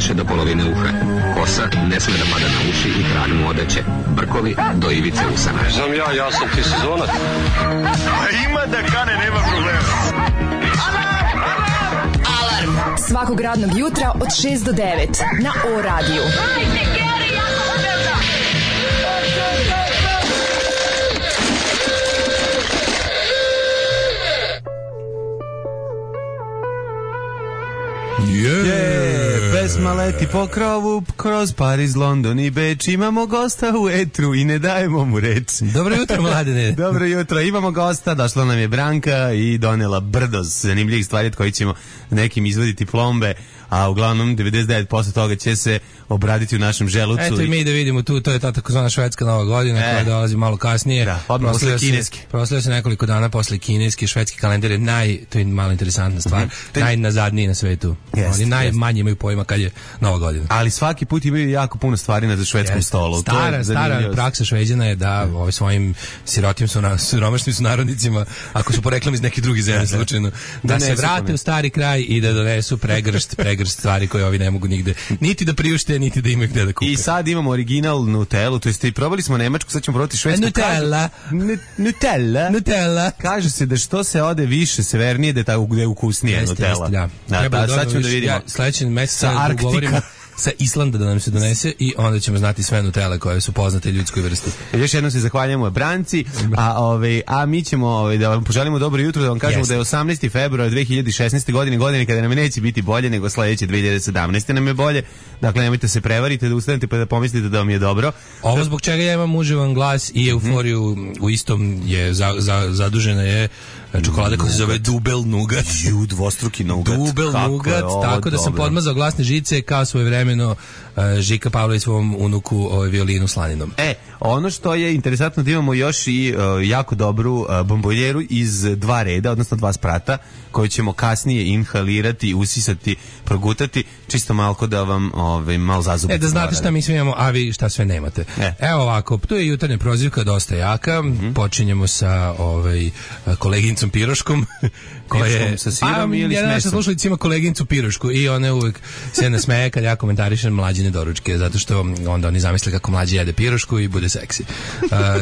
više do polovine uha. Kosa ne sme da pada na uši i kragnu odeće. Brkovi do ivice usana. Znam ja sam ti sezonac. Ima da kane, nema problema. Alarm svakog radnog jutra od 6 do 9 na O-radiju. Pesma leti po krovu kroz Pariz, London i Beč. Imamo gosta u etru i ne dajemo mu reč. Dobro jutro, mladene. Dobro jutro, imamo gosta, došla nam je Branka i donela brdo zanimljivih stvari od koji ćemo nekim izvoditi plombe, a uglavnom 99% toga će se obraditi u našem želucu. Eto i mi da vidimo tu, to je ta takozvana švedska nova godina koja dolazi malo kasnije. Da, odmah posle kineski. Proslavlja se nekoliko dana posle kineski, švedski kalendar je to je malo interesantna stvar, najnazadniji na svetu. Oni najmanje imaju pojma kad je nova godina. Ali svaki put imaju jako puno stvari na švedskom stolu. Stara praksa Šveđana je da svojim siromašnim sunarodnicima, ako su poreklom iz nekih drugih zemlja slučajno, da se vrate u stari kraj i da donesu pregršt stvari koje ovi ne mogu nigde niti da priušte, niti da imaju gde da kupe. I sad imamo original Nutellu, to jest probali smo nemačku, sad ćemo probati švedsku. Nutella. Kaže se da što se ode više severnije, da je ukusnije Nutella. Da, sad ćemo da vidimo. Sledeći mesec govorimo sa Islanda da nam se donese i onda ćemo znati sve Nutelle koje su poznate ljudskoj vrsti. Još jednom se zahvaljujemo Branci, a mi ćemo da vam poželimo dobro jutro, da vam kažemo da je 18. februar 2016. godine kada nam neće biti bolje nego sledeće 2017. nam je bolje. Dakle, nemojte se prevariti da ustanete pa da pomislite da vam je dobro. Ovo zbog čega ja imam uživan glas i euforiju u istom je zadužena je čokolada koja se zove Dubel Nugat. Dvostruki nugat. Dubel Nugat, tako da sam podmazao glasne žice kao svojevremeno Žika Pavlović svom unuku violinu slaninom. Ono što je interesantno da imamo još i jako dobru bombonjeru iz dva reda, odnosno dva sprata, koju ćemo kasnije inhalirati, usisati, progutati, čisto malko da vam malo zazubite. Da znate šta mi sve imamo, a vi šta sve nemate. Evo ovako, tu je jutarnja prozivka dosta jaka, počinjemo sa koleginicom Piroškom, koja sa sirom ili s mesom? Naša slušalica ima koleginicu Pirošku i ona uvek se nasmeje kad ja komentarišem mlađine doručke, zato što onda oni zamisle kako mlađi jede pirošku i bude seksi.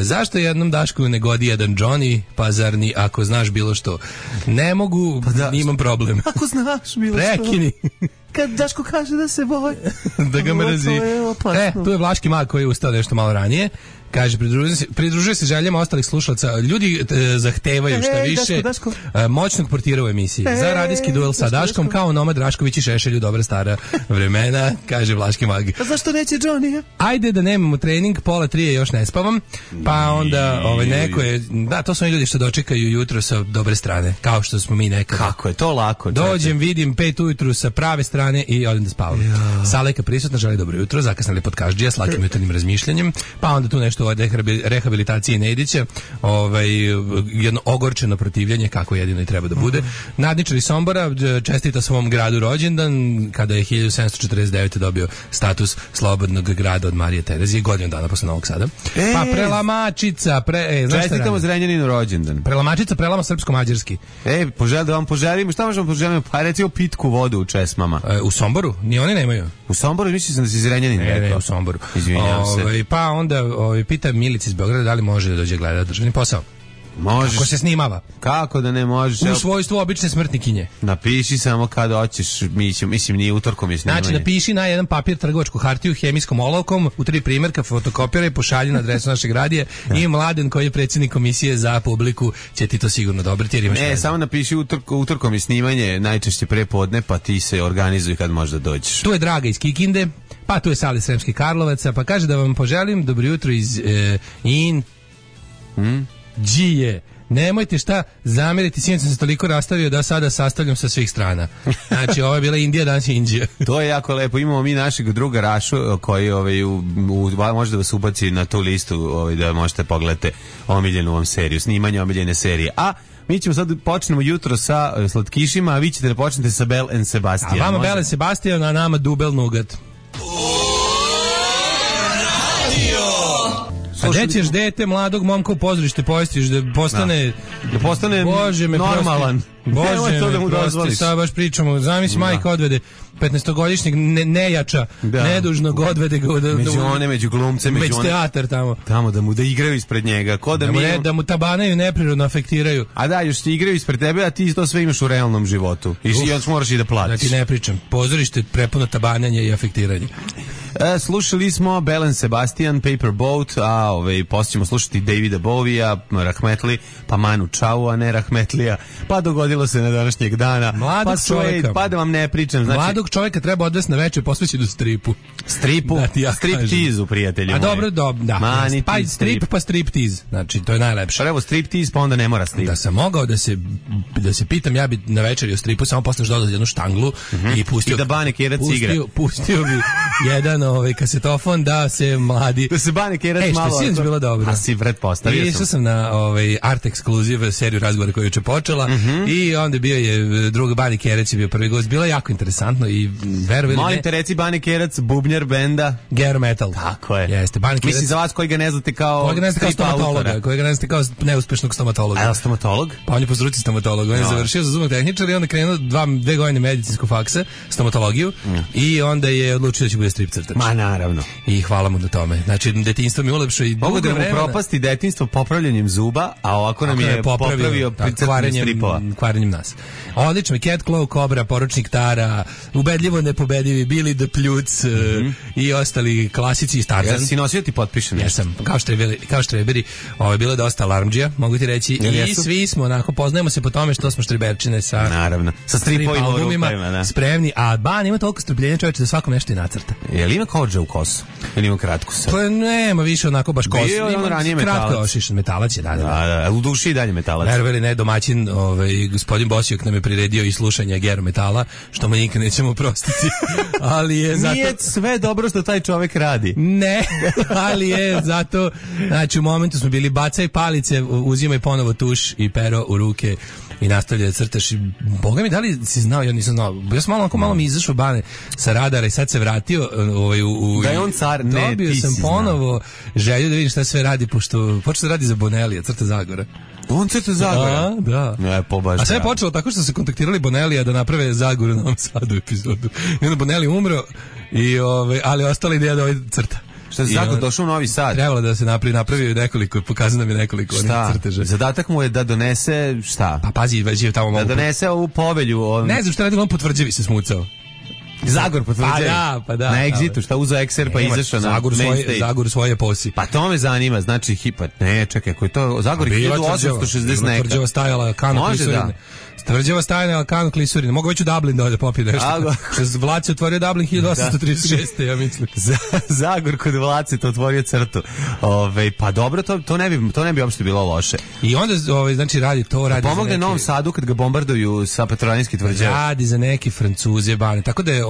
Zašto jednom Dašku ne godi jedan Johnny, pa zar ni ako znaš bilo što? Ne mogu, imam problem. Ako znaš bilo što. Prekini. Kad Daško kaže da se boji. Da ga mrzi. Tu je Vlaški mag koji je ustao nešto malo ranije. Kaže, pridružuje se željama ostalih slušalaca. Ljudi zahtevaju šta više Daško. Moćnog portira u emisiji. Za radijski duel sa Daškom, kao Nomad Rašković i Šešelju, dobra stara vremena, kaže Vlaški mag. A zašto neće Johnny? Ajde da nemamo trening, 2:30 još ne spavam, pa onda neko je, to su oni ljudi što dočekaju jutro sa dobre strane, kao što smo mi nekada. Kako je to lako? Dođem, vidim 5 ujutru sa prave strane i odem da spavam. Saleka prisutna, želi dobro jutro, zakasnili podkaždžija s lakim jutarnjim razmišljanjem, pa onda tu nešto o rehabilitaciji Nedića, jedno ogorčeno protivljenje, kako jedino i treba da bude. Nadničar iz Sombora čestita svom gradu rođendan, kada je 1749. dobio status slobodnog grada od Marije Terezije, godinu dana posle Novog Sada. Pa Prelamačica, čestitamo Zrenjaninu rođendan. Prelamačica prelama srpsko-mađarski. Da vam poželimo, šta možemo poželimo? Pa recimo pitku vodu u česmama. U Somboru? Ni oni nemaju. U Somboru mislim sam da si Zrenjanin rekao. Ne, u Somboru. Izvinjavam se. Pa onda pita Milica iz Beograda da li može da dođe gledati državni posao. Možeš. Kako se snimava? Kako da ne možeš? U svojstvu obične smrtnikinje. Napiši samo kada hoćeš, mislim nije utorkom je snimanje. Znači napiši na jedan papir trgovačku hartiju hemijskom olovkom, u 3 primjerka fotokopiraj, pošalji na adresu našeg radija i Mladen koji je predsjednik komisije za publiku će ti to sigurno odobriti jer imaš samo napiši utorkom je snimanje, najčešće prepodne, pa ti se organizuj kad možda dođeš. Tu je Draga iz Kikinde, pa tu je Sali Sremski Karlovaca, pa kaže da vam poželim dobro jutro iz Đije. Nemojte šta zameriti, sinoć sam se toliko rastavio da sada sastavljam sa svih strana. Znači, ovo je bila Indija, danas je Indija. To je jako lepo. Imamo mi našeg druga Rašu koji može da vas ubaci na tu listu da možete pogledati omiljenu vam seriju, snimanje omiljene serije. A mi ćemo sad počnemo jutro sa slatkišima, a vi ćete da počnete sa Bell and Sebastian. A vama Bell and Sebastian, a nama Dubel Nugat. A gde ćeš dete mladog momka u pozorište povestiš da postane Bože me normalan. Bože to da mu me prosti, dozvoliš. sad baš pričamo. Zamisli majka odvede 15-godišnjeg nejača, nedužnog odvede ga među glumce, među teatar tamo da igraju ispred njega, da mu tabanaju neprirodno afektiraju. A da, još ti igraju ispred tebe, a ti to sve imaš u realnom životu. I još moraš i da platiš. Da ti ne pričam. Pozorište prepuno tabanjanja i afektiranja. Slušali smo Belen Sebastian, Paper Boat, a poslije ćemo slušati Davida Bovija, Rahmetli, pa Manu Chao, a ne Rahmetlija, pa dogodilo se na današnjeg dana. Mladog čovjeka. Pa da vam ne pričam. Znači, mladog čovjeka treba odvesti na večer posvećenu stripu. Stripu? Ja striptizu, prijatelji. A dobro, da. Mani, pa strip, pa striptiz. Znači, to je najlepše. Pa evo striptiz, pa onda ne mora strip. Da sam mogao da se pitam, ja bi na večeri o stripu samo posle dodao jednu štanglu i pustio. I da Bane Kerac igra. Pustio bi jedan kasetofon da se mladi. Da se Bane Kerac malo. Što je bilo dobro. A si pretpostavio sam. Išao sam na Art Exclusive seriju razgovora koju je juče počela i onda bio je drug Bane Kerac je bio prvi gost. Bilo je jako interesantno i verovali ne. Molim te reci Bane Kerac, bubnjar benda Ger Metal. Tako je. Jeste, Bane Kerac. Mislim za vas koji ga ne znate kao stomatologa, koji ga ne znate kao neuspešnog stomatologa. A je stomatolog? Pa on je po struci stomatolog. On je završio za zubnog tehničara i onda krenuo 2 godine medicinskog faksa, stomatologiju i onda je odlučio da će bude strip crtač. Ma naravno. I hvala mu na tome. Znači, detinjstvo mi ulepšao i mogu da mu propasti detinjstvo popravljanjem zuba, a ovako nam je popravio crtanjem stripova. Kvarenjem nas. Odlično, Cat Claw, Cobra, Poručnik Tara, ubedljivo nepobedivi, Billy the Pljuc i ostali klasici i Tarzan. Ja si nosio ti potpišen? Jesam, kao štreberi. Ovo je bilo dosta alarmdžija, mogu ti reći. I svi smo, onako, poznajemo se po tome što smo štreberčine sa naravno, sa stripovima albumima, spremni, a Ban ima toliko strpljenja čovječe da svakom nešto i nacrta. Je li ima kođa u kosu? Ili ima kratku sad? Pa nema više onako baš kosu. Bio je on ranije kratko ošišan metalac je dalje. Da, u duši i dalje metalac. Verovali ne, domaćin, gospodin Bosijok nam je priredio i slušanje Ger Metala, što mu nikad nećemo oprostiti. Ali je zato... Nije sve dobro što taj čovjek radi. Ne, ali je zato, znači u momentu smo bili bacaj palice, uzimaj ponovo tuš i pero u ruke i nastavlja da crtaš. Boga mi, da li si znao, ja nisam znao. Ja sam malo mi izašao Bane sa radara i sad se vratio da je on car, ne, dobio sam ponovo želju da vidim šta sve radi, pošto počeo da radi za Bonelija, crta Zagora. On crta Zagora? Da. Ne, a sve je počelo tako što su kontaktirali Bonelija da naprave Zagoru na Novom Sadu epizodu. I onda Bonelij umro, ali ostala ideja da ovaj crta. Šta je Zagor došao u Novi Sad? Trebalo da se napravi nekoliko, pokazao nam je nekoliko onih crteža. Zadatak mu je da donese šta? Pa pazi, već je tamo mogu... Da donese ovu povelju. Ne znam šta radi, on potvrđivi se smucao. Zagor potvrđuje. Pa da. Na Exitu, šta uzeo ekser pa izašao na main stage. Zagor svoje posi. Pa to me zanima, znači ne, čekaj, koji to Zagor 1860 neka. Tvrđava stajala Kano Klisurine. Tvrđava stajala Kano Klisurine. Mogu već u Dublin da popije nešto. Vlad se otvorio Dublin 1836. ja mislim. Zagor kod Vlad to otvorio crtu. Pa dobro, to ne bi uopšte bilo loše. I onda znači radi pomogne Novom Sadu kad ga bombarduju sa Petrovaradinskih tvrđava. Radi za neke Francuze, Bane. Tako da je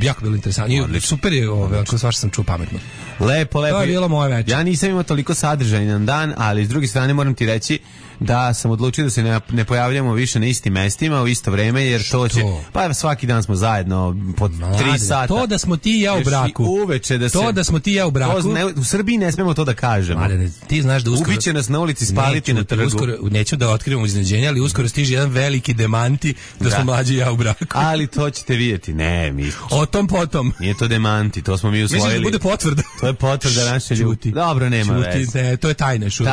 jako bilo interesantno. Super je, ako svašta sam čuo pametno. Lepo. To je bilo moje večer. Ja nisam imao toliko sadržajan dan, ali s druge strane moram ti reći da sam odlučio da se ne pojavljamo više na istim mestima u isto vreme, jer to će, pa svaki dan smo zajedno po 3 sata. To da smo ti i ja u braku. Uveče da smo ti i ja u braku. U Srbiji ne smemo to da kažemo. Ti znaš da uskoro... Ubiće nas na ulici, spaliti na trgu. Neću da otkrivamo iznenađenje, ali uskoro stiže jedan veliki demanti da smo mlađi i ja u braku. Ali to ćete vidjeti. Ne, mi... O tom potom. Nije to demanti, to smo mi usvojili. Mislim da bude potvrda. To je potvrda naše ljuti. Dobro, nema veze. To je tajne šut.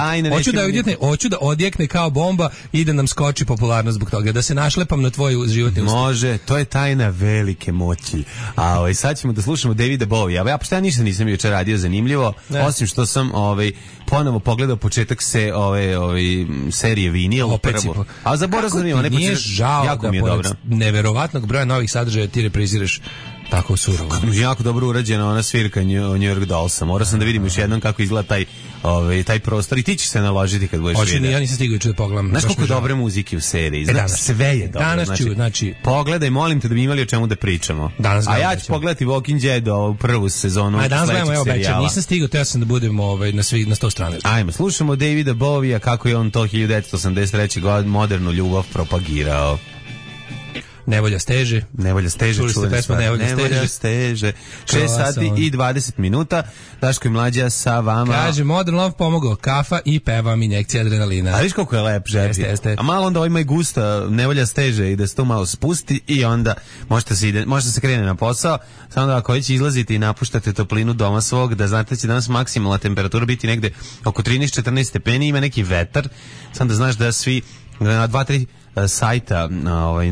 Hoću da odjekne kao bomba i da nam skoči popularnost zbog toga, da se našlepam na tvoj životni ustav. Može, to je tajna velike moći. A sad ćemo da slušamo Davida Bovija. Ja pošto ništa nisam juče radio zanimljivo, osim što sam ponovo pogledao početak serije Vinil. A zaboravio sam ima, nije žao jako da pored neverovatnog broja novih sadržaja ti repriziraš tako surovo. Jako dobro urađena ona svirka New York Dollsa. Morao sam da vidim još jednom kako izgleda taj prostor i ti ćeš se naložiti kad budeš vidio. Ja nisam stigao da pogledam. Znaš koliko dobre muzike u seriji? Sve je dobro. Danas ću, znači... Pogledaj, molim te da bi imali o čemu da pričamo. A ja ću pogledati Walking Dead u prvu sezonu sledećeg serijala. Nisam stigao, teo sam da budem na 100 strane. Ajmo, slušamo Davida Bovija kako je on to 1983. godine modernu ljubav propagirao. Nevolja steže. Nevolja steže, čuli ste pesmu Nevolja steže. 6 sati i 20 minuta. Daško i Mlađa sa vama. Kaže, Modern Love pomogao, kafa i pevam, injekcija adrenalina. A viš koliko je lep žepi. Jeste. A malo onda ima i gusta, Nevolja steže i da se to malo spusti i onda možete se krene na posao, samo da ako već izlazite i napuštate toplinu doma svog, da znate da će danas maksimalna temperatura biti negde oko 13-14 stepeni, ima neki vetar, samo da znaš da svi na 2-3 sajta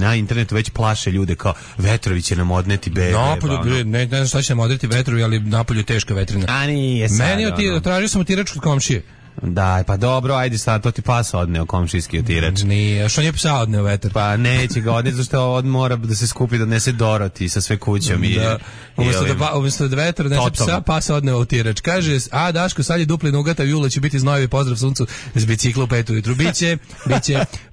na internetu već plaše ljude kao vetrovi će nam odneti bebe. Napolju, ne znam šta će nam odneti vetrovi, ali napolju je teška vetrina. A nije sad. Meni tražio sam otirač kod komšije. Da, pa dobro, ajde sad, to ti pas odneo komšijski otirač. Nije, što nije psa odneo vetar? Pa neće ga odneti, zašto on mora da se skupi da odnese Doroti sa sve kućom. Da. Umjesto da vetar odnese psa, pas odneo otirač. Kaže, a Daško, sad je dupli nugata, jula će biti znojevi, pozdrav suncu s bicikla u 5 ujutru. Biće.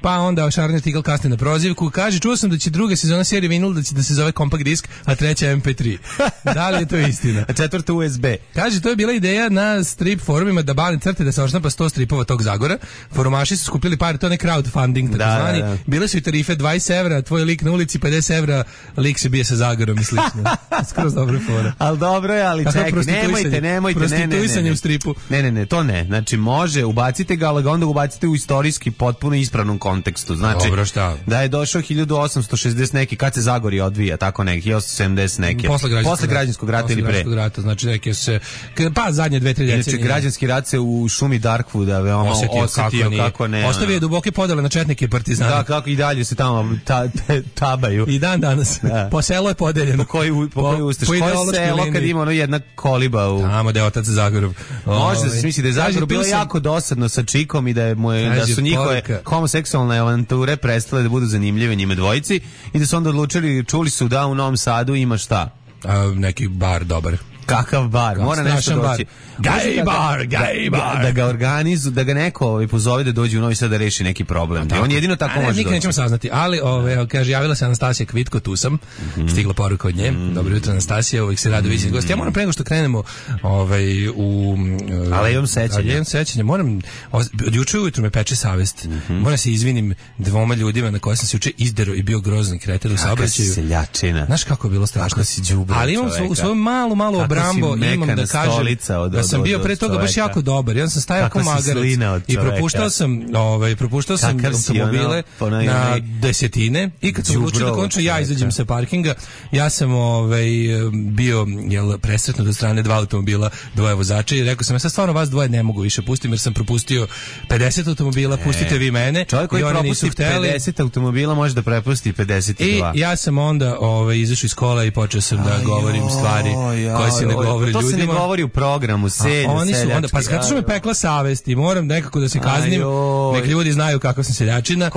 Pa onda Šarnja Tigl kasni na prozivku. Kaže, čuo sam da će druga sezona serije Vinil da se zove Compact Disk, a treća MP3. Da li je to istina? A četvrta USB. Kaže, to je bila ideja na strip forumima da bane crte da se odštampa 100 stripova tog Zagora. Forumaši su skupili pare, to je crowdfunding takozvani. Da. Bile su i tarife 20 evra, tvoj lik na ulici, 50 evra, lik se bije sa Zagorom i slično. Skroz dobra fora. Ali dobro je, ali čekaj, nemojte. Prostituisanje u stripu. Ne, to ne. Znači, može, ubacite ga, ali ga onda ubacite u istorijski potpuno ispravnom kontekstu. Znači, dobro, šta? Da je došao 1860 neki, kad se Zagorje odvija, tako neki, 1870 neki. Posle građanskog rata ili pre. Znači, neke se, pa zadnje 2-3 decenije. Inače, građanski rat se u šumi Darkwood veoma osetio kako ne. Ostavio je duboke podele na četnike i partizane. Da, kako i dalje se tamo tabaju. I dan danas. Da. Po selo je podeljeno. Po koji ustaš? Koje selo kad ima jedna koliba u... Tamo da je otac Zagorov. Može da se misli da je Zagorov bilo jako dosadno sa čikom i da su njihove homoseksualne avanture prestale da budu zanimljive njime dvojici i da su onda odlučili, čuli su da u Novom Sadu ima šta? Neki bar dobar. Kakav bar, mora nešto doći. Gay bar. Da ga organizu, da ga neko pozove da dođe u Novi Sad da reši neki problem. On jedino tako može doći. Nikad nećemo saznati, ali kaže, javila se Anastasija Kvitko, tu sam, stigla poruka od nje. Dobro jutro, Anastasija, uvijek se rado vidjeti gost. Ja moram pre nego što krenemo u Alejom sećanja, moram, od juče ujutru me peče savest. Moram se izvinim dvoma ljudima na koje sam se juče izdero i bio grozan kreter u saobraćaju. Seljačina. Znaš kako je bilo strašno. Ali imam u svoju malu obrambo, imam da kažem da sam bio pre toga baš jako dobar. Ja sam stajao kao magarac i propuštao sam automobile na desetine i kad sam odlučio da končno ja izađem sa parkinga, ja sam bio presretnut od strane 2 automobila, 2 vozača i rekao sam, ja sad stvarno vas dvoje ne mogu više pustim jer sam propustio 50 automobila, pustite vi mene. Čovjek koji propusti 50 automobila može da prepusti 52. I ja sam onda izašao iz kola i počeo sam da govorim stvari koje se ne govori ljudima. To se ne govori u programu, seljački. Pa zato što me pekla savest i moram nekako da se kaznim, nek ljudi znaju kako sam seljačina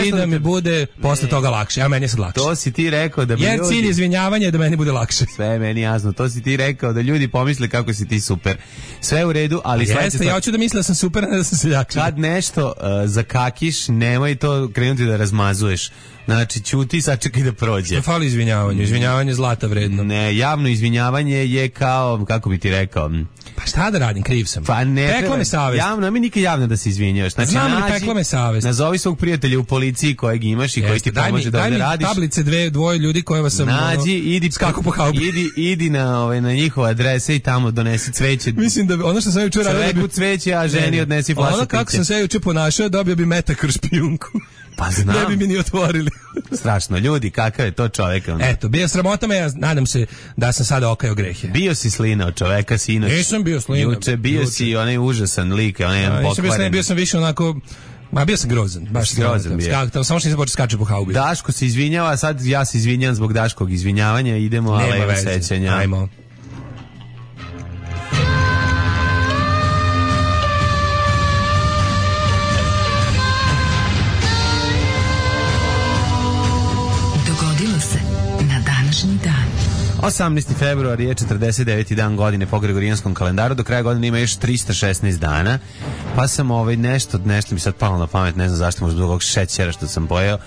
i da mi bude posle toga lakše. A meni je sad lakše. To si ti rekao da bi jer cilj izvinjavanja je da meni bude lakše. Sve je meni jasno. To si ti rekao da ljudi pomisle kako si ti super. Sve u redu, ali jeste, ja hoću da misle da sam super, ne da sam seljačina. Kad nešto zakakiš, nemoj to krenuti da razmazuješ. Znači, ćuti, sačekaj da prođe. Što fali izvinjavanju? Izvinjavanje je zlata vredno. Ne, javno izvinjavanje je kao, kako bi ti rekao... Pa šta da radim, kriv sam. Pa ne, pekla me savest. Javno, mi nikad javno da se izvinjavaš. Znači, znam li, pekla me savest. Nazovi svog prijatelja u policiji kojeg imaš i koji ti pomože da ovdje radiš. Daj mi tablice dvoje ljudi koje vas sam... Idi, skaku po haubi. Idi na njihove adrese i tamo donesi cveće. Mislim da ono što sam juče radio... Čoveku cveće, a ženi odnesi flašu piće. Ono kako sam se juče ponašao, dobio bi metak kroz špijunku. Pa znam. Ne bi mi ni otvorili. Strašno, ljudi, kakav je to čovjek. Eto, bio sramota me, ja nadam se da sam sada okajao grehe. Bio si slina od čoveka, sinoć. Nisam bio slina. Juče bio si onaj užasan lik, onaj pokvaren. Bio sam više onako... bio sam grozan, baš grozan bio. Samo što nisam počeo skače po haubi. Daško se izvinjava, sad ja se izvinjam zbog Daškog izvinjavanja, idemo Alejo sećanja. Ajmo. 18. februar je 49. dan godine po Gregorijanskom kalendaru, do kraja godine ima još 316 dana, pa sam nešto mi sad palo na pamet, ne znam zašto, možda zbog ovog šećera što sam pojeo,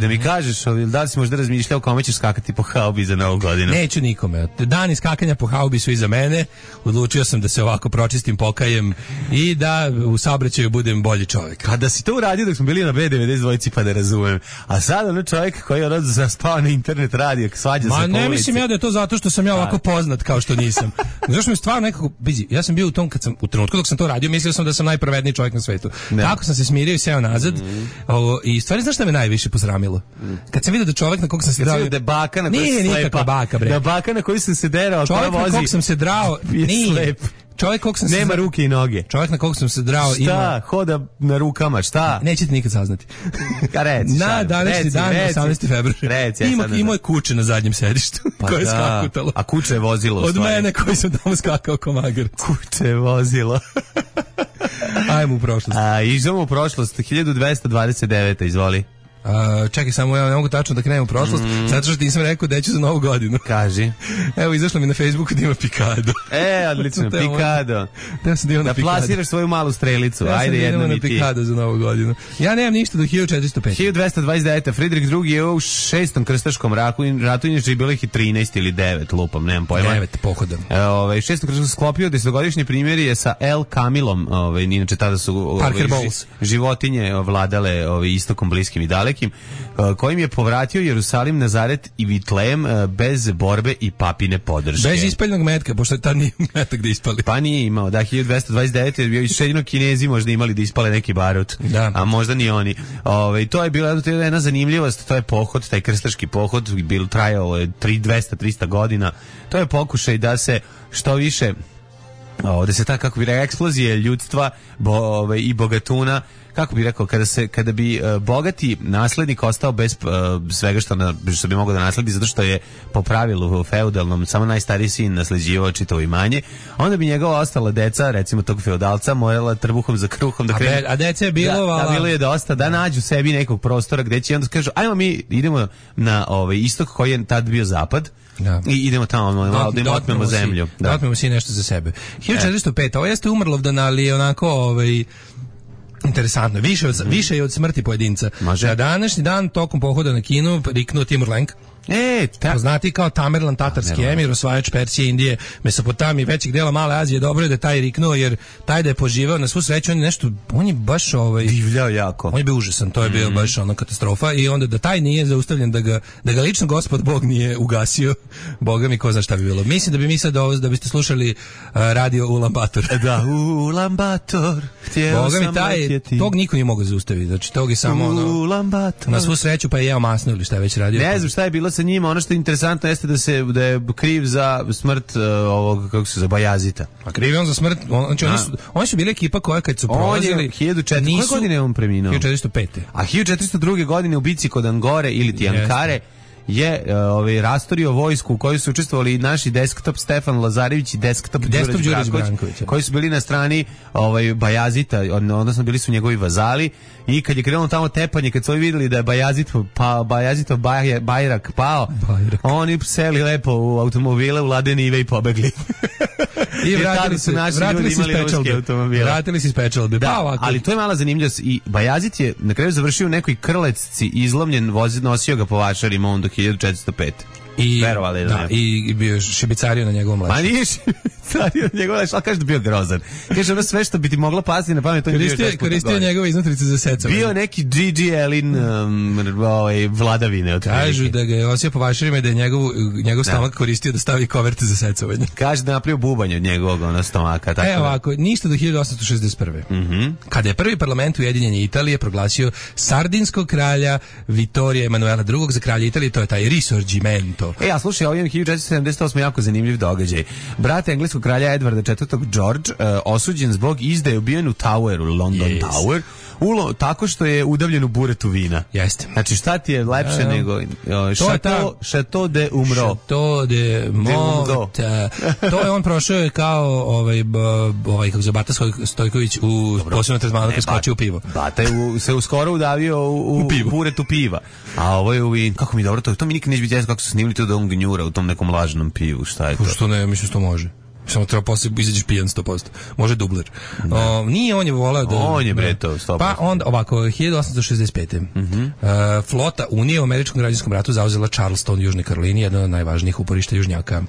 da mi kažeš, da li si možda razmišljao kome ćeš skakati po haubi za novu godinu? Neću nikome. Dani skakanja po haubi su iza mene, odlučio sam da se ovako pročistim, pokajem i da u saobraćaju budem bolji čovjek. Kada si to uradio dok smo bili na B92 pa da razumem, a sad čovjek koji je zaspao na internet radio, svađa se po ulici. Ne mislim ja da je to zato što sam ja ovako poznat kao što nisam. Zašto mi stvarno nekako, ja sam bio u tom, u trenutku dok sam to radio, mislio sam da sam najpravedniji čovjek na svetu. Kako sam se smirio i seo nazad, i stvari znaš šta me najviše posramilo? Kad sam vidio da čovjek na kog sam se drao... Da baka na kojoj se nikakva baka, bre. Da baka na kojoj sam se derao, čovjek na kog sam se drao, nije. Čovjek kog sam nema ruke i noge. Čovjek na kog sam se drao ima... Šta? Hoda na rukama, šta? Nećete nikad saznati. Reci, na današnji dan, 18. februar. Ima je kuće na zadnjem sedištu koje je skakutalo. A kuće je vozilo. Od mene koji sam tamo skakao ko magarac. Kuće je vozilo. Ajmo u prošlost. Idemo u prošlost. 1229. Izvoli. Čekaj, samo ja ne mogu tačno da krenem u prošlost, zato što nisam rekao da ću za novu godinu. Kaži. Evo, izašlo mi na Facebooku da ima Pikado. Odlično, Pikado. Da plasiraš svoju malu strelicu. Ajde, jedno mi ti. Na Pikado za novu godinu. Ja nemam ništa do 1405. 1229. Friedrich II je u 6. krstaškom ratu, inače bilo ih i 13 ili 9, lupam, nemam pojma. 9 pohodan. 6. krstaškom sklopio 10-godišnji primjer je sa El Camilom, inače tada su životinje vladale istokom, bliskim i dalekim, kojim je povratio Jerusalim, Nazaret i Vitlejem bez borbe i papine podrške. Bez ispaljenog metka, pošto tad nije metak da ispali. Pa nije imao, 1229 je bio i jedino Kinezi možda imali da ispale neki barut, a možda ni oni. To je bila jedna zanimljivost, to je pohod, taj krstaški pohod, trajao je 200-300 godina. To je pokušaj da se što više, da se ta, kako bi rekao, eksplozije ljudstva i bogatuna, kako bi rekao, kada bi bogati naslednik ostao bez svega što bi mogao da nasledi, zato što je po pravilu feudalnom samo najstariji sin nasleđivao čitavo imanje, onda bi njegova ostala deca, recimo tog feudalca, morala trbuhom za kruhom da krenu. A dece je bilo, bilo je dosta, da nađu sebi nekog prostora gde će, onda kažu, ajmo mi idemo na istok koji je tad bio zapad. I idemo tamo da im otmemo zemlju. Da otmemo si nešto za sebe. 1405. Ovo jeste Umrlovdan, ali je onako interesantno. Više je od smrti pojedinca. Na današnji dan tokom pohoda na Kinu riknuo Timur Lenk. Poznati kao Tamerlan, tatarski emir, osvajač Persije, Indije, Mesopotamije, većeg dela Male Azije. Dobro je da taj riknuo, jer taj da je poživao na svu sreću, on je baš divljao jako. On je bio užasan, to je bio baš katastrofa, i onda da taj nije zaustavljen, da ga lično Gospod Bog nije ugasio, Boga mi ko zna šta bi bilo. Mislim da bi mi sad da biste slušali radio Ulan-Bator. Da, Ulan-Bator, htjeo sam letjeti. Tog niko nije mogao zaustaviti, znači tog je samo na svu sreću, pa je jeo masno ili šta je već radio. Ne znam šta je bilo sa njima, ono što je interesantno jeste da je kriv za smrt ovog, kako se zove, Bajazita. A kriv je on za smrt, oni su bili ekipa koja kad su prolazili... Koje godine je on preminuo? 1405. A 1402. godine u bici kod Angore ili Tijankare je rastorio vojsku u kojoj su učestvovali i naši desktop Stefan Lazarević i desktop Đurić Branković, koji su bili na strani Bajazita, odnosno bili su njegovi vazali, i kad je krenulo tamo tepanje, kad su ovi vidjeli da je Bajazitov bajrak pao, oni seli lepo u automobile, u ladene ive i pobegli. I vratili su naši ljudi imali ruske automobile. Vratili se iz pečalbe. Ali to je mala zanimljivost. I Bajazit je na kraju završio u nekoj krlecci, izlomljen, nosio ga po vašarima on do 1405. I bio šebicario na njegovom mlađu. Pa nije šebicario na njegovom mlađu, ali kaže da bio grozan. Kaže, ono sve što bi ti mogla pasti na pamet, to je bio 6 puta koristio njegove iznutrice za secovanje. Bio neki Gigi Elin vladavine. Kažu da ga je osio po vašarima i da je njegov stomak koristio da stavi koverte za secovanje. Kaže da napravio bubanj od njegovog stomaka. Ovako, ništa do 1861. Kada je prvi parlament Ujedinjene Italije proglasio sardinskog kralja Vittorija Emanuela II za kralja Italije, to je taj Risorgimento. A slušaj, ovo je 1478 jako zanimljiv događaj. Brat engleskog kralja Edvarda IV. George, osuđen zbog izdaje, ubijen u Toweru, London Tower, tako što je udavljen u buretu vina. Jeste. Znači šta ti je lepše nego Chateau de Umro. Chateau de Mort. To je on prošao kao kako se Bata Stojković u posebnom tretmanu kad skoči u pivo. Bata je se uskoro udavio u buretu piva. A ovo je u vin. Kako mi dobro to mi nikad neće biti jasno kako su snimili to da on gnjura u tom nekom lažnom pivu. Šta je to? Što ne, mislim što može. Samo treba posle izađeš pijan 100%. Može dubler. Nije, on je voleo da... On je bre to 100%. Pa onda, ovako, 1865. Flota Unije u američkom građanskom ratu zauzela Charleston u Južnoj Karolini, jedno od najvažnijih uporišta južnjaka.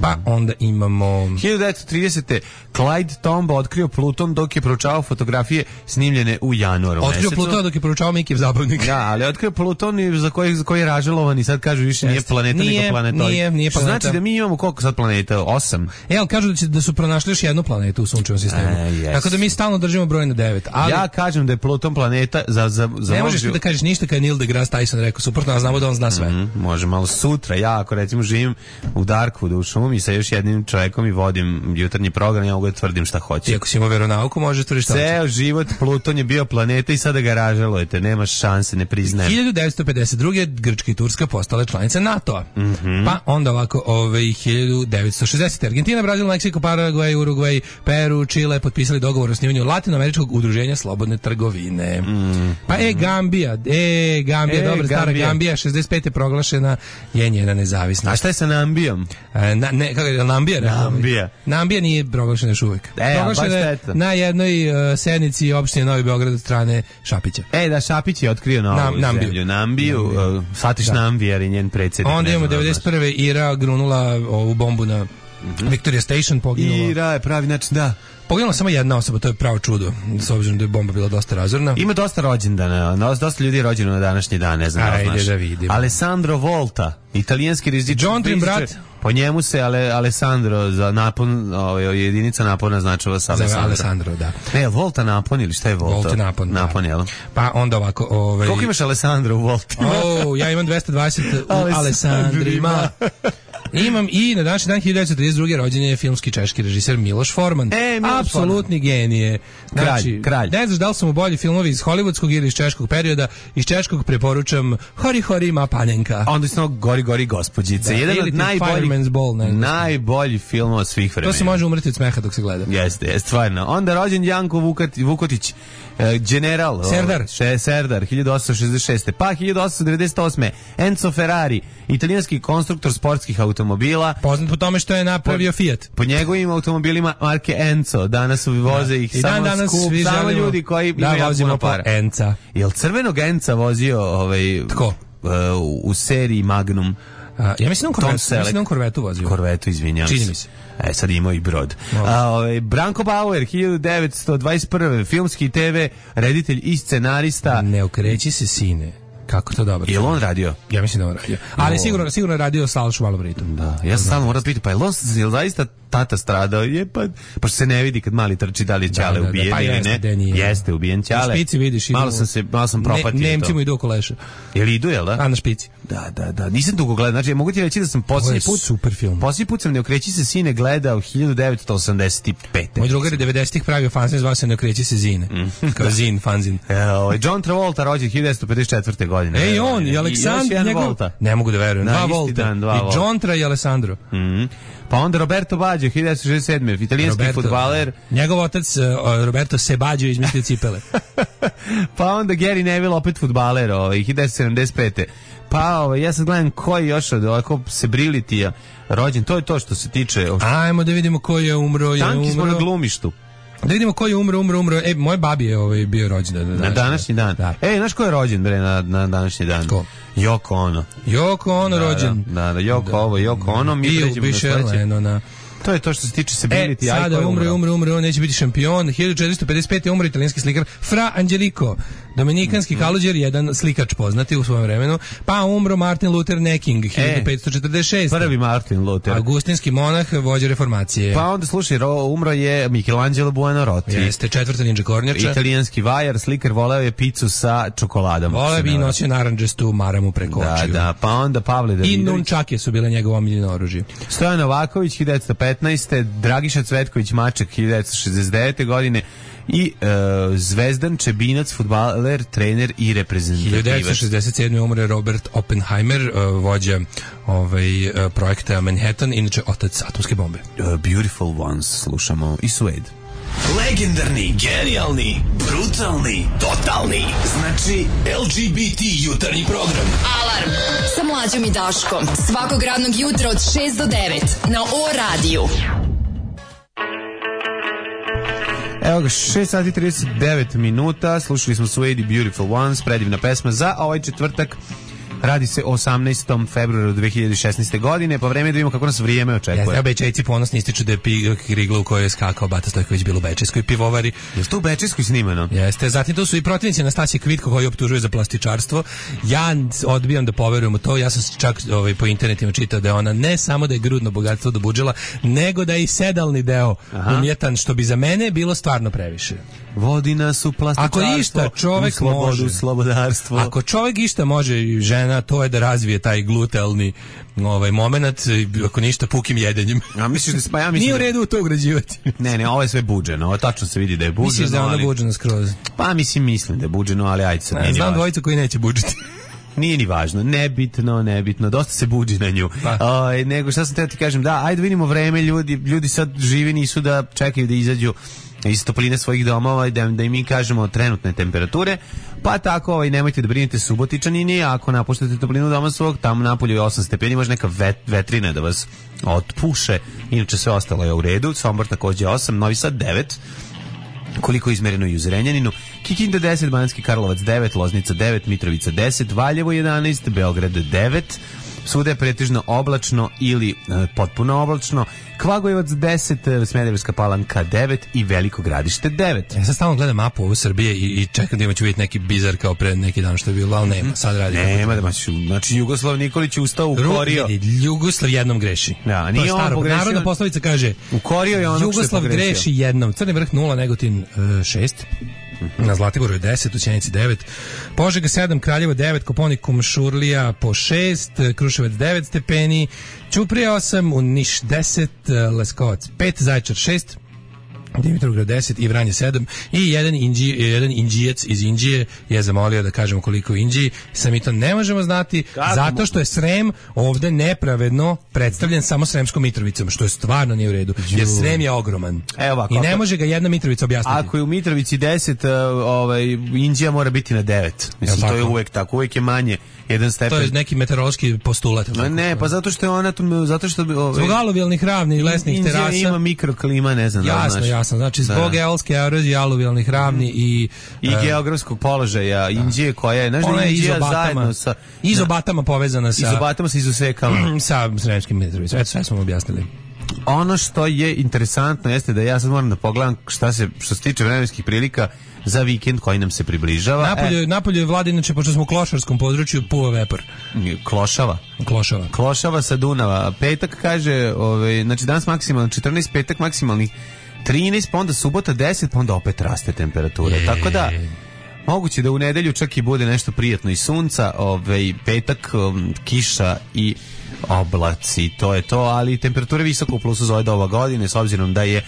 Pa onda imamo... 1930. Clyde Tombaugh otkrio Pluton dok je proučavao fotografije snimljene u januaru mesecu. Otkrio Pluton dok je proučavao Mikijev zabavnik. Da, ali otkrio Pluton za koji je ražalovan i sad kažu više nije planeta nego planetoid. Nije planeta. Znači da mi imamo koliko sad planeta? 8. Kažu da su pronašli još jednu planetu u sunčevom sistemu. Tako da mi stalno držimo broj na 9. Ali ja kažem da je Pluton planeta za ne možeš da kažeš ništa kad je Neil deGrasse Tyson rekao suprotno, a znamo da on zna sve. Može malo sutra. Ja ako recimo živim u Darkwoodu u šumi sa još jednim čovjekom i vodim jutarnji program, ja mogu da tvrdim šta hoće. I ako si imao veronauku, možeš tvrditi šta hoće. Ceo život Pluton je bio planeta i sada ga ražalujete. Nemaš šanse, ne priznajem. 1952. Grčka i Turska postale članice NATO-a. Pa onda ovako 1960. Argentina, Brazil, Meksiko, Paragvaj, Urugvaj, Peru, Čile potpisali dogovor o osnivanju Latinoameričkog udruženja slobodne trgovine. Pa Gambija, dobra stara Gambija, 65. proglašena je njena nezavisnost. A šta je sa Nambijom? Kako je, Nambija? Nambija nije proglašena još uvijek. Proglašena je na jednoj sednici opštine Novi Beograd od strane Šapića. Da, Šapić je otkrio novu zemlju. Nambiju, Satiš Nambi, jer je njen predsjednik. Onda imamo 91. Ira grunula ovu bombu na Victoria Station, poginula. Ira je pravi način, da. Poginula samo jedna osoba, to je pravo čudo, s obzirom da je bomba bila dosta razorna. Ima dosta rođendana, dosta ljudi je rođeno na današnji dan, ne znam. Ajde da vidimo. Alessandro Volta, italijanski rizičar. John Trim brat. Po njemu se Alessandro za napon, jedinica napona značava sa Alessandro, da. Ne, Volta napon ili šta je Volta? Volta napon, napon, jel? Pa onda ovako... Koliko imaš Alessandro u Volti? Ja imam 220 u Alessandrima. Imam i na današnji dan 1932. rođen je filmski češki režiser Miloš Forman. Apsolutni genije. Znači, kralj. Ne znaš da li su mu bolji filmovi iz hollywoodskog ili iz češkog perioda. Iz češkog preporučam Hori Hori Ma Panenka. A onda isto Gori gospođice. Jedan od najbolji filmova svih vremena. To se može umreti od smeha dok se gleda. Jeste, stvarno. Onda rođen Janko Vukotić, general Serdar 1866. Pa 1898. Enzo Ferrari, italijanski konstruktor sportskih automobila, poznat po tome što je napravio Fiat. Po njegovim automobilima marke Enzo danas voze ih samo ljudi koji imaju jako puno para. Enca. Jel crvenog Enca vozio tko? U seriji Magnum? Ja mislim da on Korvetu vozio. Korvetu, izvinjam se. Čini mi se. Sad imao i brod. Branko Bauer, 1921. Filmski i TV reditelj i scenarista. Ne okreći se, sine. Kako to dobro? Je li on radio? Ja mislim da on radio. Ali sigurno je radio sa Alšom Malobritom. Da, ja sam stalno moram pitati, pa je li zaista tata stradao? Pa što se ne vidi kad mali trči da li je Ćale ubijen pa ili ne. Jeste ubijen Ćale. Na špici vidiš. Malo sam propatio to. Nemci mu idu oko leša. Jel idu, jel da? A na špici. Da. Nisam dugo gledao. Znači, mogu ti reći da sam posljednji put... super film. Posljednji put sam Ne okreći se, sine gledao 1985. Moj drugar je 90-ih pravio fanzin, zvao se Ne okreći se, zine. Kao zin, fanzin. John Travolta rođen 1954. godine. Ej, on i Aleksandar njegov... Ne mogu da verujem. Dva Volta. I John Tra i Alessandro. Pa onda Roberto Baggio, 1967. Italijanski fudbaler. Njegov otac Roberto se Baggio izmislio cipele. Pa onda Gary Neville, opet fudbaler, 1975. Pa ja sad gledam koji još od ovako Sebrilitija rođen. To je to što se tiče... Ajmo da vidimo ko je umro. Tanki smo na glumištu. Da vidimo ko je umro. Moje babi je bio rođen na današnji dan. Da. Znaš ko je rođen na današnji dan? Ko? Yoko Ono rođen. Da, Yoko Ono. Mi pređemo na sledeće. To je to što se tiče Sebriliti. Sada umro, neće biti šampion. 1455. umro italijanski slikar Fra Angelico, dominikanski kaluđer, jedan slikač poznati u svojom vremenu. Pa umro Martin Luther Necking, 1546. Prvi Martin Luther. Augustinski monah, vođa reformacije. Pa onda slušaj, umro je Michelangelo Buonarroti. Jeste, četvrta ninja kornjača. Italijanski vajar, slikar, voleo je picu sa čokoladom. Voleo bi i nosio narandžastu maramu preko očiju. Da, pa onda Pavle Davidović. I nunčake su bile njegovo omiljeno oružje. Stojan Novaković, 1915. Dragiša Cvetković Maček, 1969. godine. i Zvezdan Čebinac, fudbaler, trener i reprezentativac. 1967. umre Robert Oppenheimer, vođa projekta Manhattan, inače otac atomske bombe. Beautiful Ones slušamo i Suede. Legendarni, genijalni, brutalni, totalni. Znači LGBT jutarnji program. Alarm sa Mlađom i Daškom. Svakog radnog jutra od 6 do 9 na O-radiju. Evo ga, 6 sati 39 minuta, slušali smo Suede Beautiful Ones, predivna pesma za ovaj četvrtak. Radi se o 18. februaru 2016. godine, pa vreme da vidimo kako nas vrijeme očekuje. Ja, Bečejci ponosni ističu da je Rigla u kojoj je skakao Bata Stojković bilo u Bečejskoj pivovari. Je to u Bečejskoj snimano? Jeste, zatim to su i protivnici Anastasije Kvitko koji optužuje za plastičarstvo. Ja odbijam da poverujem u to, ja sam čak po internetima čitao da je ona ne samo da je grudno bogatstvo do budžela, nego da je i sedalni deo umjetan, što bi za mene bilo stvarno previše. Vodi nas u plastičarstvo, ako išta čovek slobodu, može, slobodarstvo. Ako čovek išta može i žena, to je da razvije taj glutealni moment, ako ništa pukim jedenjem. A misliš da ja mislim nije u redu to ugrađivati. Ne, ovo je sve buđeno. Ovo tačno se vidi da je buđeno. Misliš da je ona buđena skroz? Pa mislim da je buđeno, ali ajde sad. Znam dvojicu koji neće buđiti. Nije ni važno, nebitno, dosta se buđi na nju. Nego šta sam teo ti kažem, da, ajde vidimo vreme, ljudi sad živi nisu da čekaju da izađu iz topline svojih domova i da im mi kažemo trenutne temperature, pa tako nemojte da brinete Subotičani, ako napuštate toplinu doma svog, tamo napolju je 8 stepeni, može neka vetrina da vas otpuše, inače sve ostalo je u redu. Sombor takođe 8, Novi Sad 9, koliko je izmereno i u Zrenjaninu, Kikinda 10, Banatski Karlovac 9, Loznica 9, Mitrovica 10, Valjevo 11, Beograd 9, svuda je pretežno oblačno ili potpuno oblačno, Kvagojevac 10, Smederevska Palanka 9 i Veliko Gradište 9. Ja sad stalno gledam mapu ovo Srbije i čekam da ću vidjeti neki bizar kao pre neki dan što je bilo, ali nema, sad radi. Nema, znači Jugoslav Nikolić je ustao u korio. Jugoslav jednom greši. Da, nije on pogrešio. Narodna poslovica kaže, u korio je ono što je Jugoslav greši jednom. Crni vrh 0, Negotin 6. Na Zlatiboru je 10, u Sjenici 9, Požega 7, Kraljevo 9, Koponik Šurlija po 6, Kruševac 9 stepeni, Ćuprija 8, u Niš 10, Leskovac 5, Zaječar 6, Dimitrovgrad 10 i Vranje 7 i jedan Inđijac iz Inđije je zamolio da kažemo koliko u Inđiji. Sami to ne možemo znati zato što je Srem ovde nepravedno predstavljen samo Sremskom Mitrovicom, što je stvarno nije u redu. Jer Srem je ogroman. I ne može ga jedna Mitrovica objasniti. Ako je u Mitrovici 10, Inđija mora biti na 9. Mislim, to je uvek tako. Uvek je manje jedan stepen. To je neki meteorološki postulat. Ne, pa zato što je ona zato što zbog aluvijalnih ravni i lesnih terasa ima mikroklima, ne znam. Jasno, znači zbog geolske erozije, aluvijalnih ravni i geografskog položaja Inđije koja je, znaš da je Inđija zajedno sa izobatama povezana sa izobatama sa izusekama sa Sremskim Mitrovicom. Eto, sve smo objasnili. Ono što je interesantno jeste da ja sad moram da pogledam što se tiče vremenskih prilika za vikend koji nam se približava. Napolje je vlada, inače, pošto smo u klošarskom području, puva vepor. Klošava sa Dunava. Petak kaže, znači danas maksimalno 14, petak maksimalni 13, pa onda subota 10, pa onda opet raste temperatura. Tako da moguće da u nedelju čak i bude nešto prijatno i sunca, petak kiša i oblaci, to je to, ali temperatura visoko u plusu za ova godine, s obzirom da je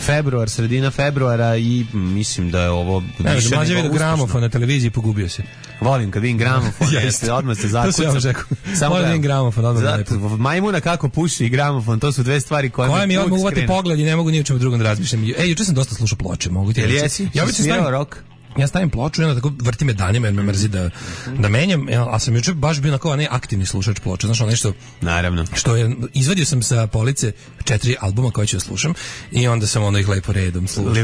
februar, sredina februara i mislim da je ovo više nego uspješno. Gramofon na televiziji, pogubio se. Volim kad vidim gramofon, odmah se zakucam. Samo da vidim gramofon, odmah majmuna kako puši i gramofon, to su dve stvari koje mi odmah uvati pogled i ne mogu ni o čemu drugom da razmišljam. Juče sam dosta slušao ploče, mogu ti reći. Jesi? Svirao rock? Ja stavim ploču i onda tako vrti me danima jer me mrzi da menjam, a sam juče baš bio onako aktivni slušač ploča, znaš, nešto. Naravno. Što je, izvadio sam sa police 4 albuma koje ću da slušam i onda sam ih lepo redom slušao.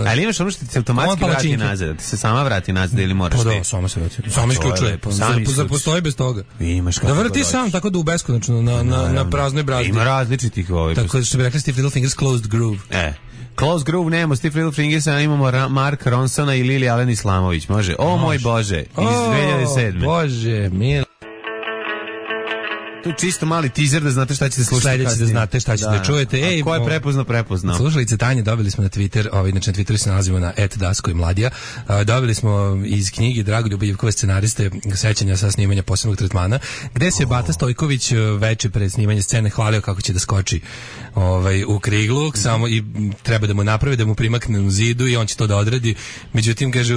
Ali imaš ono što ti se automatski vrati nazad, ti se sama vrati nazad ili moraš ti? Pa da, sama se vrati. Sama isključuje. Postoji bez toga. Da vrti sam, tako da u beskonačno na praznoj brazdi. Ima različitih Tako što bi rekli Steve Little Fingers Closed Groove. Close Groove nemamo Steve Little Fingersa, imamo Mark Ronsona i Lili Alen Islamović. Može. O moj Bože, iz 2007. Bože, mil. To je čisto mali teaser da znate šta ćete slušati sledeći kasnije. da znate šta ćete da čujete. Ej, ko je prepoznao? Slušalice Tanje dobili smo na Twitter, inače na Twitteru se nalazimo na @dasko i mladija. Dobili smo iz knjige Dragoljuba Ivkove scenariste sećanja sa snimanja posebnog tretmana, gde se Bata Stojković veče pred snimanje scene hvalio kako će da skoči u kriglu, samo i treba da mu napravi, da mu primakne u zidu i on će to da odradi. Međutim, kaže,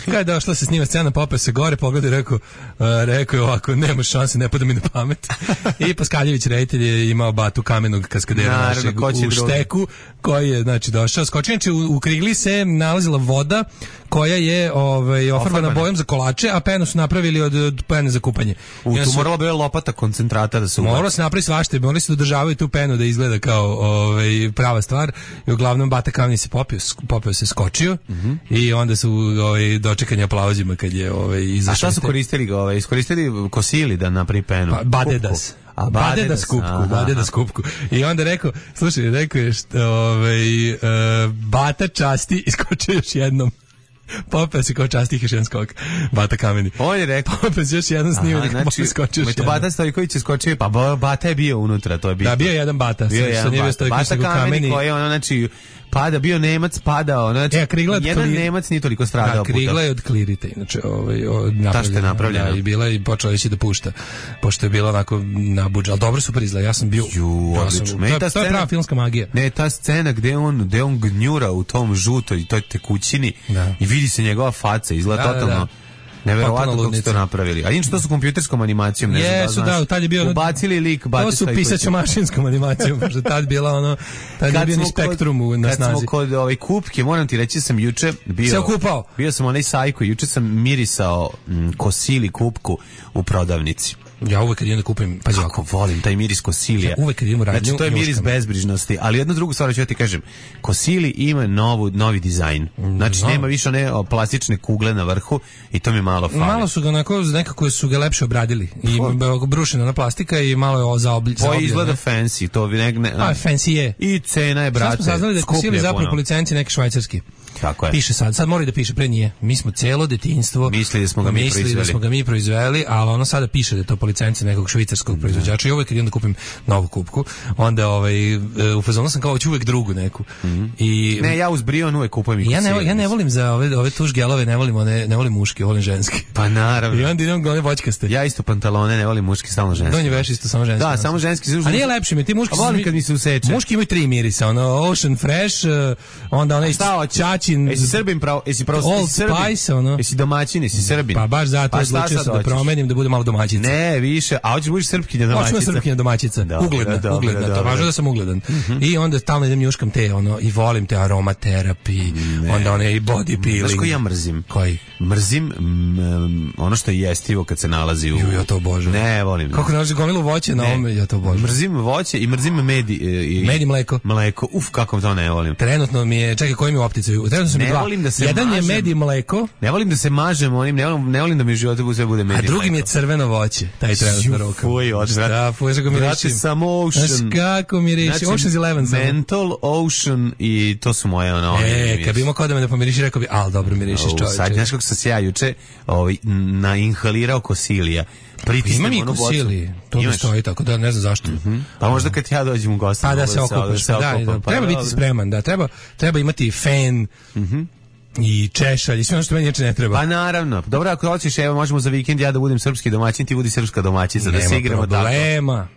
kada je došla se snima scena, popeo se gore, pogledao i rekao je ovako, nema šanse, ne pada mi na pamet. I Paskaljević reditelj je imao Batu Kamenog kaskadera našeg u šteku, koji je znači došao, skočio. Znači u krigli se nalazila voda koja je ofarbana bojom za kolače, a penu su napravili od pene za kupanje. Tu morala bi lopata koncentrata da se ubaci. Moralo se napravi svašta, morali se dodržavaju tu penu da izgleda kao prava stvar. I uglavnom Bata Kamen se popeo se skočio i onda su dočekani aplauzima kad je izašao. A šta su koristili? Iskoristili kosili da napravi penu? Pa, badedas. Badedas kupku. I onda rekao je Bata časti iskočio još jednom. Popeo se kao častih još jedan skok. Bata Kameni. On je rekao. Popeo se još jedan snimak. Znači, Bata Stojković je skočio, pa Bata je bio unutra, to je bio. Da, bio je jedan Bata. Bata Kameni koji je znači bio Nemac, padao, znači jedan Nemac nije toliko stradao. Da, krigla je od klirite, inače napravljena. I bila i počela ići da pušta, pošto je bila onako nabuđa, ali dobro su prizla, ja sam bio to je prava filmska magija. Ne, ta scena gde on gnjura u tom žutoj, toj tekućini i vidi se njegova faca, izgleda totalno neverovatno kako su to napravili. A inače to su kompjuterskom animacijom, ne znam da znaš. Da, tad je bio ubacili lik Bata Stojkovića. To su pisaćo-mašinskom animacijom, pošto tad bila tad je bio ni Spektrum na snazi. Kad smo kod kupke, moram ti reći, sam juče bio sam onaj sajko, juče sam mirisao kosili kupku u prodavnici. Ja uvek kad idem da kupim, pazi kako volim taj miris kosilija. Ja uvek kad idem u radnju, znači to je miris bezbrižnosti, ali jednu drugu stvar ću ti kažem. Kosili ima novi dizajn. Znači nema više one plastične kugle na vrhu i to mi malo fali. Malo su ga nekako su ga lepše obradili i brušena na plastika i malo je zaobljeno. To izgleda fancy, to fancy je. I cena je, brate. Sad smo saznali da je Kosili zapravo po licenci neki švajcarski. Tako je. Piše sad mora da piše, pre nije. Mi smo celo detinjstvo mislili da smo ga mi proizveli, ali ono sada piše da je to po licenci nekog švicarskog proizvođača. I uvek kad idem da kupim novu kupku, onda u fazonu sam kao ću uvek drugu neku. I ne, ja uz Brion uvek kupujem i Kosili. Ja ne volim za ove tuš gelove, ne volim muški, volim ženski. Pa naravno. I onda idem one voćkaste. Ja isto pantalone ne volim muški, samo ženski. Donji veš isto samo ženski. Da, samo ženski. A nije lepše mi, ti muški volim kad mi se useče. Muški imaju 3 mirisa, Ocean Fresh, onda onaj Ćaćin. Srbin pravo, jesi Old Spice, jesi domaćin, jesi Srbin. Pa baš zato odlučio sam da promenim, da bude malo domaćica. Ne, više, a hoćeš budeš srpkinja domaćica. Hoću srpkinja domaćica, ugledna, to važno da sam ugledan. I onda stalno idem njuškam te, i volim te aromaterapi, onda one i body peeling. Znaš koji ja mrzim? Koji? Mrzim ono što je jestivo kad se nalazi u... Ja to obožavam. Ne, volim. Kako nalazi gomilu voće na ovome, ja to obožavam. Mrzim voće i mrzim med i mleko. Mleko, kako to ne volim. Trenutno mi je, čekaj, koji mi u optici? Trenutno su mi dva. Jedan je med i mleko. Ne volim da se mažem onim, ne volim da mi u životu sve bude med i mleko. A drugi mi je crveno voće, taj trenutno roka. Fuj, da, fuj, kako mi reši. Samo Ocean. Znaš kako mi reši, Ocean's 11. Mental, Ocean i to su moje kad bi imao kod da me da pomiriši, rekao bi, al dobro mirišiš čovječe. Sad, znaš kako sam se ja juče nainhalirao Kosilija. Imam i Kosili, to mi stoji tako da ne znam zašto. Pa možda kad ja dođem u goste. Pa da se okupaš, treba biti spreman, da, treba imati fen, i češalj i sve ono što meni neče ne treba. Pa naravno. Dobro, ako hoćeš, evo možemo za vikend ja da budem srpski domaćin, ti budi srpska domaćica, da se igramo tako. Nema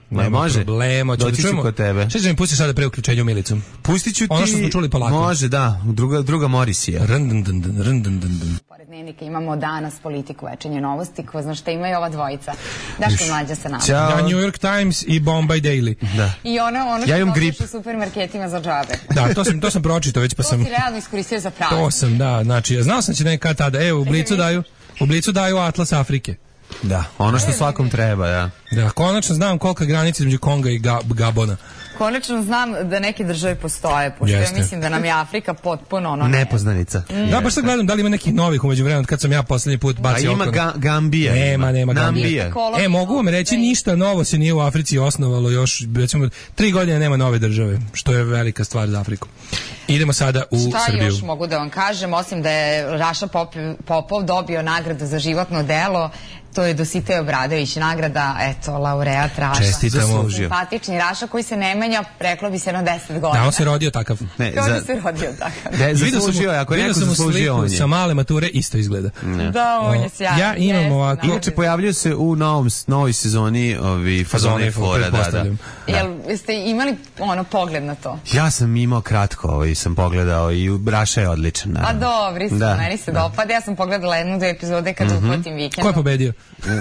problema. Doći ću kod tebe. Šta će mi pustiš sada pre uključenju Milicom? Pustit ću ti... Ono što smo čuli polako. Može, da. Druga Morisija. Pored dnevnika imamo danas Politiku, Večernje novosti, ko zna šta imaju ova dvojica. Daško Mlađa sa nama. Ja, New York Times i Bombay Daily. Da. I ono što prodaš u supermarketima za džabe. Da, to sam pročitao već pa sam... To si realno iskoristio za pravo. To sam, da, znači, znao sam će nekad tada, evo, u Blicu daju Atlas Afrike. Da, ono što svakom treba, da. Da, konačno znam kolika je granica između Konga i Gabona. Konačno znam da neke države postoje, pošto ja mislim da nam je Afrika potpuno nepoznanica. Da, baš sad gledam da li ima nekih novih umeđu vremena kad sam ja poslednji put bacio oko. A ima Gambija. Nema Gambija. Mogu vam reći, ništa novo se nije u Africi osnovalo još, recimo, 3 godine nema nove države, što je velika stvar za Afriku. Idemo sada u Srbiju. Šta još mogu da vam kažem, osim da je Raša Popov dobio nagradu za životno delo, To je Dositej Obradović, nagrada, eto, laureat Raša. Čestitamo. Simpatični Raša koji se ne menja, reklo bi se na 10 godina. Da, on se rodio takav. Ne, Kao da se rodio takav. zaslužio je, ako je neko zaslužio, on je. Sa male mature isto izgleda. Da, on je sjajan. Ja imam ovako. Inače, pojavljaju se u novoj sezoni Fazone i Flora, da. Jel ste imali pogled na to? Ja sam imao kratko, sam pogledao i Raša je odličan. A dobri su, meni se dopada. Ja sam pogledala 1-2 epizode kad uhvatim vikend. Ko je pobedio?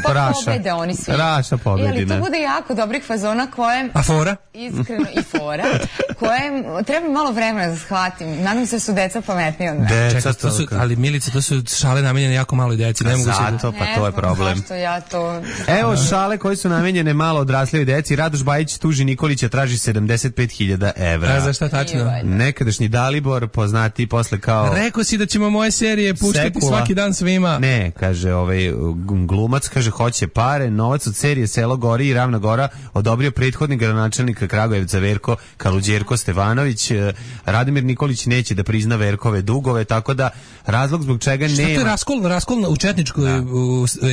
Raša. Pobede oni svi. Raša pobedi, ali to bude jako dobrih fazona koje... A fora? Iskreno, i fora. Koje treba malo vremena da shvatim. Nadam se da su deca pametniji od mene. Deca, ali Milice, to su šale namenjene jako malo deci. Zato, pa to je problem. Zašto ja to... Evo šale koje su namenjene malo odraslijoj deci. Radoš Bajić tuži Nikolića, traži 75.000 evra. A za šta tačno? Nekadašnji Dalibor, poznati posle kao... Rekao si da ćemo moje serije puštati svaki dan svima. Ne, kaže glumac, kaže hoće pare, novac od serije Selo gori i Ravna gora odobrio prethodni gradonačelnik Kragujevca Verko Kaluđerko Stevanović. Radimir Nikolić neće da prizna Verkove dugove, tako da razlog zbog čega nema... Šta to je raskol u četničkoj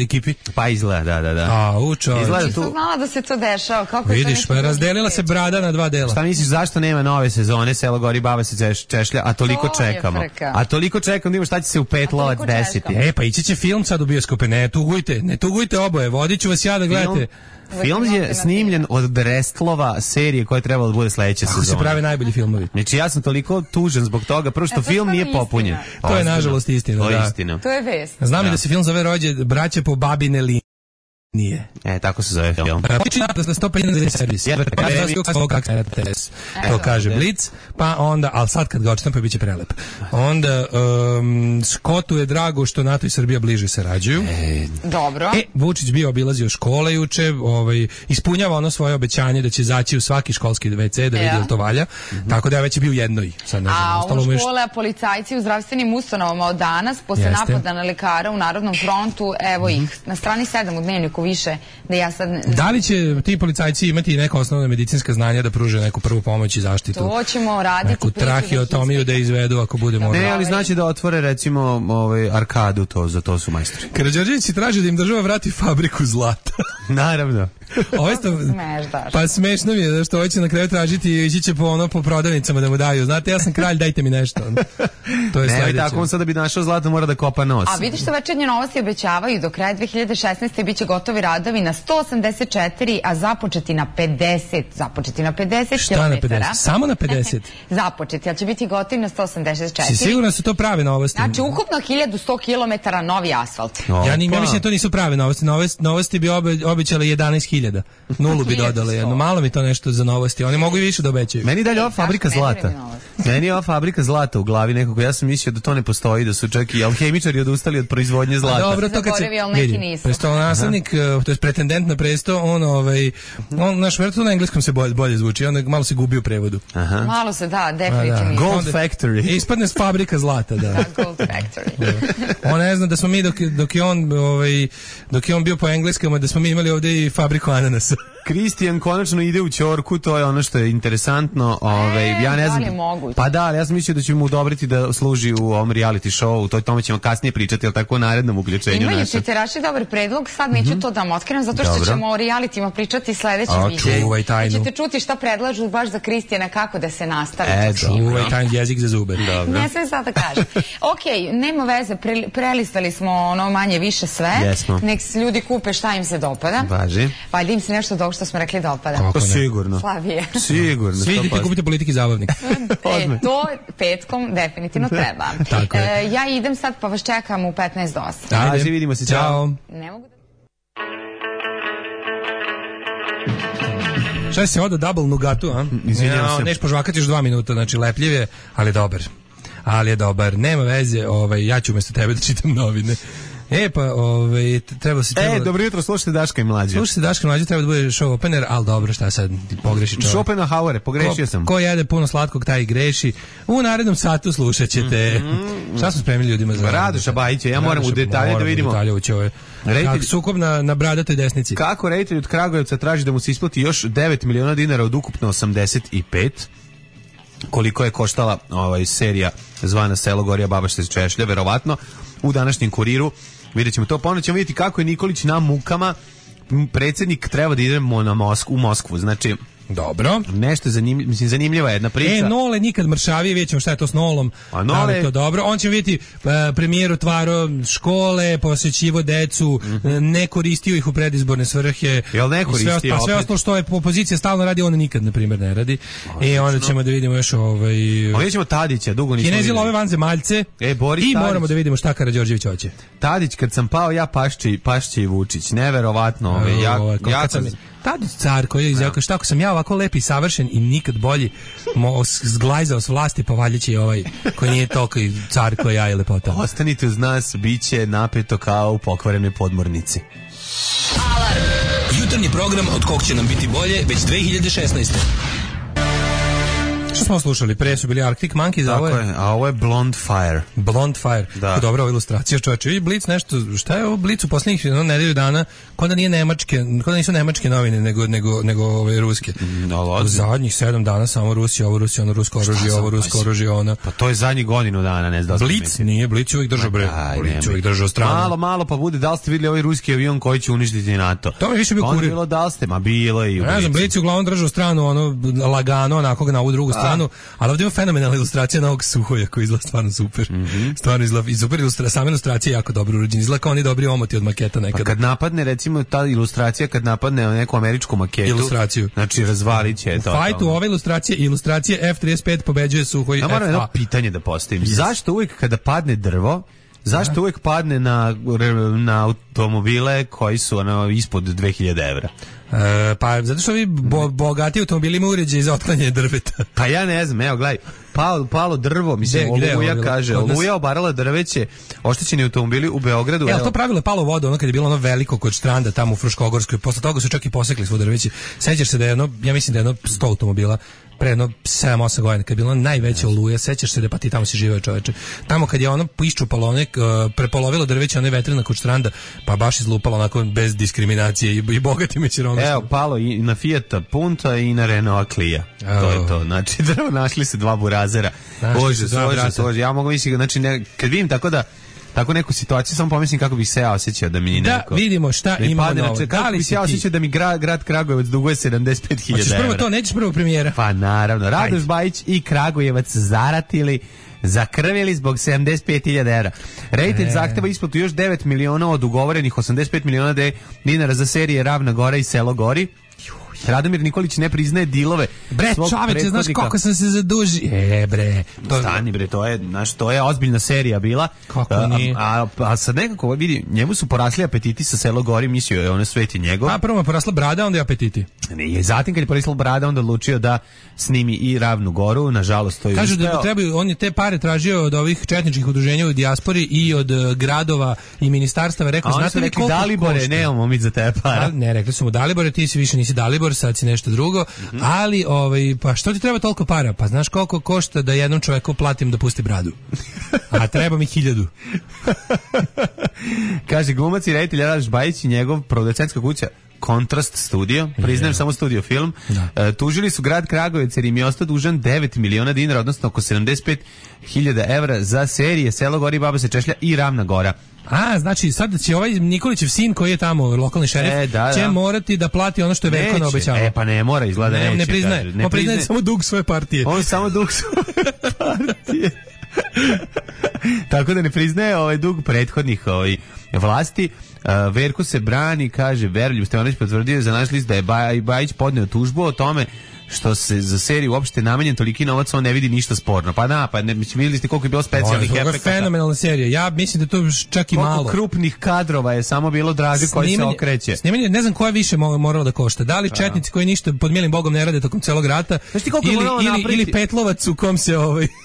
ekipi? Pa izgleda, da. A, učo. Izgleda tu... znala da se to dešava. Kako vidiš, pa razdelila se brada na 2 dela. Šta misliš, zašto nema nove sezone Selo gori, baba se češlja, a toliko čekamo? A toliko čekamo da imamo šta će se u 5 lovac desiti. Pa ići će film sad u bioskope, ne tugujte oboje, vodit ću vas ja da gledate. Film je snimljen od Brestlova serije koja je trebala da bude sledeća sezona. Kako se prave najbolji filmovi. Znači ja sam toliko tužan zbog toga, prvo što film nije popunjen. To je nažalost istina. To je istina. To je vest. Znam i da se film zove Rođe braće po babine linije. Nije. Tako se zove film. To kaže Blic, pa onda, ali sad kad ga očitam pa bit će prelep. Onda Škotu je drago što NATO i Srbija bliže sarađuju. Dobro. Vučić bio obilazio škole juče, ispunjava ono svoje obećanje da će zaći u svaki školski WC da vidi da to valja. Tako da je već bio u jednoj. A u škole, policajci u zdravstvenim ustanovama od danas, posle napada na lekara u Narodnom frontu, evo ih, na strani 7 u Dnevniku više, da ja sad... Da li će ti policajci imati neka osnovna medicinska znanja da pruže neku prvu pomoć i zaštitu? To ćemo raditi. Neku trahiotomiju da izvedu ako bude moralo. Ne, ali znači da otvore recimo arkadu, za to su majstori. Karađorđevići traže da im država vrati fabriku zlata. Naravno. Pa smešno mi je što hoće na kraju tražiti i ići će po prodavnicama da mu daju. Znate, ja sam kralj, dajte mi nešto. To je sledeće. Ne, tako on sad da bi našao zlato mora da kopa nos. A vidiš što Večernje novosti obećavaju do kraja 2016. biće gotovi radovi na 184, a započeti na 50. Započeti na 50 Šta na 50? Samo na 50? Započeti, ali će biti gotovi na 184. Si sigurno su to prave novosti? Znači, ukupno 1100 km novi asfalt. Ja mislim da to nisu prave novosti. Novosti bi obećale 11.000. Nulu bi dodale jedno. Malo mi to nešto za novosti. Oni mogu i više da obećaju. Meni dalje ova fabrika zlata. Meni je ova fabrika zlata u glavi nekako. Ja sam mislio da to ne postoji, da su čak i alhemičari odustali od proizvodnje zlata. Dobro, to kad se vidi. Prestolonaslednik, to je pretendent na presto, on naš vrtu na engleskom se bolje zvuči. On malo se gubi u prevodu. Malo se, da, definitivno. Gold Factory. Ispadne s fabrika zlata, da. Gold Factory. On ne zna da smo mi dok je on bio po engleskom, da smo mi imali ovdje i fabriku ananasa. Kristijan konačno ide u ćorku, to je ono što je interesantno. Ja ne znam. Da li je moguće? Pa da, ali ja sam mislio da će mu odobriti da služi u ovom reality showu, tome ćemo kasnije pričati, ali tako u narednom uključenju. Imaju Čiteraši dobar predlog, sad neću to da vam otkrivam, zato što ćemo o realitima pričati sledeći video. Čuvaj tajnu. Ćete čuti šta predlažu baš za Kristijana, kako da se nastavi. Čuvaj tajnu, jezik za zube. Ne sve sad da kažem. Ok, nema veze, prelistali smo ono manje više sve. Nek ljudi kupe šta im se dopada. Važi. Pa da im se nešto što smo rekli dopada. To sigurno. Slavije. Sigurno. Svi idete kupiti Politiki zabavnik. To petkom definitivno treba. Ja idem sad pa vas čekam u 15 do 8. Ajde, vidimo se. Ćao. Ne mogu da... Šta se oda double nugatu, a? Izvinjam se. Neš požvakati još 2 minuta, znači lepljiv je, ali je dobar. Nema veze, ja ću umjesto tebe da čitam novine. Treba se... dobro jutro, slušajte Daška i Mlađe. Treba da bude show opener, ali dobro, šta sad, pogreši čovjek. Schopenhauer, pogrešio sam. Ko jede puno slatkog, taj i greši. U narednom satu slušat ćete. Šta smo spremili ljudima za... Radoša Bajića, ja moram u detalje da vidimo. Sukob na bradatoj desnici. Kako reditelj od Kragujevca traži da mu se isplati još 9 miliona dinara od ukupno 85? koliko je koštala serija zvana Selo gori, a baba se češlja, verovatno u današnjem Kuriru. Vidjet ćemo to, ponovno ćemo vidjeti kako je Nikolić na mukama. Predsjednik treba da idemo u Moskvu, znači dobro. Nešto zanimljiva jedna priča. Nole nikad mršavije, vidjet ćemo šta je to s Nolom. A Nole... je to dobro. On će vidjeti premijer otvaro škole, posjećivo decu, ne koristio ih u predizborne svrhe. Jel ne koristio? A sve ostalo što je opozicija stalno radi, on nikad, na primjer, ne radi. I onda ćemo da vidimo još vidjet ćemo Tadića, dugo nismo Kinezi love vanzemaljce. Boris I Tadić. moramo da vidimo šta Karađorđević hoće. Tadić, kad sam pao, ja Pašće i Vučić. Neverovatno. Tadić car koji je izjavio šta ako sam ja ovako lep i savršen i nikad bolji zglajzao s vlasti, pa valjda će i ovaj koji nije toliko car koji ja i lepota. Ostanite uz nas, bit će napeto kao u pokvarenoj podmornici. Alarm! Jutarnji program od kog će nam biti bolje već 2016. Što smo slušali? Pre su bili Arctic Monkeys, a ovo je Blonde Fire. Blonde Fire. Da. Dobra ova ilustracija, čovječe. Vidi Blic nešto, šta je ovo Blic u posljednjih nedelju dana, kod da nije nemačke, kod da nisu nemačke novine, nego ove ruske. U zadnjih 7 dana samo Rusija, ovo Rusija, ono rusko oružje, ovo rusko oružje, ono. Pa to je zadnjih godinu dana, ne znam. Blic nije, Blic uvijek držao bre. Blic uvijek držao stranu. Malo pa bude, da li ste vidjeli ovaj ruski avion koji će uništiti NATO? To mi više bio Kurir. Bilo da li ste, ma bilo je i u Blicu. Ne znam, Blic je uglavnom držao stranu, ono, lagano, onako na ovu drugu stranu, ali ovdje ima fenomenalna ilustracija novog Suhoja koji izgleda stvarno super. Stvarno izgleda i super ilustracija, sama ilustracija je jako dobro urađena. Izgleda kao oni dobri omoti od maketa nekada. Pa kad napadne, recimo, ta ilustracija, kad napadne neku američku maketu, ilustraciju. Znači, razvalit će to. U fajtu ove ilustracije F-35 pobeđuje Suhoj FA. Ja moram jedno pitanje da postavim. Yes. Zašto uvijek kada padne drvo, zašto uvijek padne na automobile koji su ispod 2000 evra? Pa zato što vi bogati automobili imaju uređaj za otklanjanje drveta. Pa ja ne znam, evo gledaj, palo drvo, mislim, Oluja kaže, Oluja obarala drveće, oštećeni automobili u Beogradu. Evo, to pravilo je palo u vodu, ono kad je bilo ono veliko kod Štranda tamo u Fruškogorskoj, posle toga su čak i posekli svo drveće. Sećaš se da je ja mislim da je 100 automobila pre jedno 7-8 godina, kad je bila najveća oluja, sećaš se da pa ti tamo si živeo čoveče. Tamo kad je ono iščupalo, prepolovilo drveće, one vetrina kod Štranda, pa baš izlupalo onako bez diskriminacije i bogatim i siromašnim. Evo, palo i na Fiata Punta i na Renault Clio. To je to. Znači, drvo našli se 2 burazera. Bože. Ja mogu misliti, znači, kad vidim tako neku situaciju, samo pomislim kako bih se ja osjećao da mi neko... Da, vidimo šta imamo novo. Kako bih se ja osjećao da mi grad Kragujevac duguje 75.000 evra. Hoćeš prvo to, nećeš prvo premijera? Pa naravno, Radoš Bajić i Kragujevac zaratili, zakrvili zbog 75.000 evra. Reditelj zahteva isplatu još 9 miliona od ugovorenih 85 miliona dinara za serije Ravna Gora i Selo gori. Radomir Nikolić ne priznaje dilove. Bre, čoveče, znaš koliko sam se zaduži. Bre. Stani bre, to je ozbiljna serija bila. Kako nije? A sad nekako vidi, njemu su porasli apetiti sa Selo gori, mislio je ono svet je njegov. A prvo je porasla brada, onda je apetiti. Ne, zatim kad je porasla brada, onda odlučio da snimi i Ravnu Goru, nažalost to je. Kažu da trebaju, on je te pare tražio od ovih četničkih udruženja u dijaspori i od gradova i ministarstava, rekao znate li koliko Dalibore, nemamo mi za te para. Ne, rekli su mu Dalibore, ti si više nisi Dalibor, sad si nešto drugo, ali pa što ti treba toliko para? Pa znaš koliko košta da jednom čoveku platim da pusti bradu? A treba mi 1000. Kaže glumac i reditelj Radoš Bajić i njegov producentska kuća Kontrast studio, priznajem samo studio film, tužili su grad Kragujevac jer im je ostao dužan 9 miliona dinara, odnosno oko 75.000 evra za serije Selo gori, baba se češlja i Ravna Gora. A, znači sad će ovaj Nikolićev sin koji je tamo lokalni šerif će morati da plati ono što je Veljko obećao. Pa ne mora, izgleda neće. Ne priznaje. On priznaje samo dug svoje partije. On samo dug svoje partije. Tako da ne priznaje dug prethodnih vlasti. Verko se brani, kaže Veroljub Stevanović potvrdio za naš list da je Bajić podneo tužbu o tome što se za seriju uopšte namenjen toliki novac, on ne vidi ništa sporno. Pa ne, vidjeli ste koliko je bilo specijalnih efekata. To je fenomenalna serija. Ja mislim da to čak i malo. Koliko krupnih kadrova je samo bilo Draže koji se okreće. Snimanje, ne znam koja više moralo da košta. Da li četnici koji ništa pod milim bogom ne rade tokom celog rata, ili Petlovac u kom se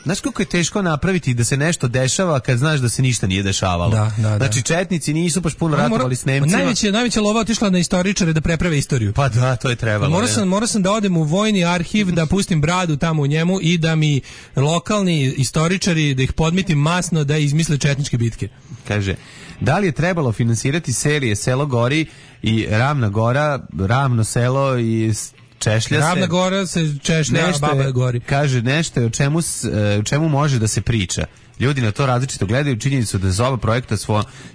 Znaš koliko je teško napraviti da se nešto dešava kad znaš da se ništa nije dešavalo. Da. Znači četnici nisu baš puno ratovali s Nemcima. Najveća lova otišla na istoričare da preprave istoriju. Pa da, to je trebalo. Morao sam da odem u vojni arhiv, da pustim bradu tamo u njemu i da mi lokalni istoričari, da ih podmitim masno da izmisle četničke bitke. Kaže, da li je trebalo finansirati serije Selo gori i Ravna Gora, Ravno selo i češlja se. Ravna Gora se češlja, a Baba je gori. Kaže, nešto je o čemu može da se priča. Ljudi na to različito gledaju, činjenicu da za oba projekta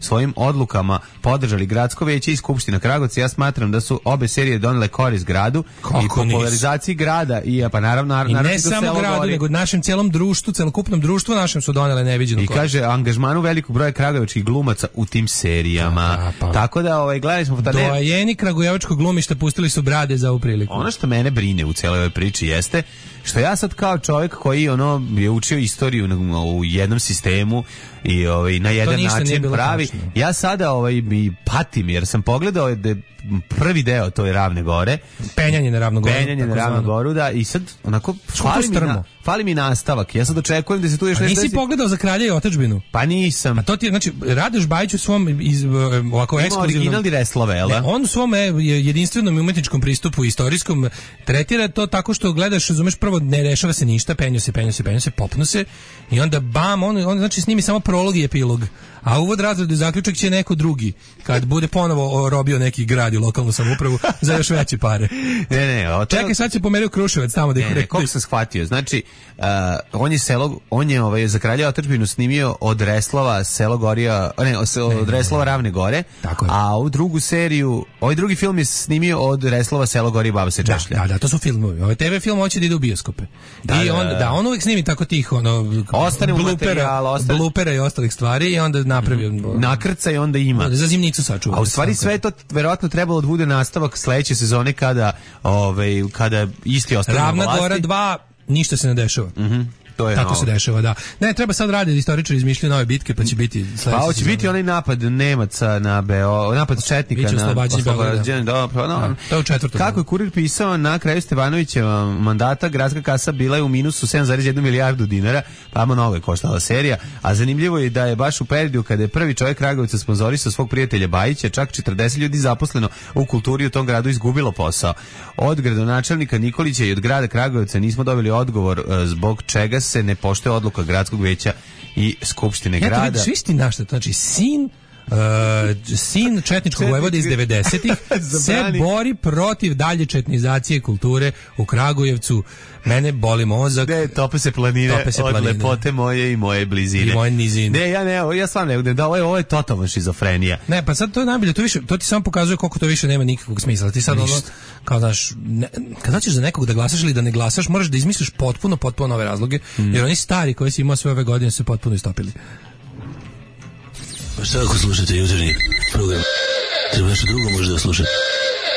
svojim odlukama podržali Gradsko veće i Skupština Kragujevca. Ja smatram da su obe serije donele korist gradu i popularizaciji grada i pa naravno i ne samo gradu, nego našem celom društvu, celokupnom društvu našem su donele neviđenu korist. I kaže angažmanu velikog broja kragujevačkih glumaca u tim serijama. Tako da gledali smo doajeni kragujevačkog glumišta pustili su brade za ovu priliku. Ono što mene brine u celoj ovoj priči jeste što ja sad kao čovjek koji je učio istoriju u jednom sistemu i na jedan način pravi, tačno. Ja sada patim jer sam pogledao da prvi deo to je Ravne Gore, penjanje na Ravnu Goru, da, i sad onako fali mi nastavak. Ja sad očekujem da se tu još nešto. Nisi pogledao Za kralja i otadžbinu? Pa nisam. A to ti znači Radoš Bajić u svom ovako ekskluzivnom original Reslove, el' da? On u svom jedinstvenom umetničkom pristupu istorijskom tretira to tako što gledaš, razumeš, prvo ne rešava se ništa, penju se, popnu se i onda bam, on znači snimi samo prolog i epilog. A uvod, razred i zaključak će neko drugi, kad bude ponovo robio neki grad i lokalnu samoupravu za još veće pare. Čekaj, sad se pomerio Kruševac tamo da ih rekli. Koliko sam shvatio, znači, on je Za kralja otadžbinu snimio od Reslova od Reslova Ravne Gore, a ovu drugu seriju, ovaj drugi film je snimio od Reslova Selo Gori i Baba se češlja. Da, to su filmovi. Ovaj TV film hoće da ide u bioskope. On uvijek snimi tako tih ostane u materijalu, blupera i ostalih stvari i onda napravio nakrca i onda ima za zimnicu sačuva. A u stvari sve to verovatno trebalo da bude nastavak sledeće sezone kada isti ostane na vlasti. Ravna Gora 2 ništa se ne dešava. Tako se dešava, da. Ne, treba sad raditi, istoričari izmišljaju nove bitke, pa će biti sledeće. Pa hoće biti onaj napad Nemaca na napad četnika na oslobađanje. To je u 4. Kako je Kurir pisao, na kraju Stevanovićeva mandata gradska kasa bila je u minusu 7,1 milijardu dinara, pa mnogo je koštala serija, a zanimljivo je da je baš u periodu kada je prvi čovjek Kragujevca sponzorisao svog prijatelja Bajića, čak 40 ljudi zaposleno u kulturi u tom gradu izgubilo posao. Od gradonačelnika Nikolića i od grada Kragujevca nismo dobili odgovor zbog čega se ne poštuje odluka gradskog veća i skupštine grada. Svi sti našta, znači sin četničkog vojvode iz 90-ih se bori protiv dalje četnizacije kulture u Kragujevcu. Mene boli mozak. Ne, tope se planine od lepote moje i moje blizine. I moje nizine. Ja stvarno ne, ovo je totalna šizofrenija. Ne, pa sad to je najbolje, to ti samo pokazuje koliko to više nema nikakvog smisla. Ti sad kao znaš, kad hoćeš za nekog da glasaš ili da ne glasaš, moraš da izmisliš potpuno nove razloge, jer oni stari koji si imao sve ove godine su potpuno istopili. Pa šta ako slušate jutarnji program? Treba nešto drugo možda da slušate.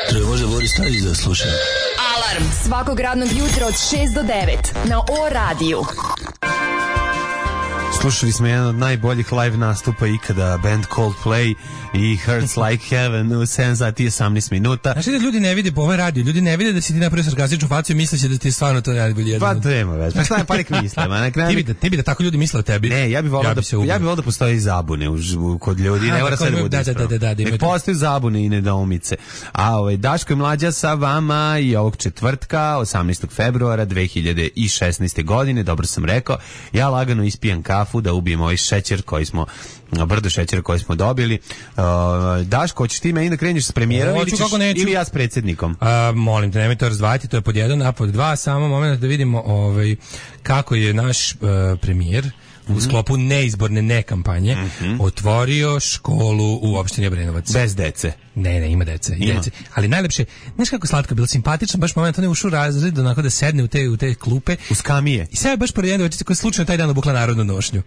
Treba možda Boris Tadić da sluša. Alarm svakog radnog jutra od 6 do 9 na O-radiju. Slušali smo jedan od najboljih live nastupa ikada, band Coldplay i Hurts Like Heaven u 7 sati i 18 minuta. Znaš da ljudi ne vide po ovoj radiju, ljudi ne vide da si ti napravio sarkastičnu faciju i misleće da ti stvarno to najbolje jedno. Pa to nema već, pa šta je pa nek misle. Ti bi da tako ljudi misle o tebi. Ne, ja bih volao da postoji zabune kod ljudi, ne mora sve da bude ispravo. Nek postoji zabune i nedoumice. A Daško i Mlađa sa vama i ovog četvrtka, 18. februara 2016. godine, dobro sam rekao, ja lagano ispijem kafu da ubijem ovaj šećer koji smo brdo šećera koji smo dobili. Daško, hoćeš ti meni da kreneš s premijerom ili ja s predsjednikom? Molim te, nemoj to razdvajati, to je pod 1, a pod 2, samo moment da vidimo kako je naš premijer u sklopu neizborne nekampanje otvorio školu u opštini Obrenovac. Bez dece? Ne, ima dece. Ali najlepše, znaš kako slatko, bilo simpatično, baš moment on je ušao u razred, onako da sedne u te klupe. U skamije. I sve je baš pored jedne devojčice koja je slučajno taj dan obukla narodnu nošnju.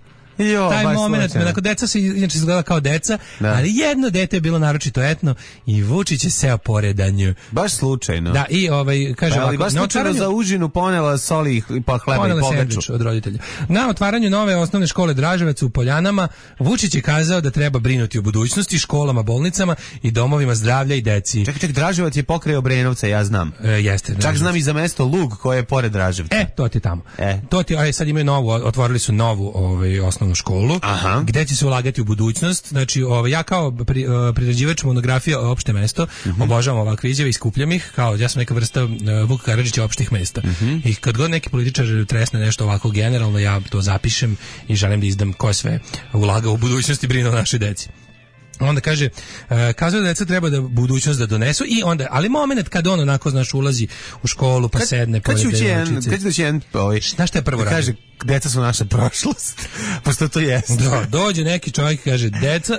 Taj moment, onako deca se inače izgledala kao deca, ali jedno dete je bilo naročito etno i Vučić je seo pored nju. Baš slučajno. Da, i kaže ovako, baš slučajno za užinu ponela soli pa hleba i pogaču od roditelja. Na otvaranju nove osnovne škole Draževac u Poljanama Vučić je kazao da treba brinuti o budućnosti, školama, bolnicama i domovima zdravlja i deci. Ček, Draževac je pokraj Obrenovca, ja znam. Jeste. Čak znam i za mesto Lug koje je pored Draževca. To ti tamo. To ti, sad imaju otvorili su novu osnovnu školu, gde će se ulagati u budućnost. Znači, ja kao priređivač monografija opšte mesto, obožavam ovakve izjave i skupljam ih, kao ja sam neka vrsta Vuka Karadžića opštih mesta. I kad god neki političar tresne nešto ovako generalno, ja to zapišem i želim da izdam ko sve ulaga u budućnost i brine o našoj deci. Onda kaže, kazuje da deca treba da budućnost da donesu i onda, ali moment kad on onako, znaš, ulazi u školu pa sedne pored devojčice. Kad će doći jedan, znaš šta je prvo radi? Kaže, deca su naša prošlost, pošto to jeste. Da, dođe neki čovjek i kaže,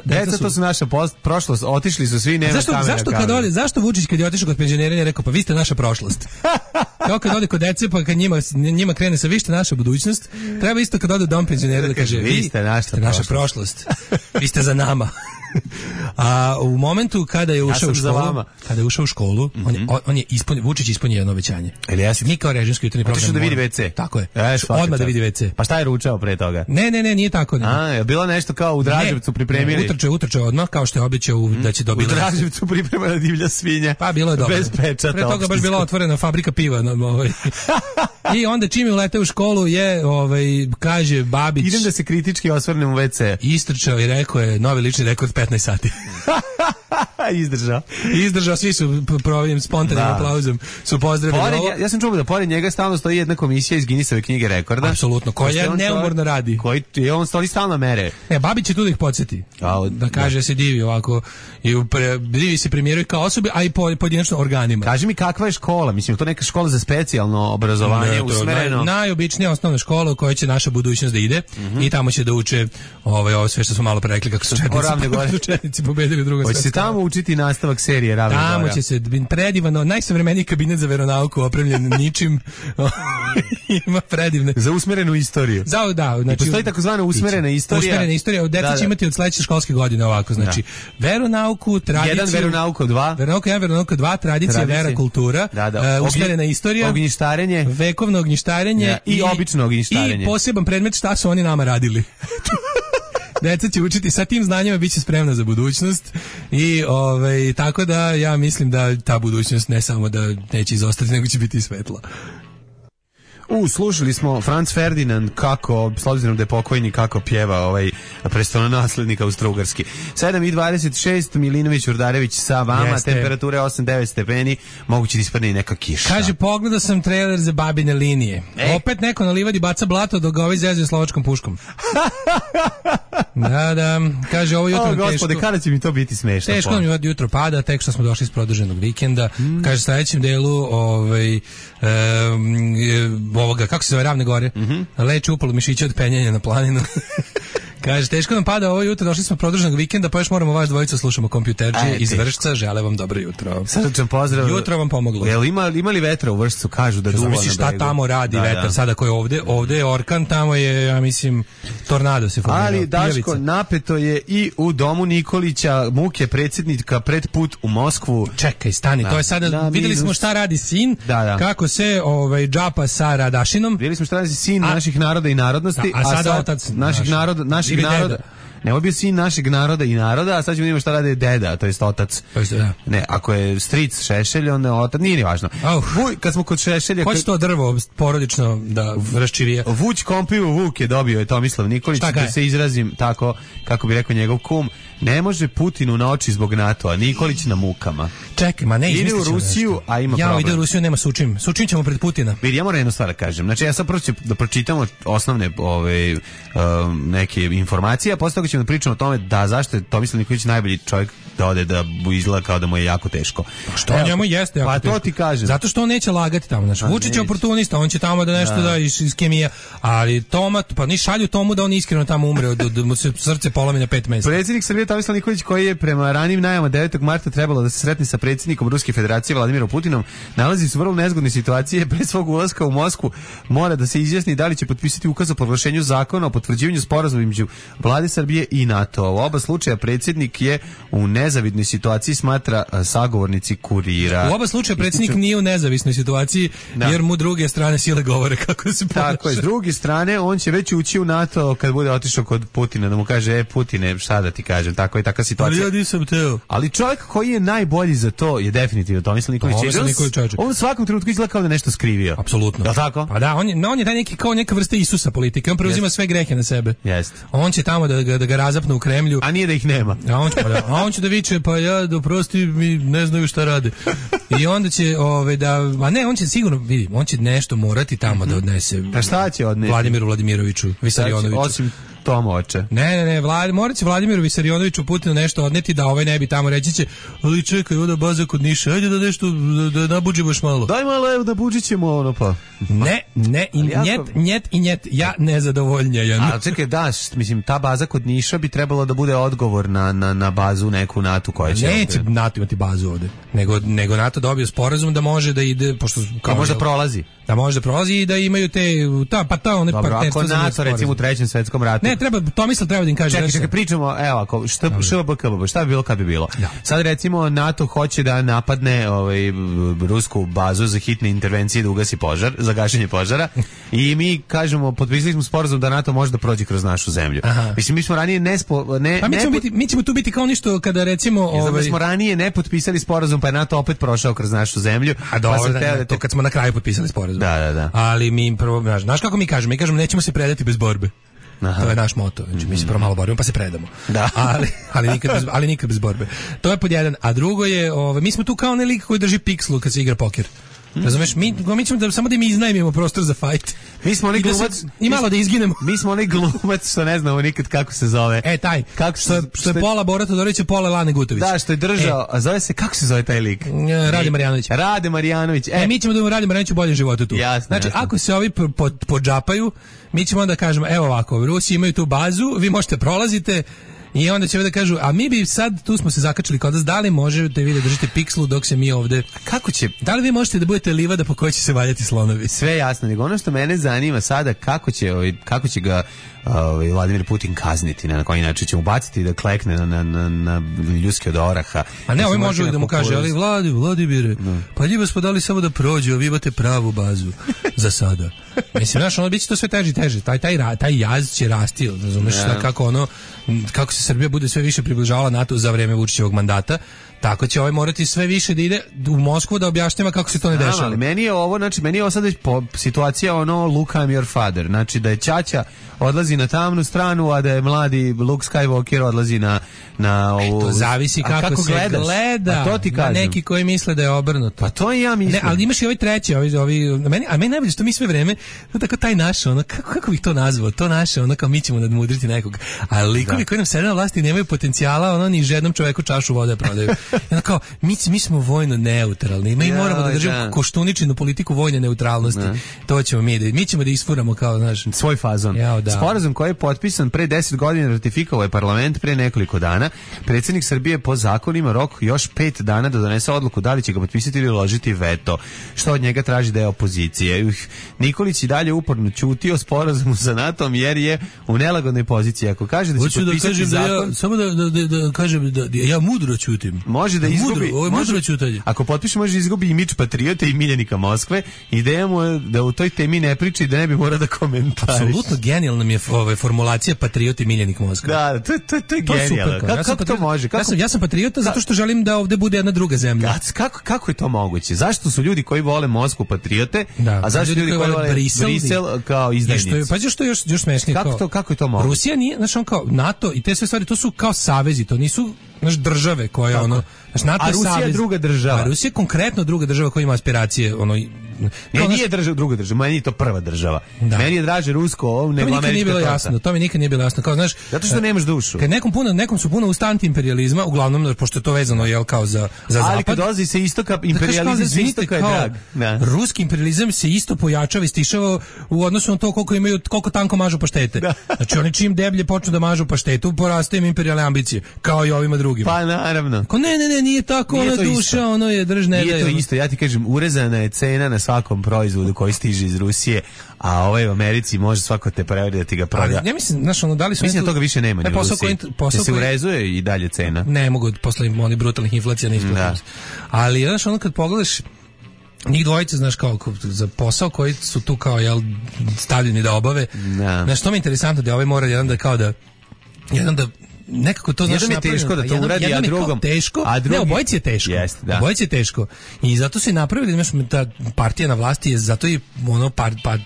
deca to su naša prošlost, otišli su svi, nema kamera. Zašto Vučić kad je otišao kod penzionera je rekao, pa vi ste naša prošlost? Kao kad ode kod dece, pa kad njima krene sa vi ste naša budućnost, treba isto kad ode u dom penzionera da kaže, vi ste naša prošlost, vi ste za nama. A u momentu kada je ušao u školu, on je Vučić ispunio jedno obećanje. Mi kao režimski jutarnji program. Otišao da vidi WC. Tako je. Odmah da vidi WC. Pa šta je ručao pre toga? Ne, nije tako. Je bilo nešto kao u Draževcu pripremili. Utrčao odmah, kao što je obećao da će dobiti. U Draževcu pripremana divlja svinja. Pa bilo je dobro. Bez pečata. Pre toga baš bila otvorena fabrika piva. I onda čim je uleteo u školu je, kaže Babić. Idem da se kritički osvrnem u WC. Istrčao i rekao je novi lični rekord 15 sati. Izdržao, svi su provjerim spontanim aplauzom su pozdravili ovo. Ja sam čuo da pored njega stalno stoji jedna komisija iz Guinnessove knjige rekorda. Apsolutno, koja neumorno radi. On stoli stalno mere. Babić će tu da ih podsjeti. Da kaže se divi ovako, divi se premijeru kao osobi, a i pojedinačno organima. Kaži mi kakva je škola, mislim, to neka škola za specijalno obrazovanje, usmereno. Najobičnija osnovna škola u kojoj će naša budućnost da ide i tamo će da uče ovo sve što smo malo pre rekli kako su četnici pobedili Drugom svetskom. Hoće se tamo učiti nastavak serije Ravne Gora. Tamo će se predivano, najsavremeniji kabinet za veronauku opremljen ničim. Ima predivne. Za usmerenu istoriju. Znači, postoji takozvana usmerena istorija. Usmerena istorija, deca će imati od sledeće školske godine ovako, znači veronauku, tradiciju. Jedan veronauku 2. Veronauka 1, veronauka 2, tradicija, vera, kultura. Usmerena istorija. Ognjištarenje. Vekovno ognjištarenje. I obično ognjištarenje. I poseban predmet šta su oni nama radili. Deca će učiti sa tim znanjima, bit će spremna za budućnost i tako da ja mislim da ta budućnost ne samo da neće izostati, nego će biti svetla. Slušali smo Franz Ferdinand kako, s obzirom da je pokojni, kako pjeva prestolonaslednik Austro-Ugarski. 7:26, Milinović Urdarević sa vama, temperature 8-9 stepeni, moguće da ispadne i neka kiša. Kaže, pogledao sam trailer za Babine linije. Opet neko na livadi baca blato dok ga zezuje slovačkom puškom. Da, kaže, ovo jutro teško. Gospode, kada će mi to biti smešno? Teško mi jutro pada, tek što smo došli iz produženog vikenda. Kaže, sledećem delu ovoga, kako se zove, Ravne Gore, leče upalo mišića od penjanja na planinu. Kaže, teško nam pada ovo jutro, došli smo produženog vikenda, pa još moramo vas dvojica slušamo kompjuterđije iz Vršca, žele vam dobro jutro. Srdačan pozdrav. Jutro vam pomoglo. Jel ima li vetra u Vršcu, kažu da duva na bregu? Šta tamo radi vetar, sada ko je ovde je orkan, tamo je, ja mislim, tornado se formirao. Ali, Daško, napeto je i u domu Nikolića, muke predsjednika pred put u Moskvu. Čekaj, stani, to je sada, videli smo šta radi sin, kako se džapa sa Radašinom. Videli smo šta radi sin naših naroda i narodnosti, a sada otac naših naroda. Ne, ovo je bio sin našeg naroda i naroda, a sad ćemo vidjeti šta rade deda, to jest otac. Ne, ako je stric Šešelj, onda je otac, nije ni važno. Kad smo kod Šešelja... Hoće to drvo porodično da raščivije. Vuć Kompivu Vuk je dobio je Tomislav Nikolić, da se izrazim tako, kako bi rekao njegov kum. Ne može Putinu na oči zbog NATO-a, Nikolić na mukama. Čekaj, ma ne izmislit ćemo nešto. Ide u Rusiju, a ima problem. Ide u Rusiju, nema sučim. Sučim ćemo pred Putina. Vidi, ja moram jednu stvar da kažem. Znači, ja sad prvo ću da pročitamo osnovne neke informacije, a posle toga ćemo da pričamo o tome da zašto je Tomislav Nikolić najbolji čovjek da ode da izgleda kao da mu je jako teško. Što njemu jeste jako teško. Pa to ti kažem. Zato što on neće lagati tamo. Znači, Vučić je oportunista, on će tamo da nešto da iz kemija, ali Toma, pa ni šalju Tomu da on iskreno tamo umre, da mu se srce polomi na 5 mesta. Predsjednik Srbije Tomislav Nikolić, koji je prema ranijim najavama 9. marta trebalo da se sretne sa predsjednikom Ruske federacije Vladimirom Putinom, nalazi se u vrlo nezgodne situacije. Pre svog ulaska u Moskvu mora da se izjasni da li će potpisati ukaz o proglašenju zakona o potvrđivanju sporazuma između Vlade Srbije i NATO. U oba slučaja predsjednik je u nezavidnoj situaciji, smatra sagovornici Kurira. U oba slučaja predsjednik nije u nezavisnoj situaciji, jer mu druge strane sile govore kako se ponaša. Tako je, s druge strane on će već ući u NATO kad bude otišao kod Putina, da mu kaže, Putine, šta da ti kažem, tako je taka situacija. Ali ja nisam teo. Ali čovjek koji je najbolji za to je definitivno Tomislav Nikolić. On u svakom trenutku izgleda kao da nešto skrivio. Apsolutno. Je tako? Pa da, on je taj neki kao neka vrsta Isusa politike. On preuzima sve grehe na sebe. Jeste. On će tamo da ga razapne u Kremlju. A nije da ih nema. A on će da viče, pa ja doprosti, mi ne znaju šta rade. I onda će on će sigurno, vidi, on će nešto morati tamo da odnese. Pa šta će odnesi? Vladimiru Vladimiroviću, Visarionoviću. Tomoče. Ne, morat će Vladimiru Visarionoviću Putinu nešto odneti da ovaj ne bi tamo reći će, ali čekaj, ovdje baza kod Niša, ajde da nešto, da nabuđimo još malo. Daj malo, evo da buđit ćemo ono pa. Ne, i njet, ja nezadovoljnija. A čekaj, mislim, ta baza kod Niša bi trebalo da bude odgovor na bazu neku NATO koja će... Neće NATO imati bazu ovde, nego NATO dobio sporazum da može da ide, pošto... Kao možda prolazi. Da može da prolazi i da imaju one partnerstvo. Dobro, ako NATO, recimo u Trećem svetskom ratu... Ne, Tomislav treba da im kaže... Čekaj, pričamo, evo, ako, šta bi bilo kad bi bilo? Ja. Sad, recimo, NATO hoće da napadne rusku bazu za hitne intervencije da ugasi požar, za gašenje požara, i mi kažemo, potpisali smo sporazum da NATO može da prođe kroz našu zemlju. Aha. Mislim, mi smo ranije mi ćemo tu biti kao ništo kada, recimo... Mi smo ranije ne potpisali sporazum, pa je NATO opet prošao kroz našu zemlju. A dobro, to kad smo na kraju potpisali sporazum. Da. Ali mi prvo, znaš kako mi kažemo? Mi kažemo nećemo se predati bez borbe. Aha. To je naš moto. Znači, mi se prvo malo borimo pa se predamo. Da. ali nikad bez borbe. To je pod jedan. A drugo je, mi smo tu kao nelik koji drži pikslu kad se igra poker. Razumeš, mi ćemo samo da mi iznajmimo prostor za fight. Mi smo onaj glumac i malo da izginemo. Mi smo onaj glumac što ne znamo nikad kako se zove. Taj. Što je pola Bora Todorovića, pola Lane Gutović. Da, što je držao, a zove se, kako se zove taj lik? Rade Marjanović. Mi ćemo da Rade Marjanović u boljem životu tu. Jasno, znači, ako se ovi podžapaju, mi ćemo onda kažemo, evo ovako, Rusi imaju tu bazu, vi možete prolazite. I onda će da kažu, a mi bi sad, tu smo se zakačili kod vas, da li možete vi da držite pikslu dok se mi ovde... Kako će? Da li vi možete da budete livada po kojoj će se valjati slonovi? Sve jasno, nego ono što mene zanima sada, kako će ga Vladimir Putin kazniti, na koji način će mu baciti da klekne na ljuski od oraha. A ne, ovaj može da mu kaže, ali Vladimire, pa ljubav smo dali samo da prođe, vi imate pravu bazu za sada. Mislim, znaš, ono biće to sve teže i teže. Taj jaz će rasti, razumeš, kako se Srbija bude sve više približavala NATO za vreme Vučićevog mandata, tako će morati sve više da ide u Moskvu da objašnjava kako se to ne dešava. Ali meni je ovo sad situacija Luke, I'm your father. Znači da je ćaća odlazi na tamnu stranu, a da je mladi Luke Skywalker odlazi na ovu... To zavisi kako se gleda. A to ti kažem. Neki koji misle da je obrnuto. Pa to i ja mislim. Ne, ali imaš i ovaj treći, meni najbolje što mi sve vreme, tako taj naš, kako bih to nazvao, to naše, kao mi ćemo nadmudriti nekog. A likovi koji nam sede na vlasti nemaju potencijala, ni žednom čoveku čašu vode prodaju. Kao, mi smo vojno neutralni, mi moramo da držimo koštuničinu politiku vojne neutralnosti. To ćemo mi ćemo da isfuramo kao naš svoj fazon. Sporazum koji je potpisan pre 10 godina, ratifikovao je parlament pre nekoliko dana. Predsjednik Srbije po zakonima rok još 5 dana da donese odluku da li će ga potpisati ili uložiti veto, što od njega traži da je opozicije. Nikolić i dalje uporno ćuti o sporazumu sa NATO-om jer je u nelagodnoj poziciji. Ako kaže da će potpisati zakon... Samo da kažem da ja mudro ćutim. Može da izgubi. Ako potpiše, može da izgubi imidž patriote i miljenika Moskve. Ideja mu je da u toj temi ne priča i da ne bi morao da komentariš. Apsolutno genijalna mi je formulacija patriot i miljenik Moskve. Da, to je genijalno. Kako to može? Ja sam patriota zato što želim da ovde bude jedna druga zemlja. Kako je to moguće? Zašto su ljudi koji vole Moskvu patriote, a zašto ljudi koji vole Brisel kao izdajnici? Pa što još smešnije? Kako je to moguće? Rusija nije, znači kao NATO i te sve stvari, to su kao savezi, to nisu države koje NATO a Rusija je druga država. A Rusija je konkretno druga država koja ima aspiracije, nije druga država, meni je to prva država. Da. Meni je draže rusko, nego američka. To mi nikad nije bilo jasno, kao znaš, zato što nemaš dušu. Kad nekom su puno usta antiimperializma, uglavnom pošto je to vezano kao za zapad. Ali kad dolazi se istoka, imperijalizam iz istoka je drag. Ruski imperijalizam se isto pojačava i stišava u odnosu na to koliko tanko mažu paštete. Znači oni čim deblje počnu da mažu paštetu, poraste im imperijalne ambicije, kao i ovima drugima. Pa naravno. Ne, nije tako, ona duša, ono je držne. Nije to isto, ja ti kažem, urezana je cena na svakom proizvodu koji stiže iz Rusije, a ovaj u Americi može svako te preveri da ti ga proda. Ja mislim, znaš, da li su... Mislim da toga više nema u Rusiji. Se urezuje i dalje cena. Ne mogu, posle oni brutalnih inflacija ne isplati. Ali, znaš, kad pogledaš njih dvojice, znaš, kao za posao koji su tu kao, stavljeni da obave. Znaš, to mi je interesantno da ovaj mora jedan da nekako to znaš napravljeno. Teško da to uradi, a drugom teško. Ne, obojici je teško. Obojici je teško. I zato se napravili, znaš, ta partija na vlasti je zato i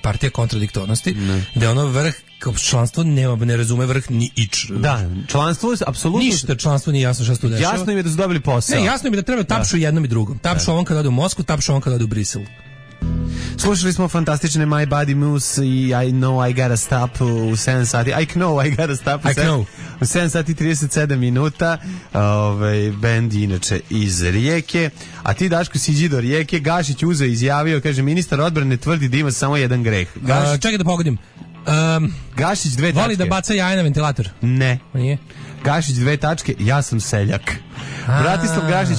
partija kontradiktornosti, da je vrh članstvo ne razume vrh ni ič. Da, članstvo apsolutno ništa, članstvo nije jasno šta se tu dešava. Jasno im je da su dobili posao. Ne, jasno im je da treba tapšu jednom i drugom. Tapšu on kad ode u Moskvu, tapšu on kad ode u Brisel. Slušali smo fantastične My Body Moose i I Know I Gotta Stop u 7 sati. I Know I Gotta Stop u 7 sati 37 minuta. Band inače iz Rijeke. A ti, Daško, siđi do Rijeke. Gašić uzeo i izjavio, kaže, ministar odbrane tvrdi da ima samo jedan greh. Čekaj da pogodim. Gašić 2 tačke. Voli da baca jaje na ventilator? Ne. Nije? Gašić 2 tačke, ja sam seljak. Bratislav Gašić,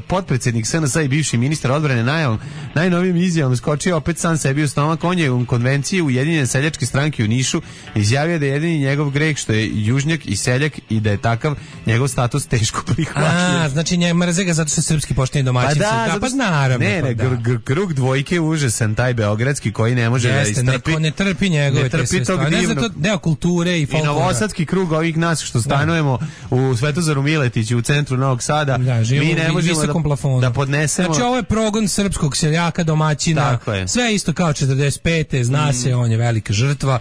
potpredsjednik SNS i bivši ministar odbrane, najnovijim izjavom skočio opet sam sebi u stomak. On je u konvenciji Ujedinjene seljačke stranke u Nišu izjavio da je jedini njegov greh što je južnjak i seljak i da je takav njegov status teško prihvatljiv. Znači mrze ga zato što srpski pošteni domaćin. Pa naravno. Ne, krug dvojke užasan, taj beogradski koji ne može da istrpi. Ne trpi njegove te sve stvari. Ne zato deo kulture i folklora. I novosadski krug ovih nas što stanujemo u Svetozaru Miletiću u centru Novog Sada, mi ne možemo da podnesemo. Znači ovo je progon srpskog seljaka, domaćina, sve isto kao 45. Zna se, on je velika žrtva.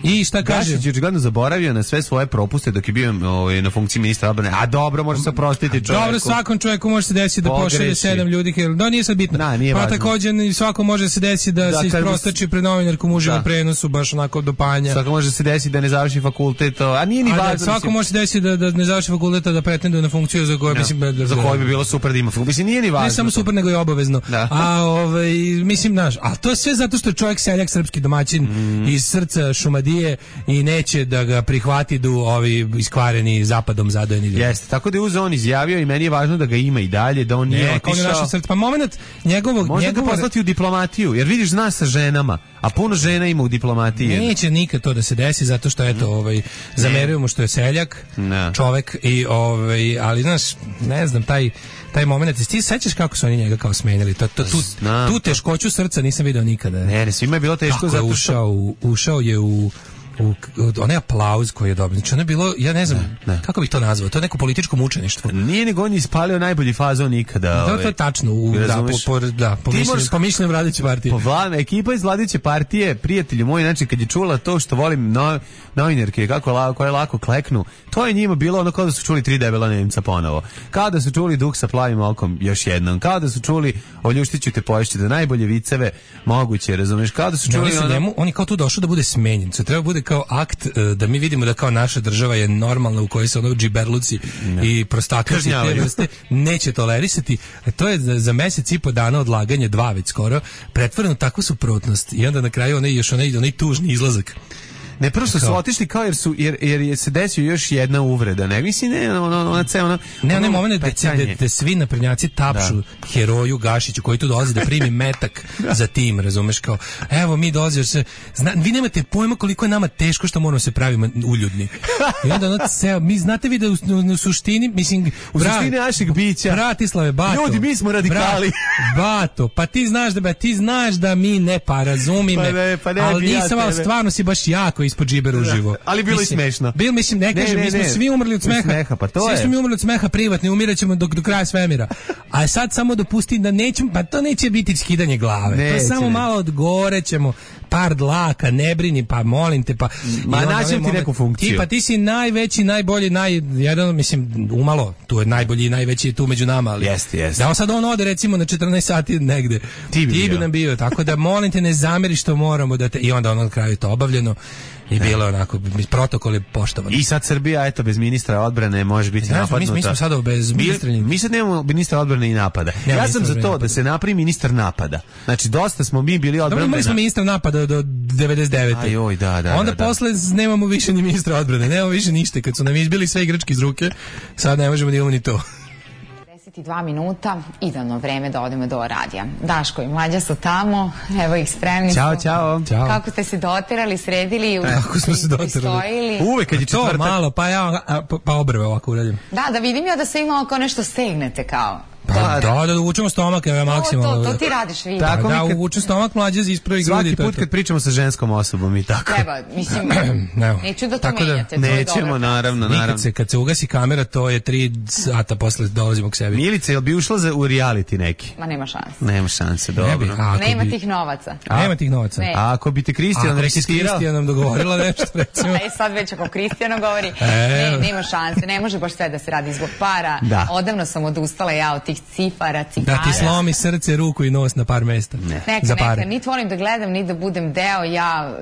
I šta kaže? Gašić je očigledno zaboravio na sve svoje propuste dok je bio na funkciji ministra odbrane. A dobro, može se oprostiti čovjeku. Dobro, svakom čovjeku može se desiti da pošalje 7 ljudi. Da, nije sad bitno. Pa također svako može se desiti da se isprostači pred novinarkom uživo prenosu, baš onako do panja. Svako može se desiti da ne završi fakultet, a nije ni važno. Svako može se desiti da ne završi fakultet, da pretenduje na funkciju za koju za koju bi bilo super da ima funkciju. Mislim, nije ni važno. Ne samo super, nego i obavezno. Mislim, a to je sve zato što je čovjek seljak, srpski domaćin iz srca Šumadije i neće da ga prihvati ovi iskvareni zapadom zadojeni ljudi. Jeste, tako da je on izjavio i meni je važno da ga ima i dalje, da on nije otišao. Pa moment njegovog... Možda ga poslati u diplomatiju, jer vidiš, zna sa ženama, a puno žena ima u diplomatiji. Neće nikad to da se desi, zato što zamerujemo što je seljak, čovek, ali znaš, ne znam, taj moment, ti sećaš kako su oni njega kao smenjali? Tu teškoću srca nisam video nikada. Ne, svima je bilo teško zato što... Ušao je u onaj aplauz koji je dobio. Znači ono je bilo, ja ne znam, kako bih to nazvao, to je neko političko mučeništvo. Nije nego on je ispalio najbolji fazon nikada. Da, to je tačno, po mišljenju vladajuće partije. Ekipa iz vladajuće partije, prijatelji moji, znači kad je čula to što volim novinarke, koje lako kleknu, to je njima bilo ono kao da su čuli 3 debela Nemca ponovo. Kao da su čuli Duh sa plavim okom još jednom. Kao da su čuli O ljuštiću te poješće, da najbolje viceve moguće, razumeš? Kao da su čuli on je kao tu došao da bude smenjen. Treba bude kao akt da mi vidimo da kao naša država je normalna u kojoj se ono džiberluci i prostakaci te vrste neće tolerisati. To je za mesec i po dana odlaganje, 2 već skoro, pretvoreno takvu suprotnost i onda na kraju onaj tužni izlazak. Ne, prvo su otišli kao jer je se desio još jedna uvreda. Ne, mislim, ne moment da svi naprednjaci tapšu heroju Gašiću koji tu dolazi da primi metak za tim, razumeš, kao, evo mi dolazi, vi nemate pojma koliko je nama teško što moramo se pravimo uljudni. I onda mi znate vi da u suštini, mislim, u suštini našeg bića. Bratislave, Bato. Ljudi, mi smo radikali. Bato, pa ti znaš da mi ne, pa razumi me. Ali nisam, ali stvarno si baš jako ispod džibera uživo. Ali bilo i smešno. Ne kažem, mi smo svi umrli od smeha. Svi smo mi umrli od smeha privatni, umirat do kraja svemira. A sad samo dopusti da nećemo, pa to neće biti skidanje glave. To samo malo od gore ćemo, par dlaka, ne brini, pa molim te, pa... Ma nađem ti neku funkciju. Ti si najveći, najbolji, umalo, tu je najbolji i najveći tu među nama, ali... Jeste. Da on sad ode recimo na 14 sati negde. Ti bi nam bio, tako da molim te ne zameri što moramo da te... I onda na kraju je to obavljeno. I bilo onako, protokol je poštovan. I sad Srbija, eto, bez ministra odbrane može biti napadnuta. Mi smo sada bez ministra... Mi sad nemamo ministra odbrane i napada. Ja sam za to da se napravi ministar napada. Znači, dosta smo mi bili odbrane. Imali smo ministra napada do 99. Ajoj, da. Onda posle nemamo više ni ministra odbrane. Nemamo više ništa. Kad su nam izbili sve igrački iz ruke, sad ne možemo da imamo ni to. 2 minuta, idealno vreme da odemo do radija. Daško i Mlađa su tamo, evo ih spremni. Ćao. Kako ste se doterali, sredili? Kako smo se doterali? Uvek kad je četvrtak. To malo, pa obrve ovako uradim. Da vidim ja da se imao kao nešto stegnete kao. Da uvučemo stomak, evo je maksimalno. To ti radiš, vidim. Da uvučem stomak, Mlađe ispravi grudi. Svaki put kad pričamo sa ženskom osobom i tako. Treba, mislim, neću da to menjate. Nećemo, naravno. Kad se ugasi kamera, to je 3 sata posle dolazimo k sebi. Milice, jel bi ušla u reality neki? Ma nema šanse. Nema šanse, dobro. Nema tih novaca. A ako bi te Kristijan rekistirao? Ako si Kristijanom dogovorila nešto, recimo. Sad već ako Kristijan govori, nema šanse, ne može baš sve da se radi zbog para. Odavno sam odustala ja od tih cifara, cigara. Da ti slomi srce, ruku i nos na par mesta. Neka, niti volim da gledam, ni da budem deo,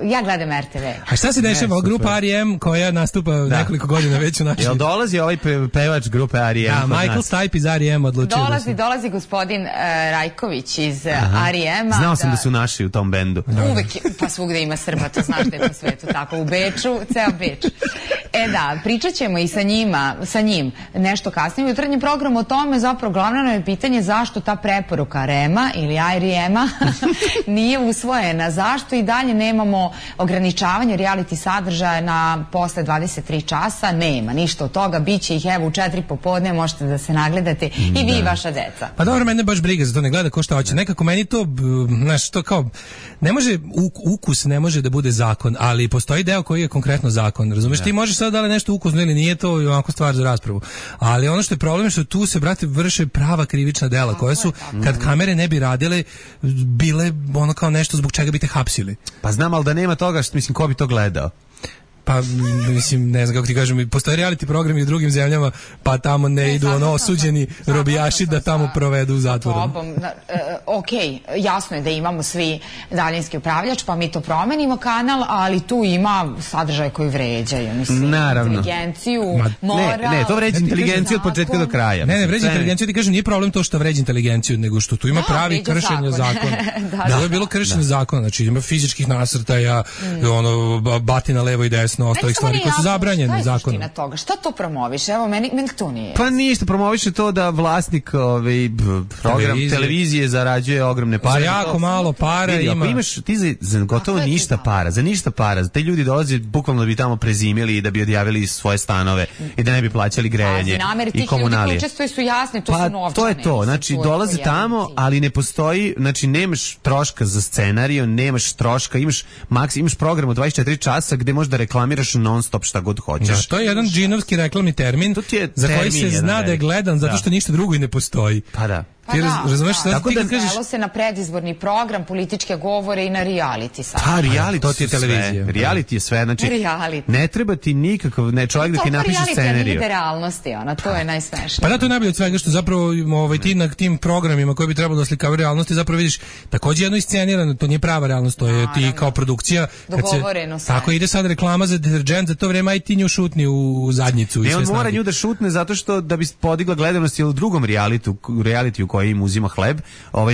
ja gledam RTV. A šta se dešava? Grupa R.E.M. koja nastupa nekoliko godina već u našoj... Jel dolazi ovaj pevač grupe R.E.M. Da, Michael Stipe iz R.E.M. odlučio dolazi gospodin Rajković iz R.E.M. Znao sam da su naši u tom bendu. Uvek, pa svugde ima Srba, to znaš da je po svetu tako. U Beču, ceo Beč. Pričat ćemo i sa njim nešto kasnije u jutarnjem programu o tome, zapravo glavno je pitanje zašto ta preporuka R.E.M.a ili R.E.M.a nije usvojena, zašto i dalje nemamo ograničavanje reality sadržaja na posle 23 časa, nema ništa od toga, bit će ih evo u 4 popodne, možete da se nagledate i vi i vaša deca. Pa dobro, mene baš briga za to, ne gleda ko šta hoće, nekako meni to, znaš, to kao, ne može, ukus ne može da bude zakon, ali postoji deo koji je konkretno zakon, razumeš, ti možeš sad da li nešto ukusno ili nije, to je onako stvar za raspravu, ali ono što je problem je što tu se, brate, vrše prava krivična dela koja su, kad kamere ne bi radile, bile ono kao nešto zbog čega bi te hapsili. Pa znam, ali da nema toga, mislim, ko bi to gledao? Pa, mislim, ne znam kako ti kažem, postoje reality programi u drugim zemljama, pa tamo ne idu osuđeni robijaši da tamo provedu u zatvoru. Okej, jasno je da imamo svi daljinski upravljač, pa mi to promenimo kanal, ali tu ima sadržaj koji vređaju, mislim, inteligenciju, moral. Ne, to vređa inteligenciju od početka do kraja. Ne, vređa inteligenciju, ti kažem, nije problem to što vređa inteligenciju, nego što tu ima pravi kršenja zakona. Da, je bilo kršenje zakona, znači ima fizičkih nasrtaja, batina levo i desno, ostalih stvari koje su zabranjene zakonom. Šta to promoviše? Evo, meni to nije. Pa ništa, promoviše to da vlasnik program televizije zarađuje ogromne pare. Za jako malo para ima. Imaš ti za gotovo ništa para, za ništa para. Te ljudi dolaze bukvalno da bi tamo prezimili i da bi odjavili svoje stanove i da ne bi plaćali grejanje i komunalije. Ljudi koji učestvuju su jasni, to su novčane. To je to, znači dolaze tamo, ali ne postoji, znači nemaš troška za scenariju, nemaš troška, imaš program od 24 časa gde možeš da reklamiraš non stop šta god hoćeš. Da, to je jedan džinovski reklamni termin za koji se zna da je gledan zato što ništa drugo i ne postoji. Pa da. Razumeš, tako da znalo se na predizborni program, političke govore i na reality sad. Pa reality, to ti je televizija. Reality je sve, znači ne treba ti nikakav, čovjek da ti napiše scenariju. To reality realnosti, to je najsmešnije. Pa da, to je najbolje od svega što zapravo ti na tim programima koji bi trebalo da oslikavaju realnosti, zapravo vidiš takođe jedno iscenirano, to nije prava realnost, to je ti kao produkcija. Dogovoreno sve. Tako ide sad reklama za deterđent, za to vreme aj ti nju šutni u zadnjicu. Ne, on mora nju da šutne zato što da bi podigla gledanost u drugom realitiju koji im uzima hleb,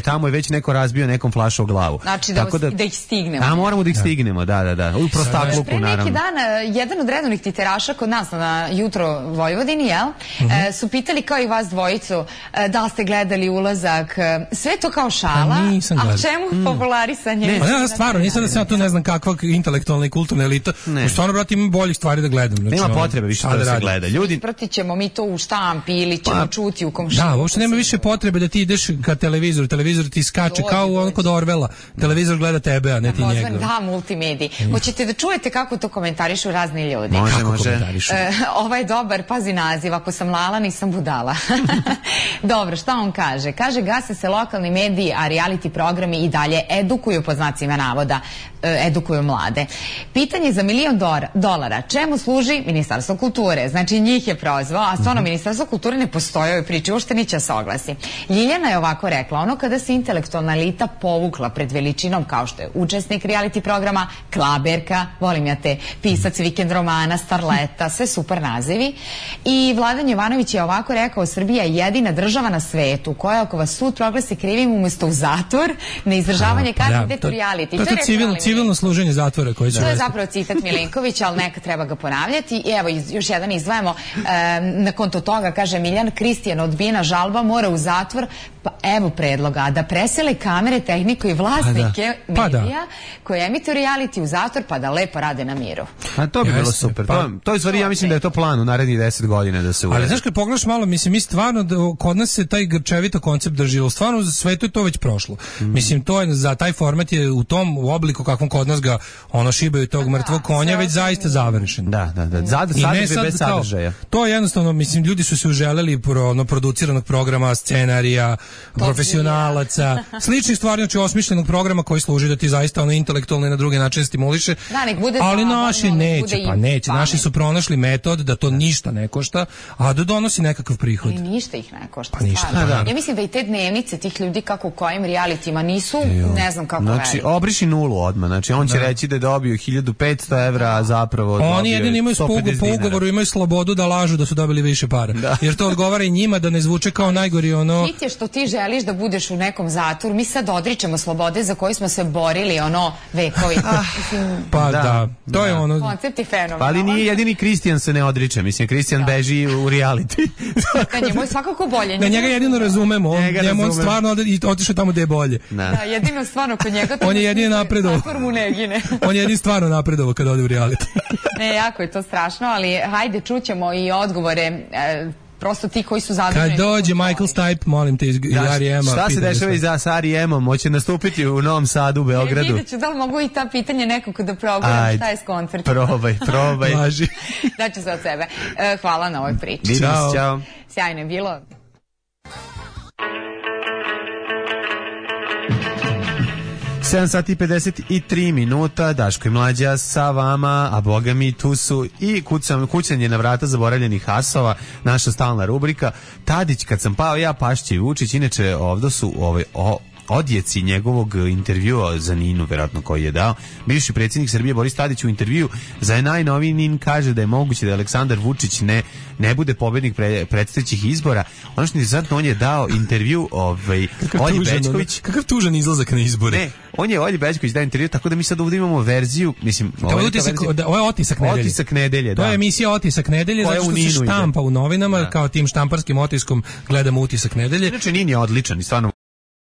tamo je već neko razbio nekom flašu o glavu. Znači da ih stignemo. A moramo da ih stignemo, da. U prostakluku, naravno. Pre neki dan, jedan od redovnih titeraša kod nas na Jutro Vojvodini, su pitali kao i vas dvojicu da li ste gledali ulazak, sve to kao šala, a čemu popularisanje? Pa ja stvarno, nisam da sam tu ne znam kakva intelektualna i kulturna elita, stvarno, brate, ima boljih stvari da gledam. Nema potrebe više to da se gleda. Ispratit ćemo mi to u štampi ili ćemo čuti u komšinu. Da, uopšte nema više potrebe da ti ideš ka televizoru, televizor ti skače kao kod Orvela, televizor gleda tebe, a ne ti njega. Da, multimediji. Hoćete da čujete kako to komentarišu razni ljudi? Može. Ovaj je dobar, pazi naziv, ako sam lala, nisam budala. Dobro, šta on kaže? Kaže, gase se lokalni mediji, a reality programi i dalje edukuju, pod znacima navoda, edukuju mlade. Pitanje za $1.000.000. Čemu služi Ministarstvo kulture? Znači, njih je prozvao, a stvarno Ministarstvo kulture ne postoji u ovoj priči, uopšte neće se oglasi. Ljiljana je ovako rekla, kada se intelektualna elita povukla pred veličinom kao što je učesnik reality programa, klaberka, volim ja te, pisac vikend romana, starleta, sve super nazivi. I Vladan Jovanović je ovako rekao, Srbija je jedina država na svetu koja ako vas sud proglasi krivim umesto u zatvor, na izdržavanje kazne ide u reality. To je civilno služenje zatvora. To je zapravo citat Milinkovića, ali neka treba ga ponavljati. I evo, još jedan izdvajamo, na konto toga, kaže Miljan Kristijan, odbijena žalba, mora u zatvor, pa evo predloga, da presele kamere, tehniku i vlasnike medija koji emituju reality u zatvor, pa da lepo rade na miru. A to bi bilo super. To je stvari, ja mislim da je to plan u narednih 10 godina da se uredi. Ali znaš kad pogledaš malo, mislim, mi stvarno, kod nas se taj grčevito koncept drži, stvarno u svetu je to već prošlo. Mislim, to je, za taj format je u tom obliku kakvom Prilikom kod nas ga šibaju tog mrtvog konja već zaista završen. Da. Sadržaj bez sadržaja. To je jednostavno, mislim, ljudi su se uželeli produciranog programa, scenarija, profesionalaca, sličnih stvari, znači osmišljenog programa koji služi da ti zaista intelektualno i na drugi način stimuliše. Da, nek bude ali zabavno, naši neće. Naši su pronašli metod da to ništa ne košta, a da donosi nekakav prihod. Ali ništa ih ne košta. Pa ništa. Ja mislim da i te dnevnice tih ljudi kako u kojim realitima nisu, ne znam kako znači, obriši nulu odmah. Znači, on će reći da je dobio 1500 evra, a zapravo dobio 150 dinara. Oni jedini imaju po ugovoru, imaju slobodu da lažu da su dobili više para. Jer to odgovara i njima da ne zvuče kao najgori Hit je što ti želiš da budeš u nekom zatvoru. Mi sad odričemo slobode za koju smo se borili vekovi. Pa da, to je koncept je fenomenal. Ali nije jedini Kristijan se ne odriče. Mislim, Kristijan beži u reality. Da, njemu je svakako bolje. Da, njega jedino razumemo. On stvarno otišao tamo gde je bolje. Da, jedino stvarno kod njega on je jedini napredovao. On je jedini stvarno napredovao kad ode u reality. Ne, jako je to strašno, ali hajde čućemo i odgovore prosto ti koji su zaduženi. Kad dođe Michael Stipe, molim te, iz R.E.M. Šta se dešava i za R.E.M. Hoće nastupiti u Novom Sadu, u Beogradu. Vidjet ću da li mogu i ta pitanja nekako da proguram šta je s koncertom. Probaj. Daću se od sebe. Hvala na ovoj priči. Vidimo se, čao. Sjajno je bilo. Sedam sati i 53 minuta, Daško i Mlađa sa vama, a boga mi tu su i kucanje na vrata zaboravljenih asova, naša stalna rubrika. Tadić, kad sam pao ja, Pašće i Vučić, inače ovdje su odjeci njegovog intervjua za Ninu, verovatno koji je dao. Bivši predsjednik Srbije Boris Tadić u intervju za najnoviji NIN kaže da je moguće da Aleksandar Vučić ne bude pobednik predstojećih izbora. Ono što je interesantno, on je dao intervju Olji Bećković. Kakav tužan izlazak na izbore. Ne, on je Olji Bećković dao intervju, tako da mi sad ovdje imamo verziju, mislim, ovo je Otisak nedelje. Otisak nedelje, da. To je emisija Otisak nedelje, zato što se štampa u novinama, kao tim štamparskim otiskom gledamo Utisak nedelje. Inače, NIN je odličan i stvarno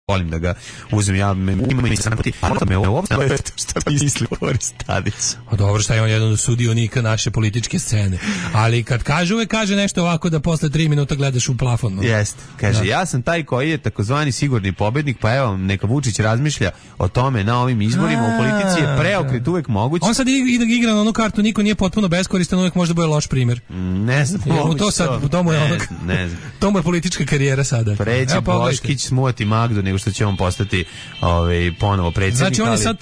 volim da ga uzem, ja imam i sanapoti, a me uopšte šta misli Boris Tadić. Dobro, šta je on jedan od sudionika naše političke scene, ali kad kaže, uvek kaže nešto ovako da posle 3 minuta gledaš u plafon. Jeste, kaže, ja sam taj koji je takozvani sigurni pobednik, pa evo, neka Vučić razmišlja o tome na ovim izborima, u politici je preokret uvek moguć. On sad igra na onu kartu, niko nije potpuno beskoristan, uvek možda bude loš primjer. Ne znam, to sad, to mu je politička karijera sada. Preći Boškić smuoti Magdu, nego što će on postati ponovo predsjednik. Znači on je sad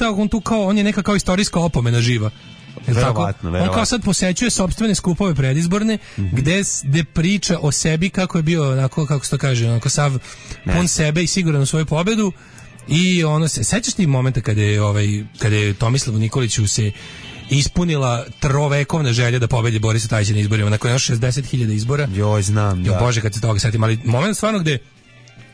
on je neka kao istorijska opomena živa. Verovatno. On kao sad posećuje sopstvene skupove predizborne, gde priča o sebi kako je bio, onako, kako se to kaže, onako sav pun sebe i siguran u svoju pobedu. I sećaš ti momenta kada je Tomislavu Nikoliću se ispunila trovekovna želja da pobedi Borisa Tadića na izborima nakon još 60.000 izbora. Joj, znam, da. Bože, kad se toga setim, ali moment stvarno gde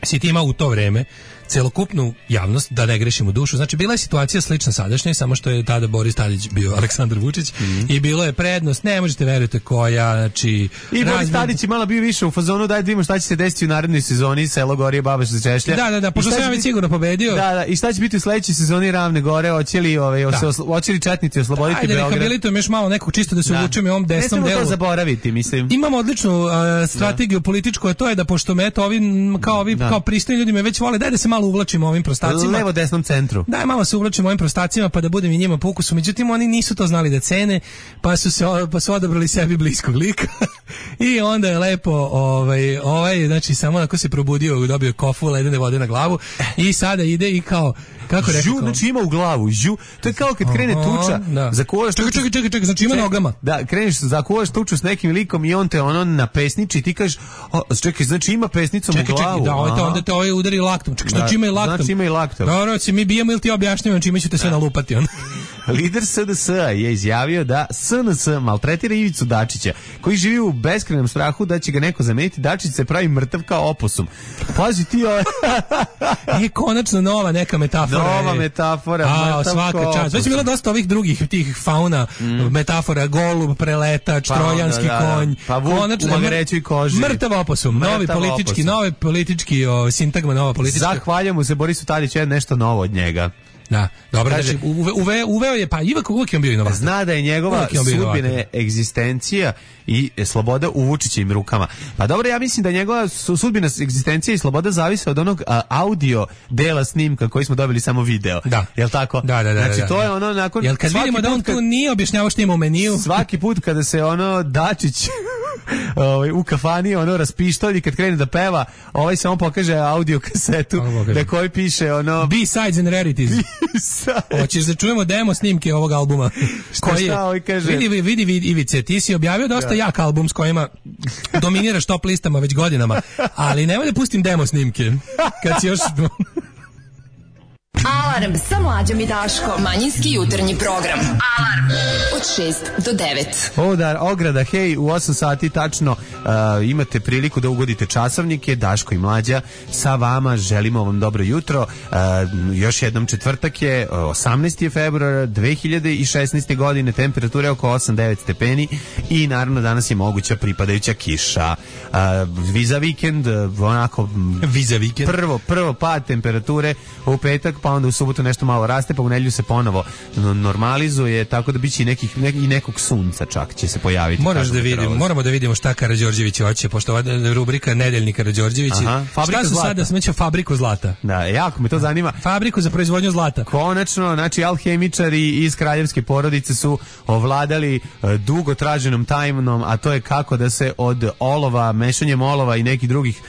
si ti imao u to vreme celokupnu javnost, da ne grešimo dušu. Znači, bila je situacija slična sadašnjoj, samo što je tada Boris Tadić bio Aleksandar Vučić i bilo je prednost, ne možete verujete koja, znači... I Boris Tadić je malo bio više u fazonu, daj da vidimo šta će se desiti u narednoj sezoni, Selo Gorije, Baba što se češlja. Da, pošto sam ja već sigurno pobedio. Da, i šta će biti u sledećoj sezoni Ravne Gore, hoće li četnici osloboditi Beograd? Ajde, rehabilitujem još malo nekog čisto da se uvučem i ovom desnom delu. Ne smemo to zaboraviti, mislim. Imamo odličnu strategiju političku, a to je da pošto me eto, kao pristojni ljudi me već vole, daj da se malo uvlačimo ovim prostacima. Levo desnom centru. Daj malo se uvlačimo ovim prostacima pa da budem i njima po ukusu. Međutim, oni nisu to znali da cene, pa su odabrali sebi bliskog lika. I onda je lepo znači samo onako se probudio, dobio kofu ledene vode na glavu i sada ide i kao kako rekao? Znači ima u glavu, to je kao kad krene tuča. Zakuvaš čekaj, znači ima nogama. Da, kreneš, zakuvaš tuču s nekim likom i on te napesniči i ti kažeš, čekaj, znači ima pesnicom u glavu. Da, onda te udari laktom. Čekaj, znači ima i laktom. Znači ima i laktom. Dobro, mi bijemo ili ti objašnjavam čime ću te sve nalupati. Lider SDS je izjavio da SNS maltretira Ivicu Dačića, koji živi u beskrajnom strahu da će ga neko zameniti. Dačić se pravi mrtav kao oposum. Pazi ti konačno nova neka metafora. Nova metafora. Svaka čast. Već je bilo dosta ovih drugih tih fauna metafora. Golub, preletač, trojanski konj. Pa vuk u magareću i koži. Mrtav oposum. Novi politički sintagma, nova politička. Zahvaljujemo se Borisu Tadiću, nešto novo od njega. Da, dobro, Kaže, znači uveo je, pa ipak uvijek je on bio inovator. Zna da je njegova sudbina egzistencija i sloboda u Vučićevim rukama. Pa dobro, ja mislim da njegova sudbina egzistencija i sloboda zavise od onog audio dela snimka koji smo dobili samo video. Da. Jel tako? Da. Znači to je ono nakon... Jel kad vidimo da on tu nije objašnjavao što ima u meniju? Svaki put kada se ono Dačić u kafani ono raspištolji kad krene da peva, ovaj samo pokaže audio kasetu na kojoj piše ono B-sides and rarities. Hoćeš da čujemo demo snimke ovog albuma? Šta ovaj kaže? Vidi Ivice, ti si objavio dosta jak album s kojima dominiraš top listama već godinama, ali nemoj da pustim demo snimke. Kad si još... Alarm sa Mlađom i Daškom. Manjinski jutarnji program. Alarm od 6 do 9. Ograda, hej, u 8 sati tačno imate priliku da ugodite časovnike. Daško i Mlađa sa vama, želimo vam dobro jutro. Još jednom četvrtak je, 18. februara 2016. godine, temperature oko 8-9 stepeni i naravno danas je moguća pripadajuća kiša. Viza vikend, onako prvo pad temperature u petak, pa onda u subotu nešto malo raste, pa u nedelju se ponovo normalizuje, tako da biće i nekog sunca čak će se pojaviti. Moramo da vidimo šta Karađorđević hoće, pošto ova rubrika Nedeljni Karađorđević. Šta su sada smeća fabriku zlata? Da, jako me to zanima. Fabriku za proizvodnju zlata. Konačno, znači alhemičari iz kraljevske porodice su ovladali dugo traženom tajnom, a to je kako da se od olova, mešanjem olova i nekih drugih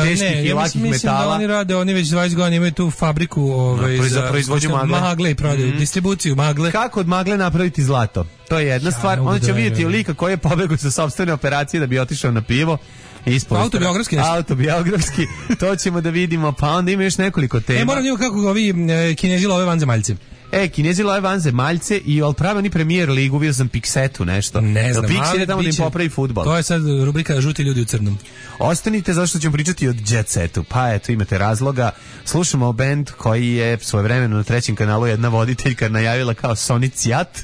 teških i lakih metala. Mislim da oni rade, oni već 20 godina imaju tu fabriku za proizvodnju magle i prodaju, distribuciju magle. Kako od magle napraviti zlato? To je jedna stvar. Onda ćemo vidjeti lika koji je pobegao sa sopstvene operacije da bi otišao na pivo. Autobiografski, to ćemo da vidimo, pa onda ima još nekoliko tema. Moram vidimo kako ovi Kinezi love vanzemaljce. Kinezi love vanzemaljce i pravi oni Premier ligu, vidio sam Piksetu nešto. Ne znam, Pixet je tamo da im popravi fudbal. To je sad rubrika Žuti ljudi u crnom. Ostanite, zašto ćemo pričati o Jet Setu. Pa eto, imate razloga. Slušamo band koji je svojevremeno na trećem kanalu jedna voditeljka najavila kao Sonic Jat.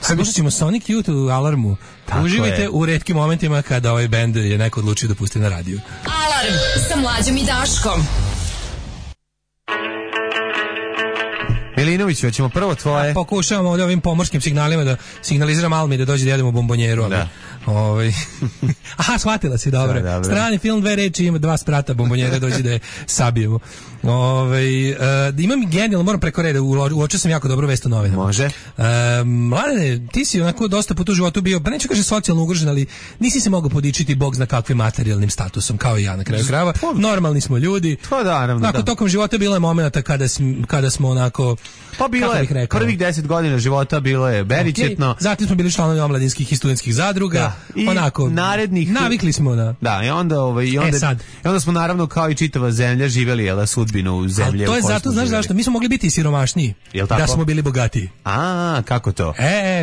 Slušat ćemo Sonic Youth u Alarmu. Tako uživajte je u retkim momentima kada ovaj band je neko odlučio da pusti na radiju. Alarm sa Mlađom i Daškom. Milinović, hoćemo prvo tvoje. Pokušavamo ovim pomorskim signalima da signaliziram Almi da dođe da jedemo bombonjeru. Ali, aha, shvatila si, dobro. Strani film, 2 reči, ima 2 sprata bombonjere, dođe da je sabijemo. Imam genijalno, moram preko reda, uočio sam jako dobru vest u novinama. Može. Mladene, ti si onako dosta puta u životu bio, pa neću kaže socijalno ugrožen, ali nisi se mogao podičiti bog zna kakvim materijalnim statusom, kao i ja na kraju krajeva. Normalni smo ljudi. To da, naravno. Onako, tokom života bilo je momenata kada smo onako... Pa bilo je, prvih 10 godina života bilo je beričetno. Zatim smo bili članovi omladinskih i studentskih zadruga. I onako, narednih... Navikli smo na... Da, i onda smo naravno kao i čitava zemlja živjeli sudbinu zemlje. To je zato, znaš zašto? Mi smo mogli biti siromašniji da smo bili bogatiji. A, kako to?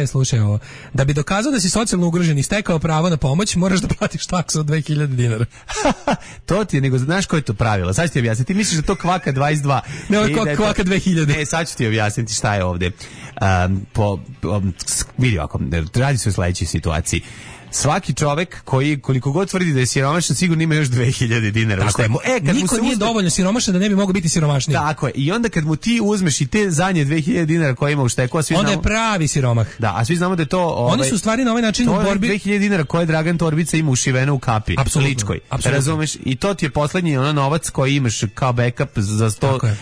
Slušaj ovo. Da bi dokazao da si socijalno ugrožen i stekao pravo na pomoć, moraš da platiš taksu od 2000 dinara. To ti je, nego znaš koje je to pravilo? Sad ću ti objasniti. Ti misliš da to kvaka 22? Ne, ovo kvaka 2000. Ne, sad ću ti objasniti šta je ovde. Vidi ovako, radi se o sledećoj situaciji. Svaki čovek koji koliko god tvrdi da je siromašan sigurno ima još 2000 dinara. Tako je. Niko nije dovoljno siromašan da ne bi mogao biti siromašniji. Tako je. I onda kad mu ti uzmeš i te zadnje 2000 dinara koje ima u šteku, onda je pravi siromah. Da, a svi znamo da je to... Oni su u stvari na ovaj način u borbi... 2000 dinara koje Dragan Torbica ima ušiveno u kapi. Ličkoj. Razumeš? I to ti je poslednji novac koji imaš kao backup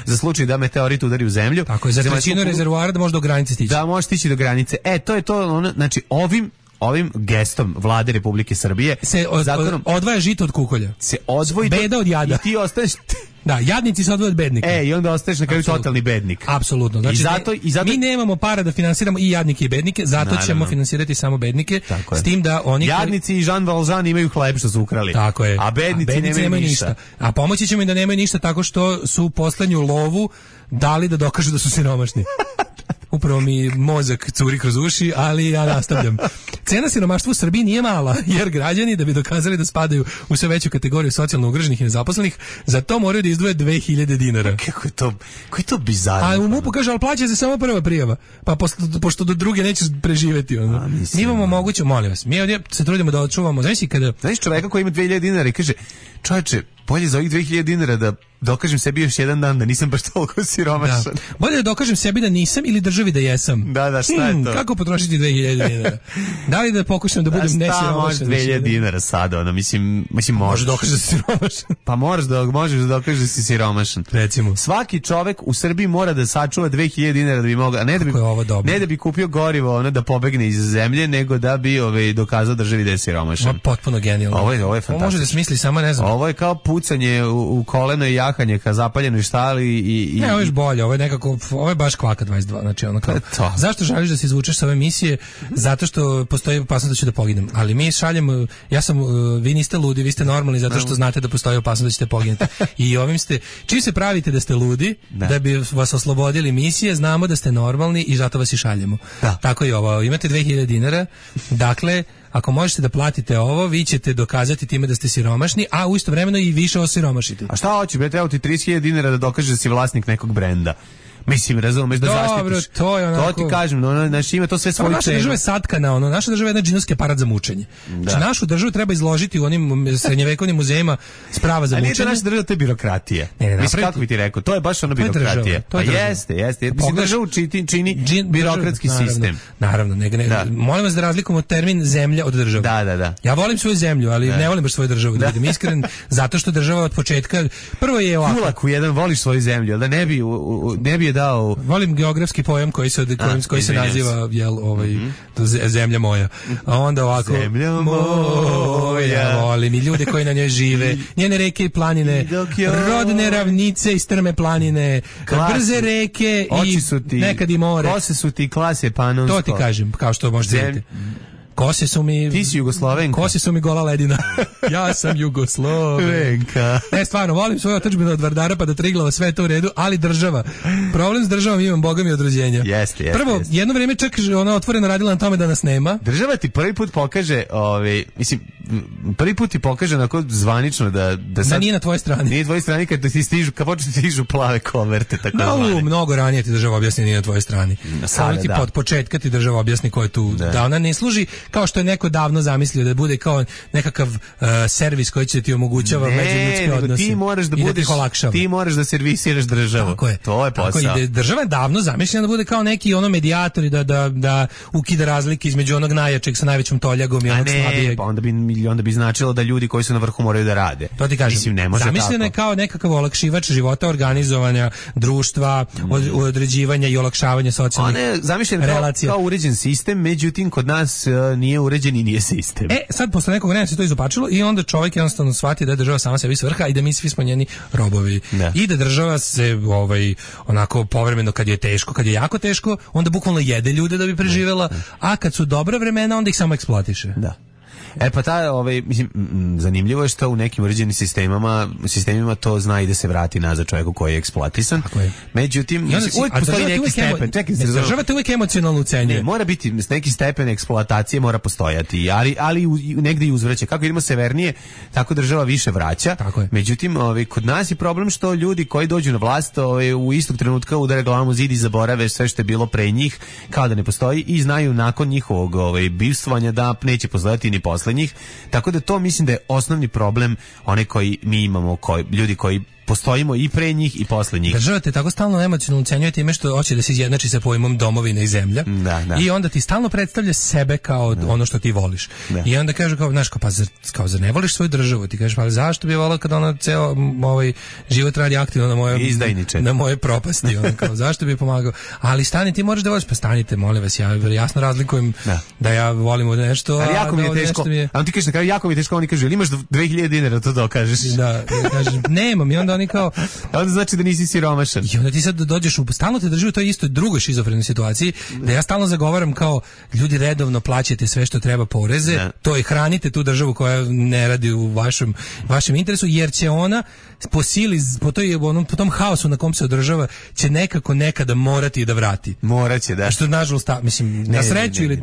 za slučaj da meteorit udari u zemlju. Tako je, za trećinu rezervoara da može do granice stići. Da, može stići do granice. To je to, znači ovim gestom Vlade Republike Srbije se odvaja žito od kukolja. Se odvoji beda od jada. I ti ostaješ... Da, jadnici se odvoje od bednika. I onda ostaješ na kraju totalni bednik. Apsolutno. Znači, I zato mi nemamo para da finansiramo i jadnike i bednike, zato ćemo finansirati samo bednike. S tim da oni... Jadnici i Jean Valjean imaju hleb što su ukrali. Tako je. A bednici nemaju ništa. A pomoći ćemo im da nemaju ništa tako što su poslednju lovu dali da dokažu da su siromašni. Upravo mi mozak curi kroz uši, ali ja nastavljam. Cena siromaštva u Srbiji nije mala, jer građani da bi dokazali da spadaju u sve veću kategoriju socijalno ugroženih i nezaposlenih, za to moraju da izdvoje 2000 dinara. Kako je to bizarno? A u MUP-u kaže, ali plaća se samo prva prijava, pa pošto do druge nećeš preživeti. Mi imamo moguće, molim vas, mi ovdje se trudimo da očuvamo. Znaš čoveka koji ima 2000 dinara i kaže, čovječe, bolje za ovih 2000 dinara da dokažem sebi još jedan dan da nisam baš toliko siromašan. Da. Bolje da dokažem sebi da nisam ili državi da jesam. Da, šta je to? Kako potrošiti 2000 dinara? Da li da pokušam da budem nesiromašan? Može 2000 dinara sada, ono, mislim može dokažeš da si siromašan. Pa možeš da dokažeš da si siromašan. Recimo. Svaki čovek u Srbiji mora da sačuva 2000 dinara da bi mogao, a ne da bi kupio gorivo, ono, da pobegne iz zemlje, nego da bi dokazao državi da je siromašan. Potpuno genijalno. Ovo je fantastično. Može da smisli, samo ne znam. Ovo je kao pucanje u koleno i jahanje ka zapaljenoj štali i ne, ovo je bolje, ovo je nekako, ovo je baš kvaka 22, znači ono kao. Zašto želiš da se izvučeš sa ove misije? Zato što postoji opasnost da ću da poginem. Ali mi šaljemo, vi niste ludi, vi ste normalni zato što znate da postoji opasnost da ćete poginuti. I ovim ste, čim se pravite da ste ludi, da bi vas oslobodili misije, znamo da ste normalni i zato vas i šaljemo. Tako i ovo, imate 2000 dinara, dakle, ako možete da platite ovo, vi ćete dokazati time da ste siromašni, a u isto vremeno i više osiromašite. A šta hoće, treba ti 30.000 dinara da dokažeš da si vlasnik nekog brenda. Mislim, razumeš da zaštitiš. To je onako. To ti kažem, naš ima to sve svoju cenu. Naša država je satkana, naša država je jedna džinovski aparat za mučenje. Znači, našu državu treba izložiti u onim srednjevekovnim muzejima sprava za mučenje. A nije to naša država, to je birokratija. Mislim, kako bi ti rekao, to je baš ono birokratija. To je država. Jeste. Mislim, državu čini birokratski sistem. Naravno, molim vas da razlikujemo termin zemlja od države. Da. Ja volim svoju zemlju, ali ne volim baš svoju državu, da budem iskren, zato što država od početka prvo je ovako. Kulaku jedan voliš svoju zemlju, al da ne bi dao. Volim geografski pojam koji se naziva zemlja moja. A onda ovako zemlja moja. Volim i ljude koji na njoj žive, njene reke i planine, rodne ravnice i strme planine, brze reke i nekad i more. Kose su ti klase panonsko. To ti kažem, kao što možete vidjeti. Kose su mi... Ti si Jugoslovenka. Kose su mi gola ledina. Ja sam Jugoslovenka. Ne, stvarno, volim svoju otadžbinu od Vardara pa do Triglava, sve je to u redu, ali država. Problem s državom imam, Boga mi, od rođenja. Jeste. Prvo, jedno vrijeme čak ona otvoreno radila na tome da nas nema. Država ti prvi put pokaže, prvi put ti pokaže onako zvanično da sad... nije na tvojoj strani. Nije na tvojoj strani kad počne ti stižu plave koverte, tako zvane. Mnogo ranije ti država objasni nije na tvojoj strani. Sada, od početka ti država objasni ko je tu. Da ona ne služi kao što je neko davno zamislio da bude kao nekakav servis koji će ti omogućava međuljudske odnose. Ti moraš da servisiraš državu. Tako je. To je posao. Tako je. Država je davno zamišljena da bude kao neki medijator i da ukida razlike između onog najjačeg sa najvećom toljagom i onog slabijeg. Pa onda bi značilo da ljudi koji su na vrhu moraju da rade. To ti kažem. Mislim, ne može zamišljena je kao nekakav olakšivač života, organizovanja društva, određivanja i olakšavanja socijalnih relacija. Kao uređen sistem, međutim kod nas nije uređen i nije sistem. Sad posle nekog vremena se to izopačilo i onda čovjek jednostavno shvati da je država sama sebi svrha i da mi svi smo njeni robovi. I da država se onako povremeno kad je teško, kad je jako teško, onda bukvalno jede ljude da bi preživela, a kad su dobra vremena onda ih samo eksploatiše. Da. Pa zanimljivo je što u nekim uređenim sistemima to zna i da se vrati nazad čovjeku koji je eksploatisan. Međutim, uvijek postoji neki stepen. Država te uvijek emocionalno ucenjuje. Ne, mora biti neki stepen eksploatacije, mora postojati, ali negdje i uzvraća. Kako idemo severnije, tako država više vraća. Međutim, kod nas je problem što ljudi koji dođu na vlast u istog trenutka udare glavom u zid i zaborave sve što je bilo pre njih, kao da ne postoji i znaju nakon njihovog bivstvovanja da neće postojati ni posle njih, tako da to mislim da je osnovni problem onaj koji mi imamo, ljudi koji postojimo i pre njih i posle njih. Država te tako stalno emocionalno ucenjuje time što hoće da se izjednači sa pojmom domovina i zemlja. I onda ti stalno predstavlja sebe kao ono što ti voliš. I onda kaže kao zar ne voliš svoju državu? Ti kažeš pa zašto bi volao kad ona ceo život radi aktivno na moje propasti, kao zašto bi pomagao? Ali stani, ti moraš da voliš, pa stanite, molim vas, ja jasno razlikujem da ja volim od nešto, a jako mi je teško. A on ti kaže na kraju jako mi je teško, oni kažu, imaš 2000 dinara to dokažeš. Da, kažem, nemam, i onda oni kao onda znači da nisi siromašan. I onda ti sad dođeš stalno te drži u toj istoj drugoj šizofrenoj situaciji, da ja stalno zagovaram kao ljudi redovno plaćate sve što treba poreze, to i hranite tu državu koja ne radi u vašem interesu, jer će ona po sili, po tom haosu na kom se održava, će nekako nekada morati da vrati. Moraće, da. Što nažalost, mislim, na sreću ili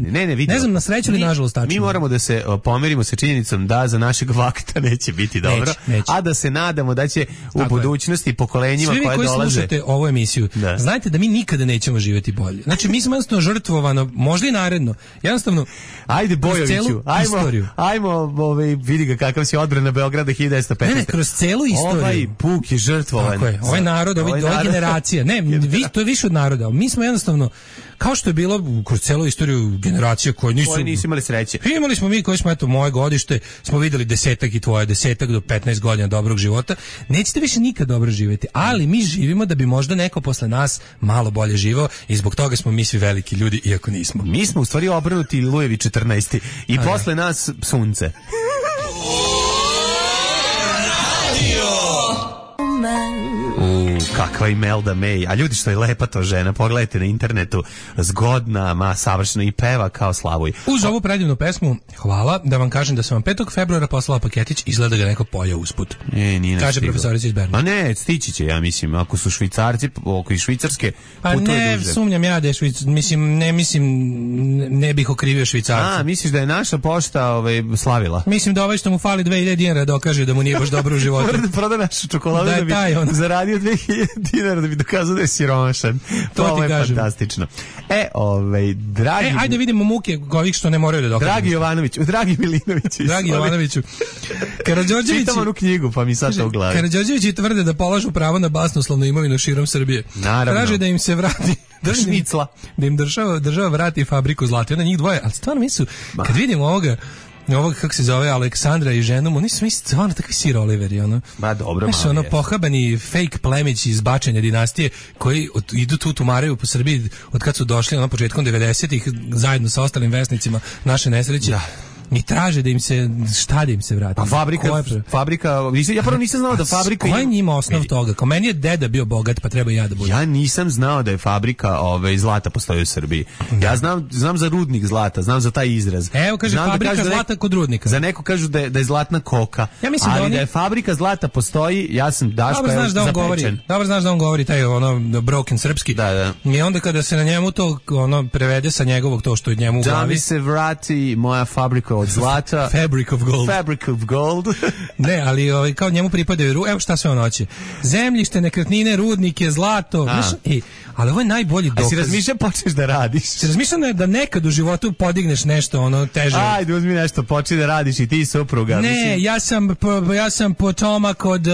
ne znam, na sreću ili nažalost tačno. Mi moramo da se pomerimo sa činjenicom da za našeg vakta neće biti dobro, a da se nadamo da će u budućnosti pokolenjima koje dolaze. Svi vi koji slušate ovu emisiju, znajte da mi nikada nećemo živjeti bolje. Znači mi smo jednostavno žrtvovano, možda i naredno. Jednostavno ajde Bojoviću, ajmo vidi ga kakav si odbrana Beograda 1915. Ne, kroz celu istoriju. Ovaj puk je žrtvovan. Tako je, ovaj narod, ova generacija. Ne, to je više od naroda. Mi smo jednostavno, kao što je bilo kroz celu istoriju generacija koje nisu imali sreće. Imali smo mi koji smo, eto, moje godište, smo videli 10 i tvoje 10 do 15 godina dobrog života. Nećete više nikad dobro živjeti, ali mi živimo da bi možda neko posle nas malo bolje živao i zbog toga smo mi svi veliki ljudi, iako nismo. Mi smo u stvari obrnuti Lujevi 14. I posle nas sunce. Kakva Imelda May, a ljudi što je lepa to žena, pogledajte na internetu, zgodna, savršena i peva kao Slavoj. Uz ovu predivnu pesmu, hvala, da vam kažem da sam vam 5. februara poslala paketić, izgleda ga neko pojao usput. Kaže profesorica iz Berna. A ne, stići će, ja mislim, ako su Švicarci, oko i Švicarske, pa ne, sumnjam ja da je ne bih okrivio Švicarca. A, misliš da je naša pošta slavila? Mislim da ovaj što mu fali 2000 dinara dokaže da mu nije baš dobro u životu. Mora da proda našu čokoladu da bi zaradio 2000 dinara da bi dokazao da je siromašan. To je fantastično. Dragi... ajde vidimo muke ovih što ne moraju da dokažu. Dragi Milinoviću. Dragi Jovanoviću. Čitam onu knjigu, pa mi sad to u glavi. Karađorđevići tvrde da polažu pravo na basnoslovnu imovinu širom Srbije. Naravno. Traže da im se vrati šnicla. Da im država vrati fabriku zlata. Onda njih dvoje, ali stvarno mi su, kad vidimo ovoga, kako se zove, Aleksandra i ženom, oni su stvarno takvi Sir Oliveri, ono. Ba, dobro, znaš, ono, pohabani fake plemići iz bačenja dinastije, koji idu tu tumaraju po Srbiji od kad su došli, ono, početkom 90-ih, zajedno sa ostalim vesnicima naše nesreće. Da. I traže da im se, šta da im se vrati? A fabrika, ja prvo nisam znao da fabrika... Koja je njima osnov toga? Kao meni je deda bio bogat, pa treba i ja da budem. Ja nisam znao da je fabrika zlata postoji u Srbiji. Ja znam za rudnik zlata, znam za taj izraz. Evo, kaže, fabrika zlata kod rudnika. Za neko kažu da je zlatna koka. Ja mislim ali da je fabrika zlata postoji, ja sam Daško zapečen. Dobro znaš da on govori taj broken srpski. Da. I onda kada se na njemu to prevede sa njegovog to što je njemu u glavi. Da mi se vrati moja fabrika od zlata. Fabric of gold. Ne, ali kao njemu pripadaju, evo šta sve on hoće. Zemljište, nekretnine, rudnike, zlato. Ali ovo je najbolji dokaz. A si razmišljao počneš da radiš? Si razmišljao da nekad u životu podigneš nešto teže? Ajde, uzmi nešto, počni da radiš i ti supruga. Ne, ja sam potomak od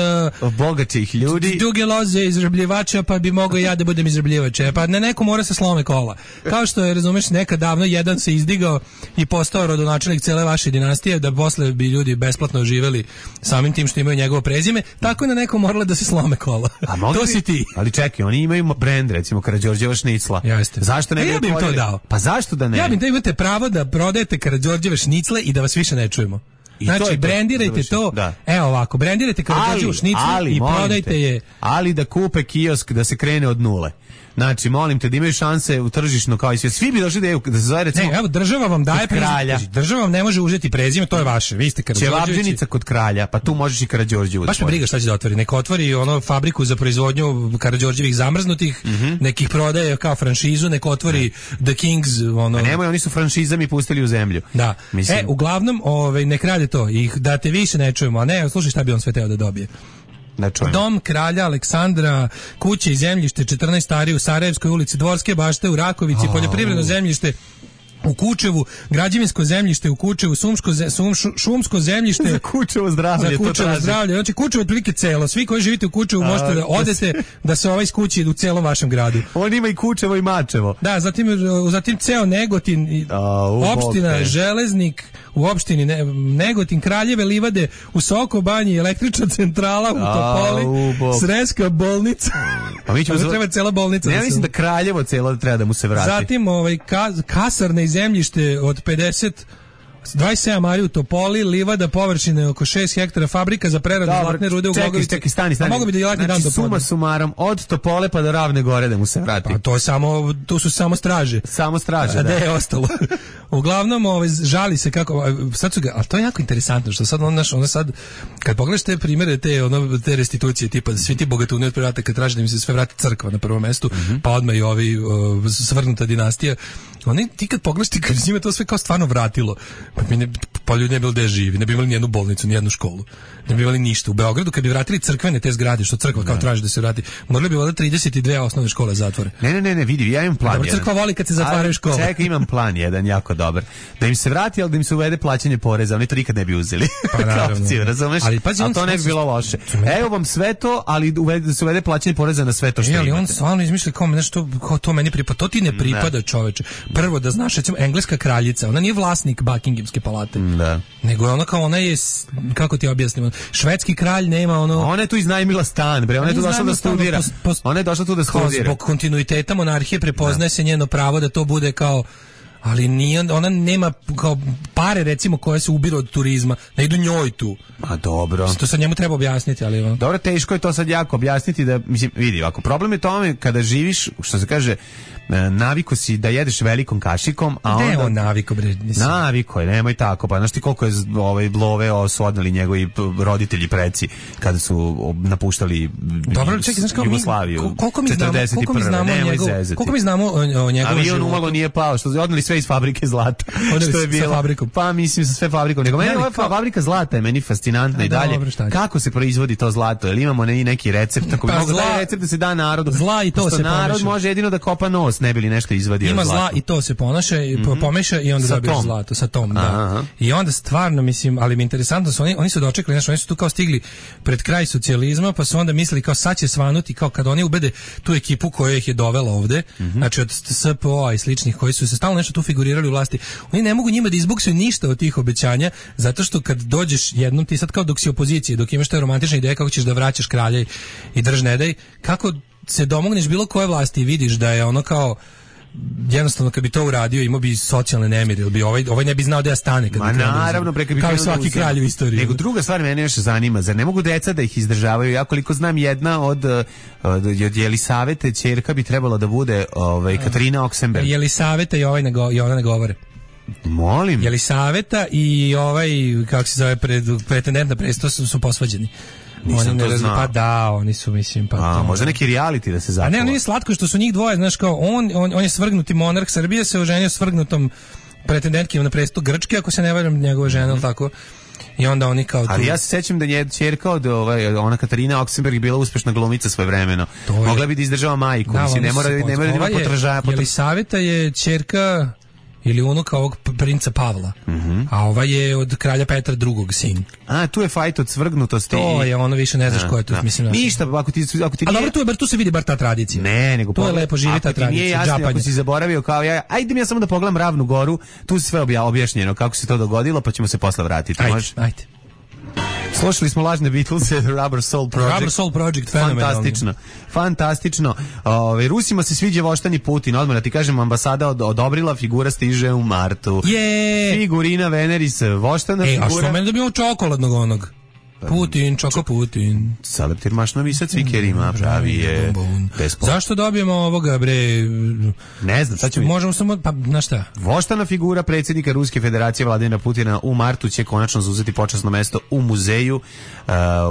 bogatih ljudi. Duge loze izrabljivača, pa bi mogao ja da budem izrabljivač. Pa neko mora se slome kola. Kao što je, razumeš, nekad davno jedan se izdigao i postao rodonačelnik cele vaše dinastije, da posle bi ljudi besplatno živeli samim tim što imaju njegovo prezime, tako je na neko moralo da se slome kola. To si ti. Ali čekaj, oni imaju brend, recimo Karađorđeva šnicla. Jeste. Zašto ne bi ja bih im to dao? Pa zašto da ne? Ja bih da imate pravo da prodajete Karađorđeve šnicle i da vas više ne čujemo. Znači, brendirajte to, evo ovako, brendirajte Karađorđevu šniclu i prodajte je. Ali da kupe kiosk da se krene od nule. Znači, molim te da imaju šanse u tržišno kao i svi bi došli da se zove recimo... Ne, evo, država vam daje kralja. Država vam ne može uzeti prezime, to je vaše. Vi ste Karađorđevići. Ćevabđenica kod kralja, pa tu možeš i Karađorđevu. Baš me briga šta će da otvori. Neko otvori fabriku za proizvodnju Karađorđevih zamrznutih, nekih prodaje kao franšizu, neko otvori The Kings, A nemoj, oni su franšizami pustili u zemlju. Da. Mislim. Uglavnom, nek rade to. I da te više ne čujemo, a ne, slušaj šta bi on sve teo da dobije. Dom kralja Aleksandra, kuće i zemljište 14 stari u Sarajevskoj ulici, Dvorske bašte u Rakovici, poljoprivredno zemljište u Kučevu, građevinsko zemljište u Kučevu, šumsko zemljište za Kučevo zdravlje. Znači Kučevo otprilike celo. Svi koji živite u Kučevu možete da odete da se skući u celom vašem gradu. On ima i Kučevo i Mačevo. Da, zatim ceo Negotin, opština Železnik, u opštini Negotin, Kraljeve livade, u Soko banji, električna centrala u Topoli, Sreska bolnica. Pa mi ćemo treba cela bolnica. Ne, mislim da Kraljevo celo treba da mu se vrati. Zatim kasarne i zemljište od 27 ari u Topoli, livada površine oko 6 hektara, fabrika za preradu zlatne rude u Glogovici. Čekaj, stani. Mogu bi da djelatni dan do suma sumarom, od Topole pa do Ravne Gore da mu se vrati. Pa tu su samo straže. Samo straže, da. A gde je ostalo? Uglavnom, žali se kako, sad su ga, ali to je jako interesantno, što sad ono sad, kad pogledaš te primere, te restitucije, tipa da svi ti bogatuni od prvrata kad traže da im se sve vrati crkva na prvom mestu, pa odmah i ovi svrnuta dinastija, ti kad pogledaš ti kad njima to sve kao stvarno vratilo, pa ljudi ne bi bilo gde živi, ne bi imali nijednu bolnicu, nijednu školu, ne bi imali ništa. U Beogradu kad bi vratili crkvene te zgrade, što crkva kao traži da se vrati, morali bi valjda 32 osnovne škole zatvore. Ne, vidi, ja imam plan. Dobro, crkva voli kad se zatvaraju škole. Čekaj, imam plan jedan jako dobar. Da im se vrati, ali da im se uvede plaćanje poreza, oni to nikad ne bi uzeli. Pa naravno. Razumeš? Ali to ne bi bilo loše. Evo vam sve to, ali da se uvede plaćanje poreza na sve to što imate. Ali on stvarno izmišlja kao nešto, kao to meni pripada. To ti ne pripada, čoveče. Prvo da znaš, recimo, engleska kraljica, ona nije vlasnik Buckinghamske palate. Da. Nego je ona kao, ona je, kako ti objasnim, švedski kralj nema ono... Ona je tu iznajmila stan, bre, ona je tu došla da studira. Ona je došla tu da studira. Zbog kontinuiteta monarhije prepoznaje se njeno pravo da to bude kao... Ali nije, ona nema kao pare recimo koje se ubiru od turizma, ne idu njoj tu. A dobro. To sad njemu treba objasniti, ali... Dobro, teško je to sad jako objasniti da, mislim, vidi, ovako, problem je tome kada živiš, što se kaže, naviko si da jedeš velikom kašikom, a onda... Ne, on naviko, bre. Naviko je, nemoj tako, pa znaš ti koliko je love su odneli njegovi roditelji preci kada su napuštali dobro, čekaj, znaš kao Jugoslaviju. Koliko mi znamo o njegovom životu? Avion umalo nije pao, što su odneli sve iz fabrike zlata. Što je bilo? Fabrikom. Pa mislim sa sve fabrikom. Nego meni ova fabrika zlata je meni fascinantna i dalje. Kako se proizvodi to zlato? Jel imamo neki recept? Tako bi mogo taj recept da se da narodu. Zla i to se pomeša. Narod može jedino da kopa nos, ne bi li nešto izvadio zlato. Ima zla i to se pomeša i onda dobiješ zlato sa tom, da. I onda stvarno, mislim, ali mi je interesantno su oni su dočekali, znači oni su tu kao stigli pred kraj socijalizma, pa su onda mislili kao sad će svanuti, kao kad oni ubede tu ekipu koja ih je dovela ovde, znači od SPO i sličnih koji su se stalno nešto tu figurirali u vlasti. Oni ne mogu njima da izbuksaju ništa od tih obećanja, zato što kad dođeš jednom, ti sad kao dok si opozicije, dok imaš te romantične ideje kako ćeš da vraćaš kralja i drž ne daj, kako se domogneš bilo koje vlasti i vidiš da je ono kao jednostavno kad bi to uradio imao bi socijalne nemire, ili bi ovaj ne bi znao da ja stane kad bi naravno kao i svaki kralj u istoriji. Nego druga stvar mene još zanima, zar ne mogu deca da ih izdržavaju? Ja koliko znam jedna od Jelisavete ćerka bi trebala da bude Katarina Oksenberg. Jelisaveta i ona ne govore. Molim. Jelisaveta i kako se zove pretendent na presto su posvađeni. Nisam to znao. Pa da, oni su, mislim, pa to... možda neki reality da se zakuva. A ne, nije slatko što su njih dvoje, znaš, kao on je svrgnuti monarh Srbije, se oženio svrgnutom pretendentkim na presto Grčke, ako se ne varam, njegova žena, ili tako. I onda oni kao tu... Ali ja se sećam da je ćerka od ona Katarina Oksenberg bila uspešna glumica svojevremeno. Mogla bi da izdržava majku, da, mislim, ne mora da ima potražaja. Jelisaveta je ćerka ili unuka ovog princa Pavla, a ova je od kralja Petra II. Sin. A, tu je fajt od svrgnutosti. To je ono, više ne znaš ko je to, mislim. Ništa, ako ti a dobro, tu se vidi bar ta tradicija. Ne, nego... To je lepo, živi ta tradicija. Nije jasno, ako si zaboravio kao ja, ajde mi ja samo da pogledam Ravnu goru, tu se sve objašnjeno kako se to dogodilo, pa ćemo se posle vratiti. Ajde. Slušali smo lažne Beatlese, Rubber Soul Project. Rubber Soul Project, fenomenalno. Fantastično. Rusima se sviđa voštani Putin. Odmah da ti kažem, ambasada odobrila, figura stiže u martu. Figurina Veneris, voštana figura. A što meni dobio čokoladnog onog? Putin, čoko Putin. Saleptir mašnovi sa cvikerima, pravi je despot. Zašto dobijemo ovoga, bre? Ne znam, sad ćemo... Možemo samo, pa, na šta? Voštana figura predsjednika Ruske federacije Vladimira Putina u martu će konačno zauzeti počasno mesto u muzeju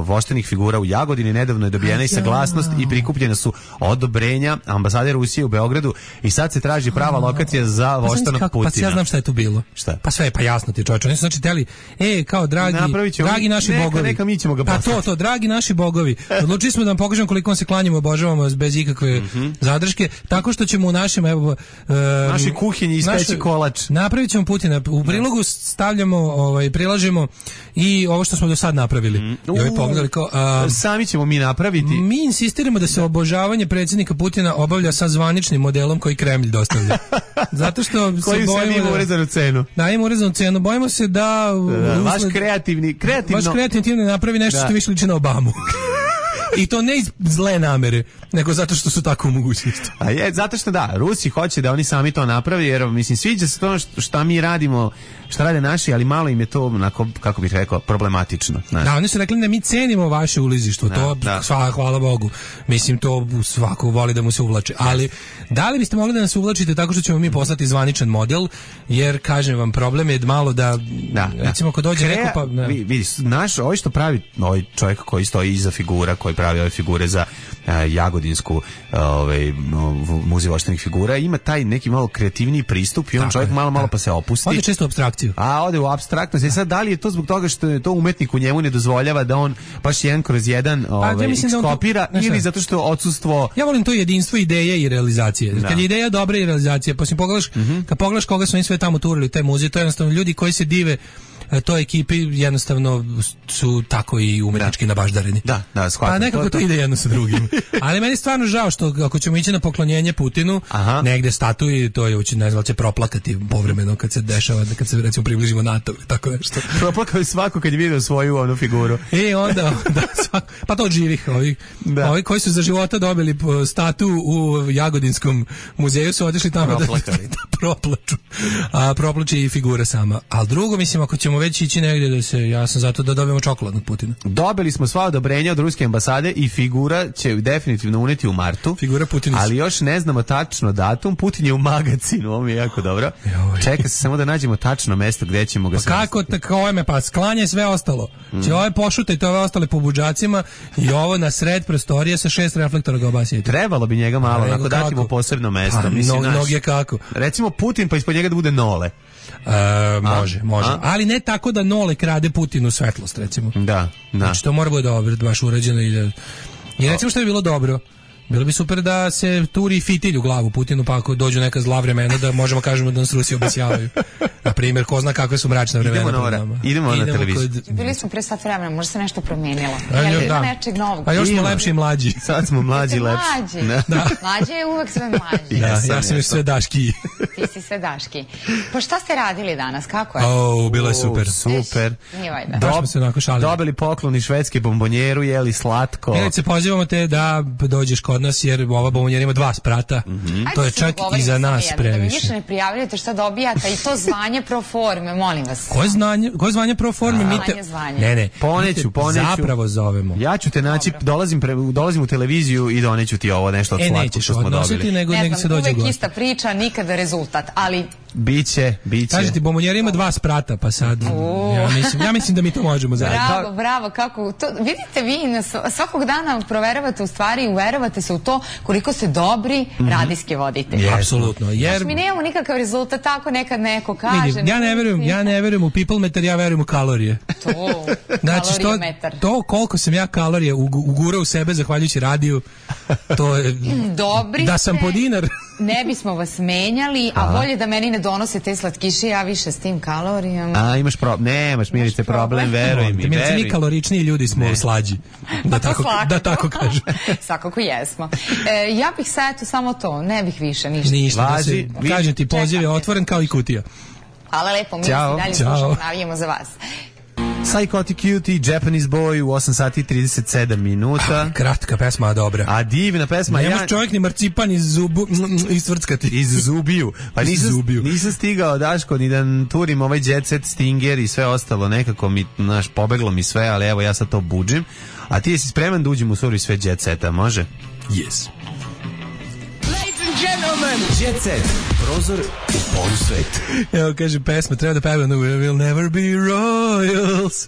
voštanih figura u Jagodini. Nedavno je dobijena i saglasnost i prikupljena su odobrenja ambasade Rusije u Beogradu i sad se traži prava lokacija za voštanog Putina. Pa ja znam šta je tu bilo. Šta? Pa sve je pa jasno ti čovječe. Oni su znači teli, kao dragi naši bogovi. Mi ćemo ga poslati. Pa to, dragi naši bogovi. Odlučili smo da vam pokažemo koliko vam se klanjamo, obožavamo bez ikakve zadrške, tako što ćemo u našem našoj kuhinji ispeći kolač. Napravit ćemo Putina. U prilogu stavljamo, prilažemo i ovo što smo do sad napravili. I ovi pogledali kao... sami ćemo mi napraviti. Mi insistiramo da se obožavanje predsjednika Putina obavlja sa zvaničnim modelom koji Kremlj dostavlja. Zato što koji se ima urezanu cenu. Da, ima urezanu cenu. Bojimo se da... Vaš kreativni napravi nešto što više liči na Obamu. I to ne iz zle namere, nego zato što su tako u mogućnosti. A je, zato što da, Rusi hoće da oni sami to napravi, jer mislim sviđa se to šta mi radimo, šta rade naši, ali malo im je to onako, kako bih rekao, problematično. Znaš. Da, oni su rekli da mi cenimo vaše ulizištvo, to hvala Bogu. Mislim, to svako voli da mu se uvlače. Ali, da li biste mogli da nas uvlačite tako što ćemo mi poslati zvaničan model, jer, kažem vam, problem je malo da recimo, ako dođe neko pa... Vidiš, naš, ovo što pravi ovaj čovjek koji stoji iza figura, koji pravi ove figure za jagodinsku muzej voštanih figura, ima taj neki malo kreativniji pristup i on čovjek malo pa se opusti. Ode često u apstrakciju. A ode u apstraktnost. I sad da li je to zbog toga što je to umetnik u njemu ne dozvoljava da on baš jedan kroz jedan ekskopira ili zato što odsustvo... Ja volim to jedinstvo ideje i realizacije. Kad je ideja dobra i realizacija, poslije pogledaš, kad pogledaš koga su oni sve tamo turili u taj muzej, to je jednostavno ljudi koji se dive toj ekipi jednostavno su tako i umetnički nabaždareni. Da, shvatam. A nekako to ide jedno sa drugim. Ali meni je stvarno žao što ako ćemo ići na poklonjenje Putinu, negde statuji, to je ne znam, će proplakati povremeno kad se dešava, kad se recimo približimo NATO, tako nešto. Proplakao je svako kad je vidio svoju onu figuru. Onda pa to od živih, ovi koji su za života dobili statu u Jagodinskom muzeju su otišli tamo da proplaču. A proplače i figura sama. Al drugo, mislim, ako ćemo već ići negdje ja sam zato da dobijemo čokolad od Putina. Dobili smo sva odobrenja od ruske ambasade i figura će definitivno uneti u martu. Figura Putina. Ali još ne znamo tačno datum. Putin je u magazinu, ovo mi je jako dobro. Čeka se samo da nađemo tačno mesto gdje ćemo ga... Kako pa sklanje sve ostalo. Će ove pošutajte ove ostale po budžacima i ovo na sred prostorije sa 6 reflektora ga obasijete. Trebalo bi njega malo, onako dati mu posebno mesto. Mnoge kako. Recimo Putin, pa ispod njega da bude Nole. Može. Ali ne tako da Nole krade Putinu svetlost, recimo. Da. Znači, to mora biti dobro, baš urađeno i recimo što bi bilo dobro. Bilo bi super da se turi fitilj u glavu Putinu, pa ako dođu neka zla vremena da možemo kažemo da nas Rusi obasjavaju. Na primjer, ko zna kakve su mračne vremena. Idemo na televiziju. Bili smo pre sat vremena, možda se nešto promijenilo. Ima nečeg novog. A još smo lepši i mlađi. Sad smo mlađi i lepši. Mlađi je uvek sve mlađi. Ja sam još sve daški. Ti si sve daški. Pa šta ste radili danas? Kako je? Bilo je super. Super. Dobili poklon i švedske bombonjeru, jeli slatko. Milice, pozivamo te da dođeš kod nas, jer ova bombonjera ima 2 sprata. To je čak i za nas previše. Da mi više ne prijavljujete šta dobijate i to zvanje pro forme, molim vas. Koje zvanje pro forme? Ne. Poneću. Zapravo zovemo. Ja ću te naći, dolazim u televiziju i doneću ti ovo nešto od slatko što smo dobili. Nego se dođe uvek ista priča, nikada rezultat, ali... Biće. Kažete ti, bombonjera ima 2 sprata, pa sad ja mislim da mi to možemo zajedno. Bravo, kako to, vidite vi svakog dana proveravate u stvari, uveravate se u to koliko ste dobri radijski voditelji. Apsolutno. Jer mi nemamo nikakav rezultat, tako nekad neko kaže. Ja ne verujem u people meter, ja verujem u kalorije. Znači to koliko sam ja kalorije ugurao u sebe zahvaljujući radiju, to je da sam po dinar. Ne bismo vas menjali, a bolje da meni ne donose te slatkiše, ja više s tim kalorijama. Imaš nemaš, Milice, problem, veruj mi. Mi kaloričniji ljudi smo slađi. Da tako kažem. Svakako jesmo. Ja bih sad samo to, ne bih više ništa. Kažem ti, poziv je otvoren kao i kutija. Hvala lepo, mi se dalje slušamo, navijemo za vas. Psychotic Cutie, Japanese Boy u 8 sati 37 minuta. Kratka pesma, dobra. A divna pesma. Ne može čovjek ni marcipan istvrckati. Iz zubiju. Pa nisam stigao, Daško, ni da turim ovaj Jet Set, Stinger i sve ostalo. Nekako mi, pobeglo mi sve, ali evo ja sad to budžim. A ti jesi spreman da uđem u suri sve Jet Seta, može? Yes. Jet Set, prozor u polusvet. Evo, kaže pesma, treba da pevam We'll never be royals.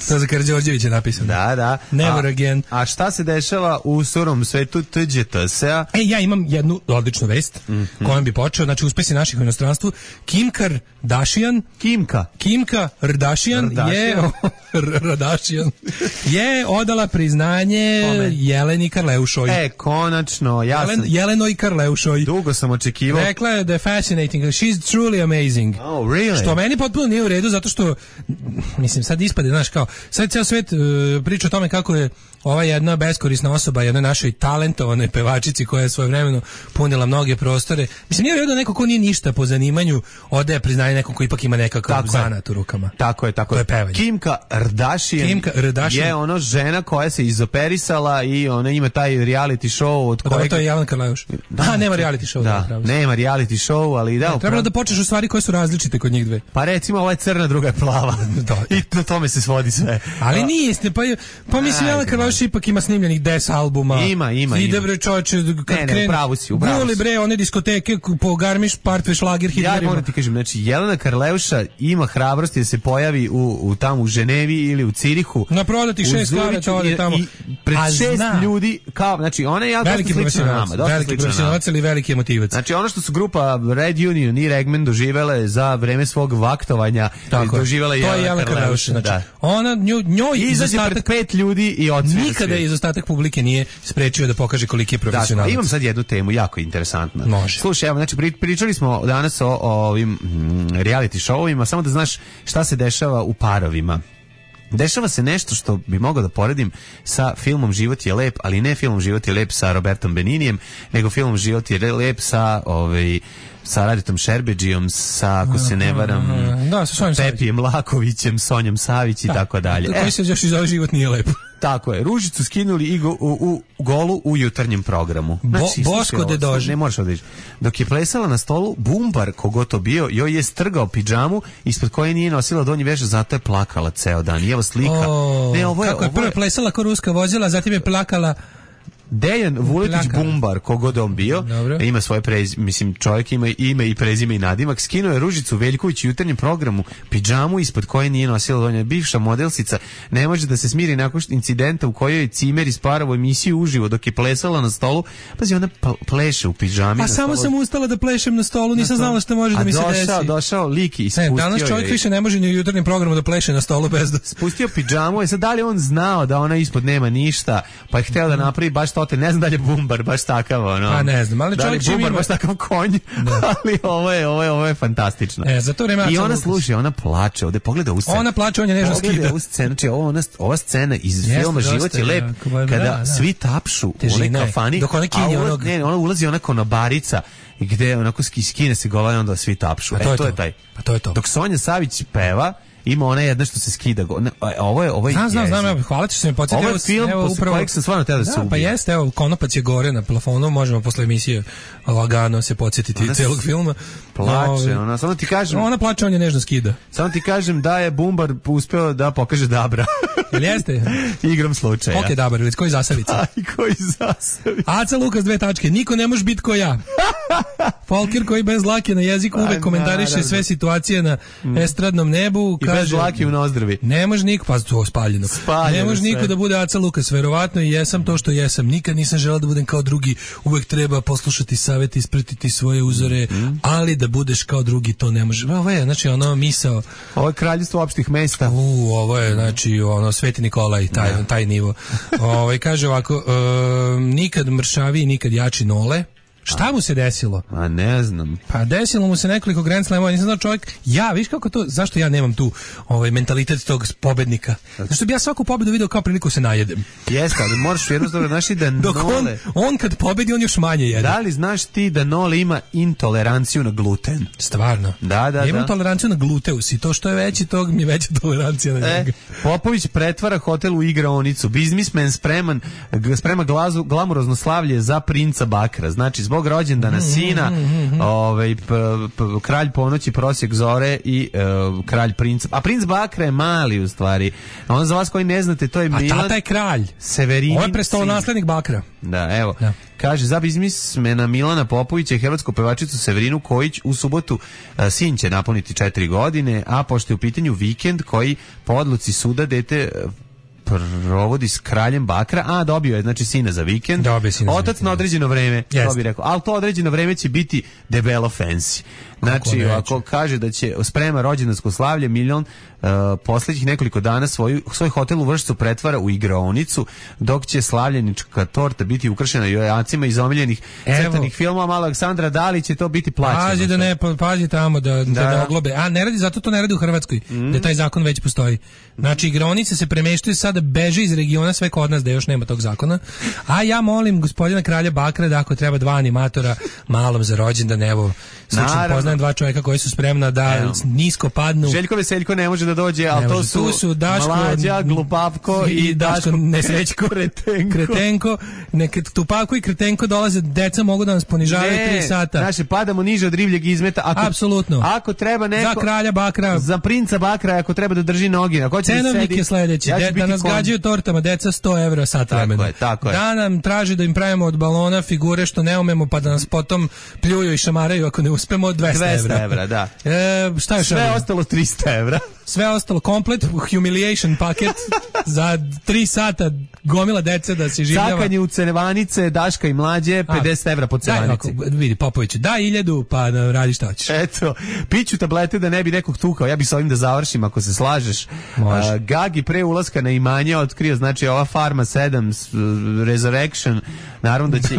To za Karađorđevića napisano. Da. Never again. A šta se dešava u surom svetu TGTS-a? Ja imam jednu odličnu vest kojom bi počeo, znači uspesi naših u inostranstvu. Kim Kardashian je odala priznanje Jeleni Karleušoj. Konačno, Jelenoj Karleušoj. Dugo sam očekivao. Rekla je da je fascinating, she's truly amazing. Oh, really? Što meni potpuno nije u redu, zato što, mislim, sad ispade, znaš, kao, sad ceo svet priča o tome kako je ova jedna beskorisna osoba, jednoj našoj talentovanoj pevačici koja je svojevremeno punila mnoge prostore. Mislim, nije u redu neko ko nije ništa po zanimanju odaje priznanje nekom ko ipak ima nekakav zanat u rukama. Tako je. To je pevanje. Kim Kardashian je ono žena koja se izoperisala i ona ima taj reality show od kojeg... To je Jelena Karleuš. Nema reality show. Nema reality show, ali da... Trebalo da počneš u stvari koje su različite kod njih dve. Pa recimo, ova je crna, druga je plava. I na tome se svodi sve. Ali nije istina, pa mislim, Jelena Karleuš ipak ima snimljenih 10 albuma. Ima. Ide bre čovječe, kad krene... Upravo si. Guli bre, one diskoteke po Garmisch, Partve, Šlager, Hitlerima. Ja moram ti kažem, znači, Jelena Karleuša ima hrabrosti da se pojavi tamo u Ženevi Ženevi ili u Cirihu. Na prodati 6 karata ode tamo. I pred 6 ljudi, kao, znači ona je jako slična nama. Veliki profesionalac ili veliki emotivac. Znači ono što su grupa Red Union i Regman doživele za vreme svog vaktovanja, doživela je Jelena Karleuša. Znači, ona njoj izađe pred 5 ljudi i odsvira. Nikada izostatak publike nije sprečio da pokaže koliki je profesionalac. Imam sad jednu temu jako interesantna. Može. Slušaj, evo, znači pričali smo danas o ovim reality showovima, samo da znaš šta se dešava u parovima. Dešava se nešto što bi mogao da poredim sa filmom Život je lep, ali ne filmom Život je lep sa Robertom Beninijem, nego filmom Život je lep sa Raditom Šerbedžijom, sa, ako se ne varam, Pepijem Lakovićem, Sonjom Savić i tako dalje. Koji se još izove Život nije lep. Tako je, Ružicu skinuli i u golu u jutarnjem programu. Znači, Boško de Doži. Ne možeš odreći. Dok je plesala na stolu, Bumbar, kogo to bio, joj je strgao pidžamu ispod koje nije nosila donji veš, zato je plakala ceo dan. I evo slika. Kako je prvo plesala ko ruska vozila, zatim je plakala. Dejan Vuletić Bumbar, kogod on bio, ima svoje mislim, čovjek ima ime i prezime i nadimak, skinuo je Ružicu Veljković u jutarnjem programu pidžamu ispod koje nije nosila donja. Bivša modelsica ne može da se smiri nakon incidenta u kojoj je cimer isparao emisiju uživo dok je plesala na stolu. Pazi, ona pleše u pidžami. Pa samo sam ustala da plešem na stolu, nisam znala što može da mi se desi. Došao lik i spustio. Danas čovjek više ne može ni u jutarnjem programu da pleše na stolu bez da spustio pidžamu. Sad da li on znao da ona ispod nema ništa, pa je hteo da napravi baš to. Ne znam da li je Bumbar baš takav, ono. Pa ne znam, ali čovjek Bumbar baš takav konj, ali ovo je fantastično. Za to vreme i ona sluša, ona plače, ovde pogleda u scenu. Ona plače, on je nežno skida. Pogleda u scenu, znači ova scena iz filma Život je lep, kada svi tapšu u onoj kafani, a ona ulazi ona konobarica gde onako skine se gola i onda svi tapšu. To je taj. Pa to je to. Dok Sonja Savić peva, ima ona jedna što se skida. Ovo je znam, hvala ti što me podsjetio. Ovo je film posle kojeg sam stvarno teo da se ubije. Pa jeste, evo, konopac je gore na plafonu, možemo posle emisije lagano se podsjetiti celog filma. Plače, ona, samo ti kažem... Ona plače, on je nežno skida. Samo ti kažem da je Bumbar uspeo da pokaže Dabra. Jel jeste? Igram slučaja. Ok, Dabar, ili koji Zasavica? Aj, koji Zasavica? Aca Lukas 2 tačke, niko ne može biti ko ja. Folker koji bez dlake na jeziku uvek komentariše sve situacije na estradnom nebu. I bez dlake u nozdrvi. Ne može niko, pa to spaljeno. Ne može niko da bude Aca Lukas, verovatno i jesam to što jesam. Nikad nisam želeo da budem kao drugi, uvek treba poslušati savjeti, ispratiti svoje uzore, ali da budeš kao drugi to ne može. Ovo je, znači, ono misao. Ovo je kraljevstvo opštih mesta. Ovo je, znači, ono, Sveti Nikolaj, taj nivo. Kaže ovako, nikad mršaviji, nikad jači Nole. Šta mu se desilo? A ne znam. Pa desilo mu se nekoliko Grand Slamova, nisam znao čovjek. Viš kako to, zašto ja nemam tu mentalitet tog pobednika? Zašto bi ja svaku pobedu video kao priliku se najedem? Jeste, ali moraš jednostavno znaš da dok Nole... on kad pobedi, on još manje jede. Da li znaš ti da Nole ima intoleranciju na gluten? Stvarno? Da. Ja imam toleranciju na gluteus i to što je veći, tog mi je veća tolerancija na njega. Popović pretvara hotel u igraonicu. Biznismen sprema glamurozno slavlje za princa Bakra. Znači, zbog rođendana sina, kralj ponoći, prosjek zore i kralj princ. A princ Bakra je mali u stvari. A on za vas koji ne znate, to je Milan. A tata je kralj. Severinin. Ovo je prestolonaslednik Bakra. Da, evo. Da. Kaže, za biznismena Milana Popovića i hrvatsku pevačicu Severinu Kojić u subotu sin će napuniti 4 godine, a pošto je u pitanju vikend koji po odluci suda dete provodi s kraljem Bakra, a dobio je, znači, sina za vikend. Otac na određeno vreme, to bi rekao. Ali to određeno vreme će biti debelo fancy. Znači, ako kaže da će sprema rođendansko slavlje, Miljan posljednjih nekoliko dana svoj hotel u Vršcu pretvara u igraonicu, dok će slavljenička torta biti ukrašena jojacima iz omiljenih crtanih filmova. Malo Aleksandra, da li će to biti plaćeno? Pazi tamo da oglobe. A ne radi, zato to ne radi u Hrvatskoj, da taj zakon već postoji. Znači, igraonice se premeštaju sada, beže iz regiona, sve kod nas da još nema tog zakona. A ja molim gospodina kralja Bakra da ako treba 2 animatora malom za rođendan, evo, slučajno poznajem 2 čovjeka koji su spremna da nisko padnu. Željko Veseljko ne može da dođe, ali to su Daško, Mlađa, Glupavko i Daško Nesrećko, Kretenko. Tupavko i Kretenko dolaze, deca mogu da nas ponižavaju 3 sata. Naše padamo niže od rivljeg izmeta. Apsolutno. Ako treba neko... Za kralja Bakra. Za princa Bakra, ako treba da drži noge. Cenovnik je sljedeći. Da nas gađaju tortama, deca 100 evra sat vremena. Tako je. Da nam traži da im pravimo od balona figure što ne umemo, pa da nas potom pljuju i šamaraju ako ne uspemo, 200 evra. Da. Šta još? Sve ostalo 300 evra. sve ostalo komplet, humiliation paket za 3 sata gomila dece da se življava. Cakanje u Cerevanice, Daška i Mlađe, 50 evra po Cerevanici. Vidi, Popoviću, da 1000, pa radi šta hoćeš. Eto, piću tablete da ne bi nekog tukao. Ja bi s ovim da završim ako se slažeš. Gagi pre ulaska na imanje otkrio, znači ova Farma 7 Resurrection, naravno da će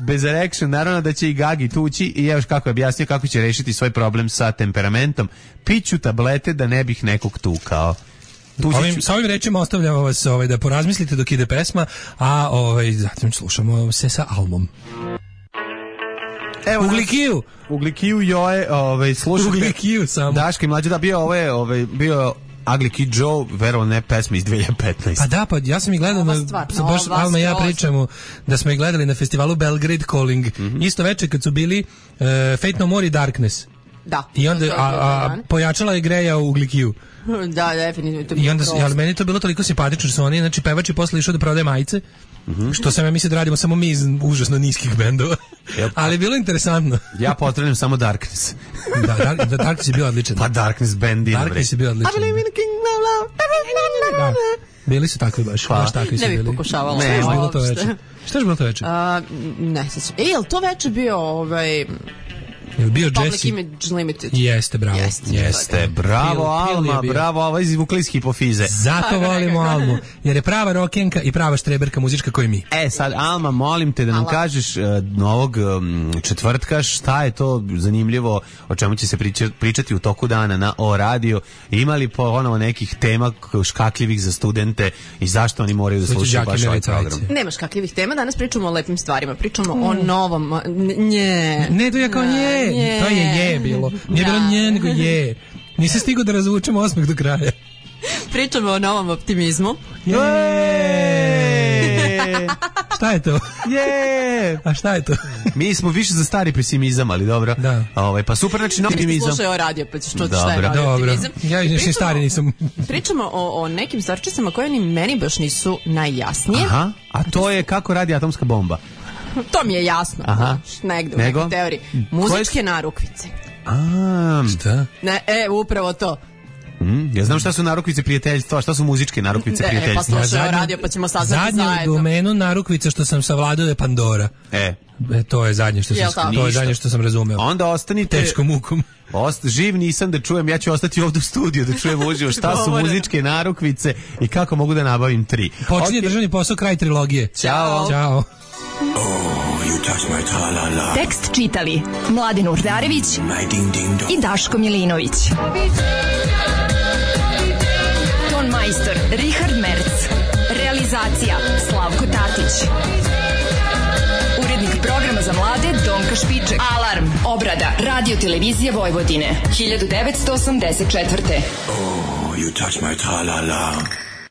bez erection, naravno da će i Gagi tući i evo kako je objasnio kako će rešiti svoj problem sa temperamentom. Piću tablete da ne bih nekog tukao. Sa ovim rečima ostavljamo vas da porazmislite dok ide pesma, a zatim slušamo se sa Almom. Evo Uglikiju Joe, slušajte. Uglikiju samo. Daška i Mlađe, da bio bio Ugly Kid Joe, verovo ne pesma iz 2015. Pa da, pa ja sam ih gledao baš Alma i ja pričamo da smo ih gledali na festivalu Belgrade Calling. Isto večer kad su bili Fate No More i Darkness. Da. I onda pojačala je Greja u Uglikiju. Da, definitivno. I onda, ali meni to bilo toliko simpatično što su oni, znači pevač je posle išao da prodaje majice, što sam ja mislio da radimo samo mi iz užasno niskih bendova. Ali je bilo interesantno. Ja potrebujem samo Darkness. Da, Darkness je bio odličan. Pa Darkness band. Darkness je bio odličan. Da. Bili su takvi baš takvi su bili. Ne bih pokušavala. Ne, bilo to večer. Šta je bilo to večer? Ne sećam. Jel to večer bio Je bio Public Jesse? Image Limited. Jeste, bravo. Jeste, bravo Alma, bravo, ovo izvukli iz hipofize. Zato volimo Almu, jer je prava rokenka i prava štreberka muzička koji mi. Sad, Alma, molim te da nam kažeš ovog četvrtka šta je to zanimljivo, o čemu će se pričati u toku dana na O radio. Ima li ponovo nekih tema škakljivih za studente i zašto oni moraju da slušaju baš ovaj program? Nema škakljivih tema, danas pričamo o lepim stvarima, pričamo o novom. Ne, to je kao nje. To je bilo. Nije bilo nje, nego je. Nisi stigao da razvučemo osmeh do kraja. Pričamo o novom optimizmu. Šta je to? A šta je to? Mi smo više za stari pesimizam, ali dobro. Da. Pa super, znači novi optimizam. Slušaj o radio, pa ćeš čuti šta je novi optimizam. Ja još stari nisam. Pričamo o nekim stvarčicama koje ni meni baš nisu najjasnije. Aha, a to je kako radi atomska bomba. To mi je jasno. Aha. Negde u nekoj teoriji. Muzičke narukvice. Šta? Ne, upravo to. Ja znam šta su narukvice prijateljstva, šta su muzičke narukvice prijateljstva. Pa slušaj o radio, pa ćemo saznati zajedno. Zadnju domenu narukvice što sam savladao je Pandora. To je zadnje što sam razumeo. Onda ostanite teškom mukom. Živ nisam da čujem, ja ću ostati ovdje u studiju da čujem uživo šta su muzičke narukvice i kako mogu da nabavim 3. Počinje državni posao, kraj trilogije. Ćao. Tekst čitali Mladin Urdarević i Daško Milinović. Ton majstor Richard Merc. Realizacija Slavko Tatić. Urednik programa za mlade Donka Špiček. Alarm, obrada, radio televizije Vojvodine, 1984. Oh, you touch my tra-la-la.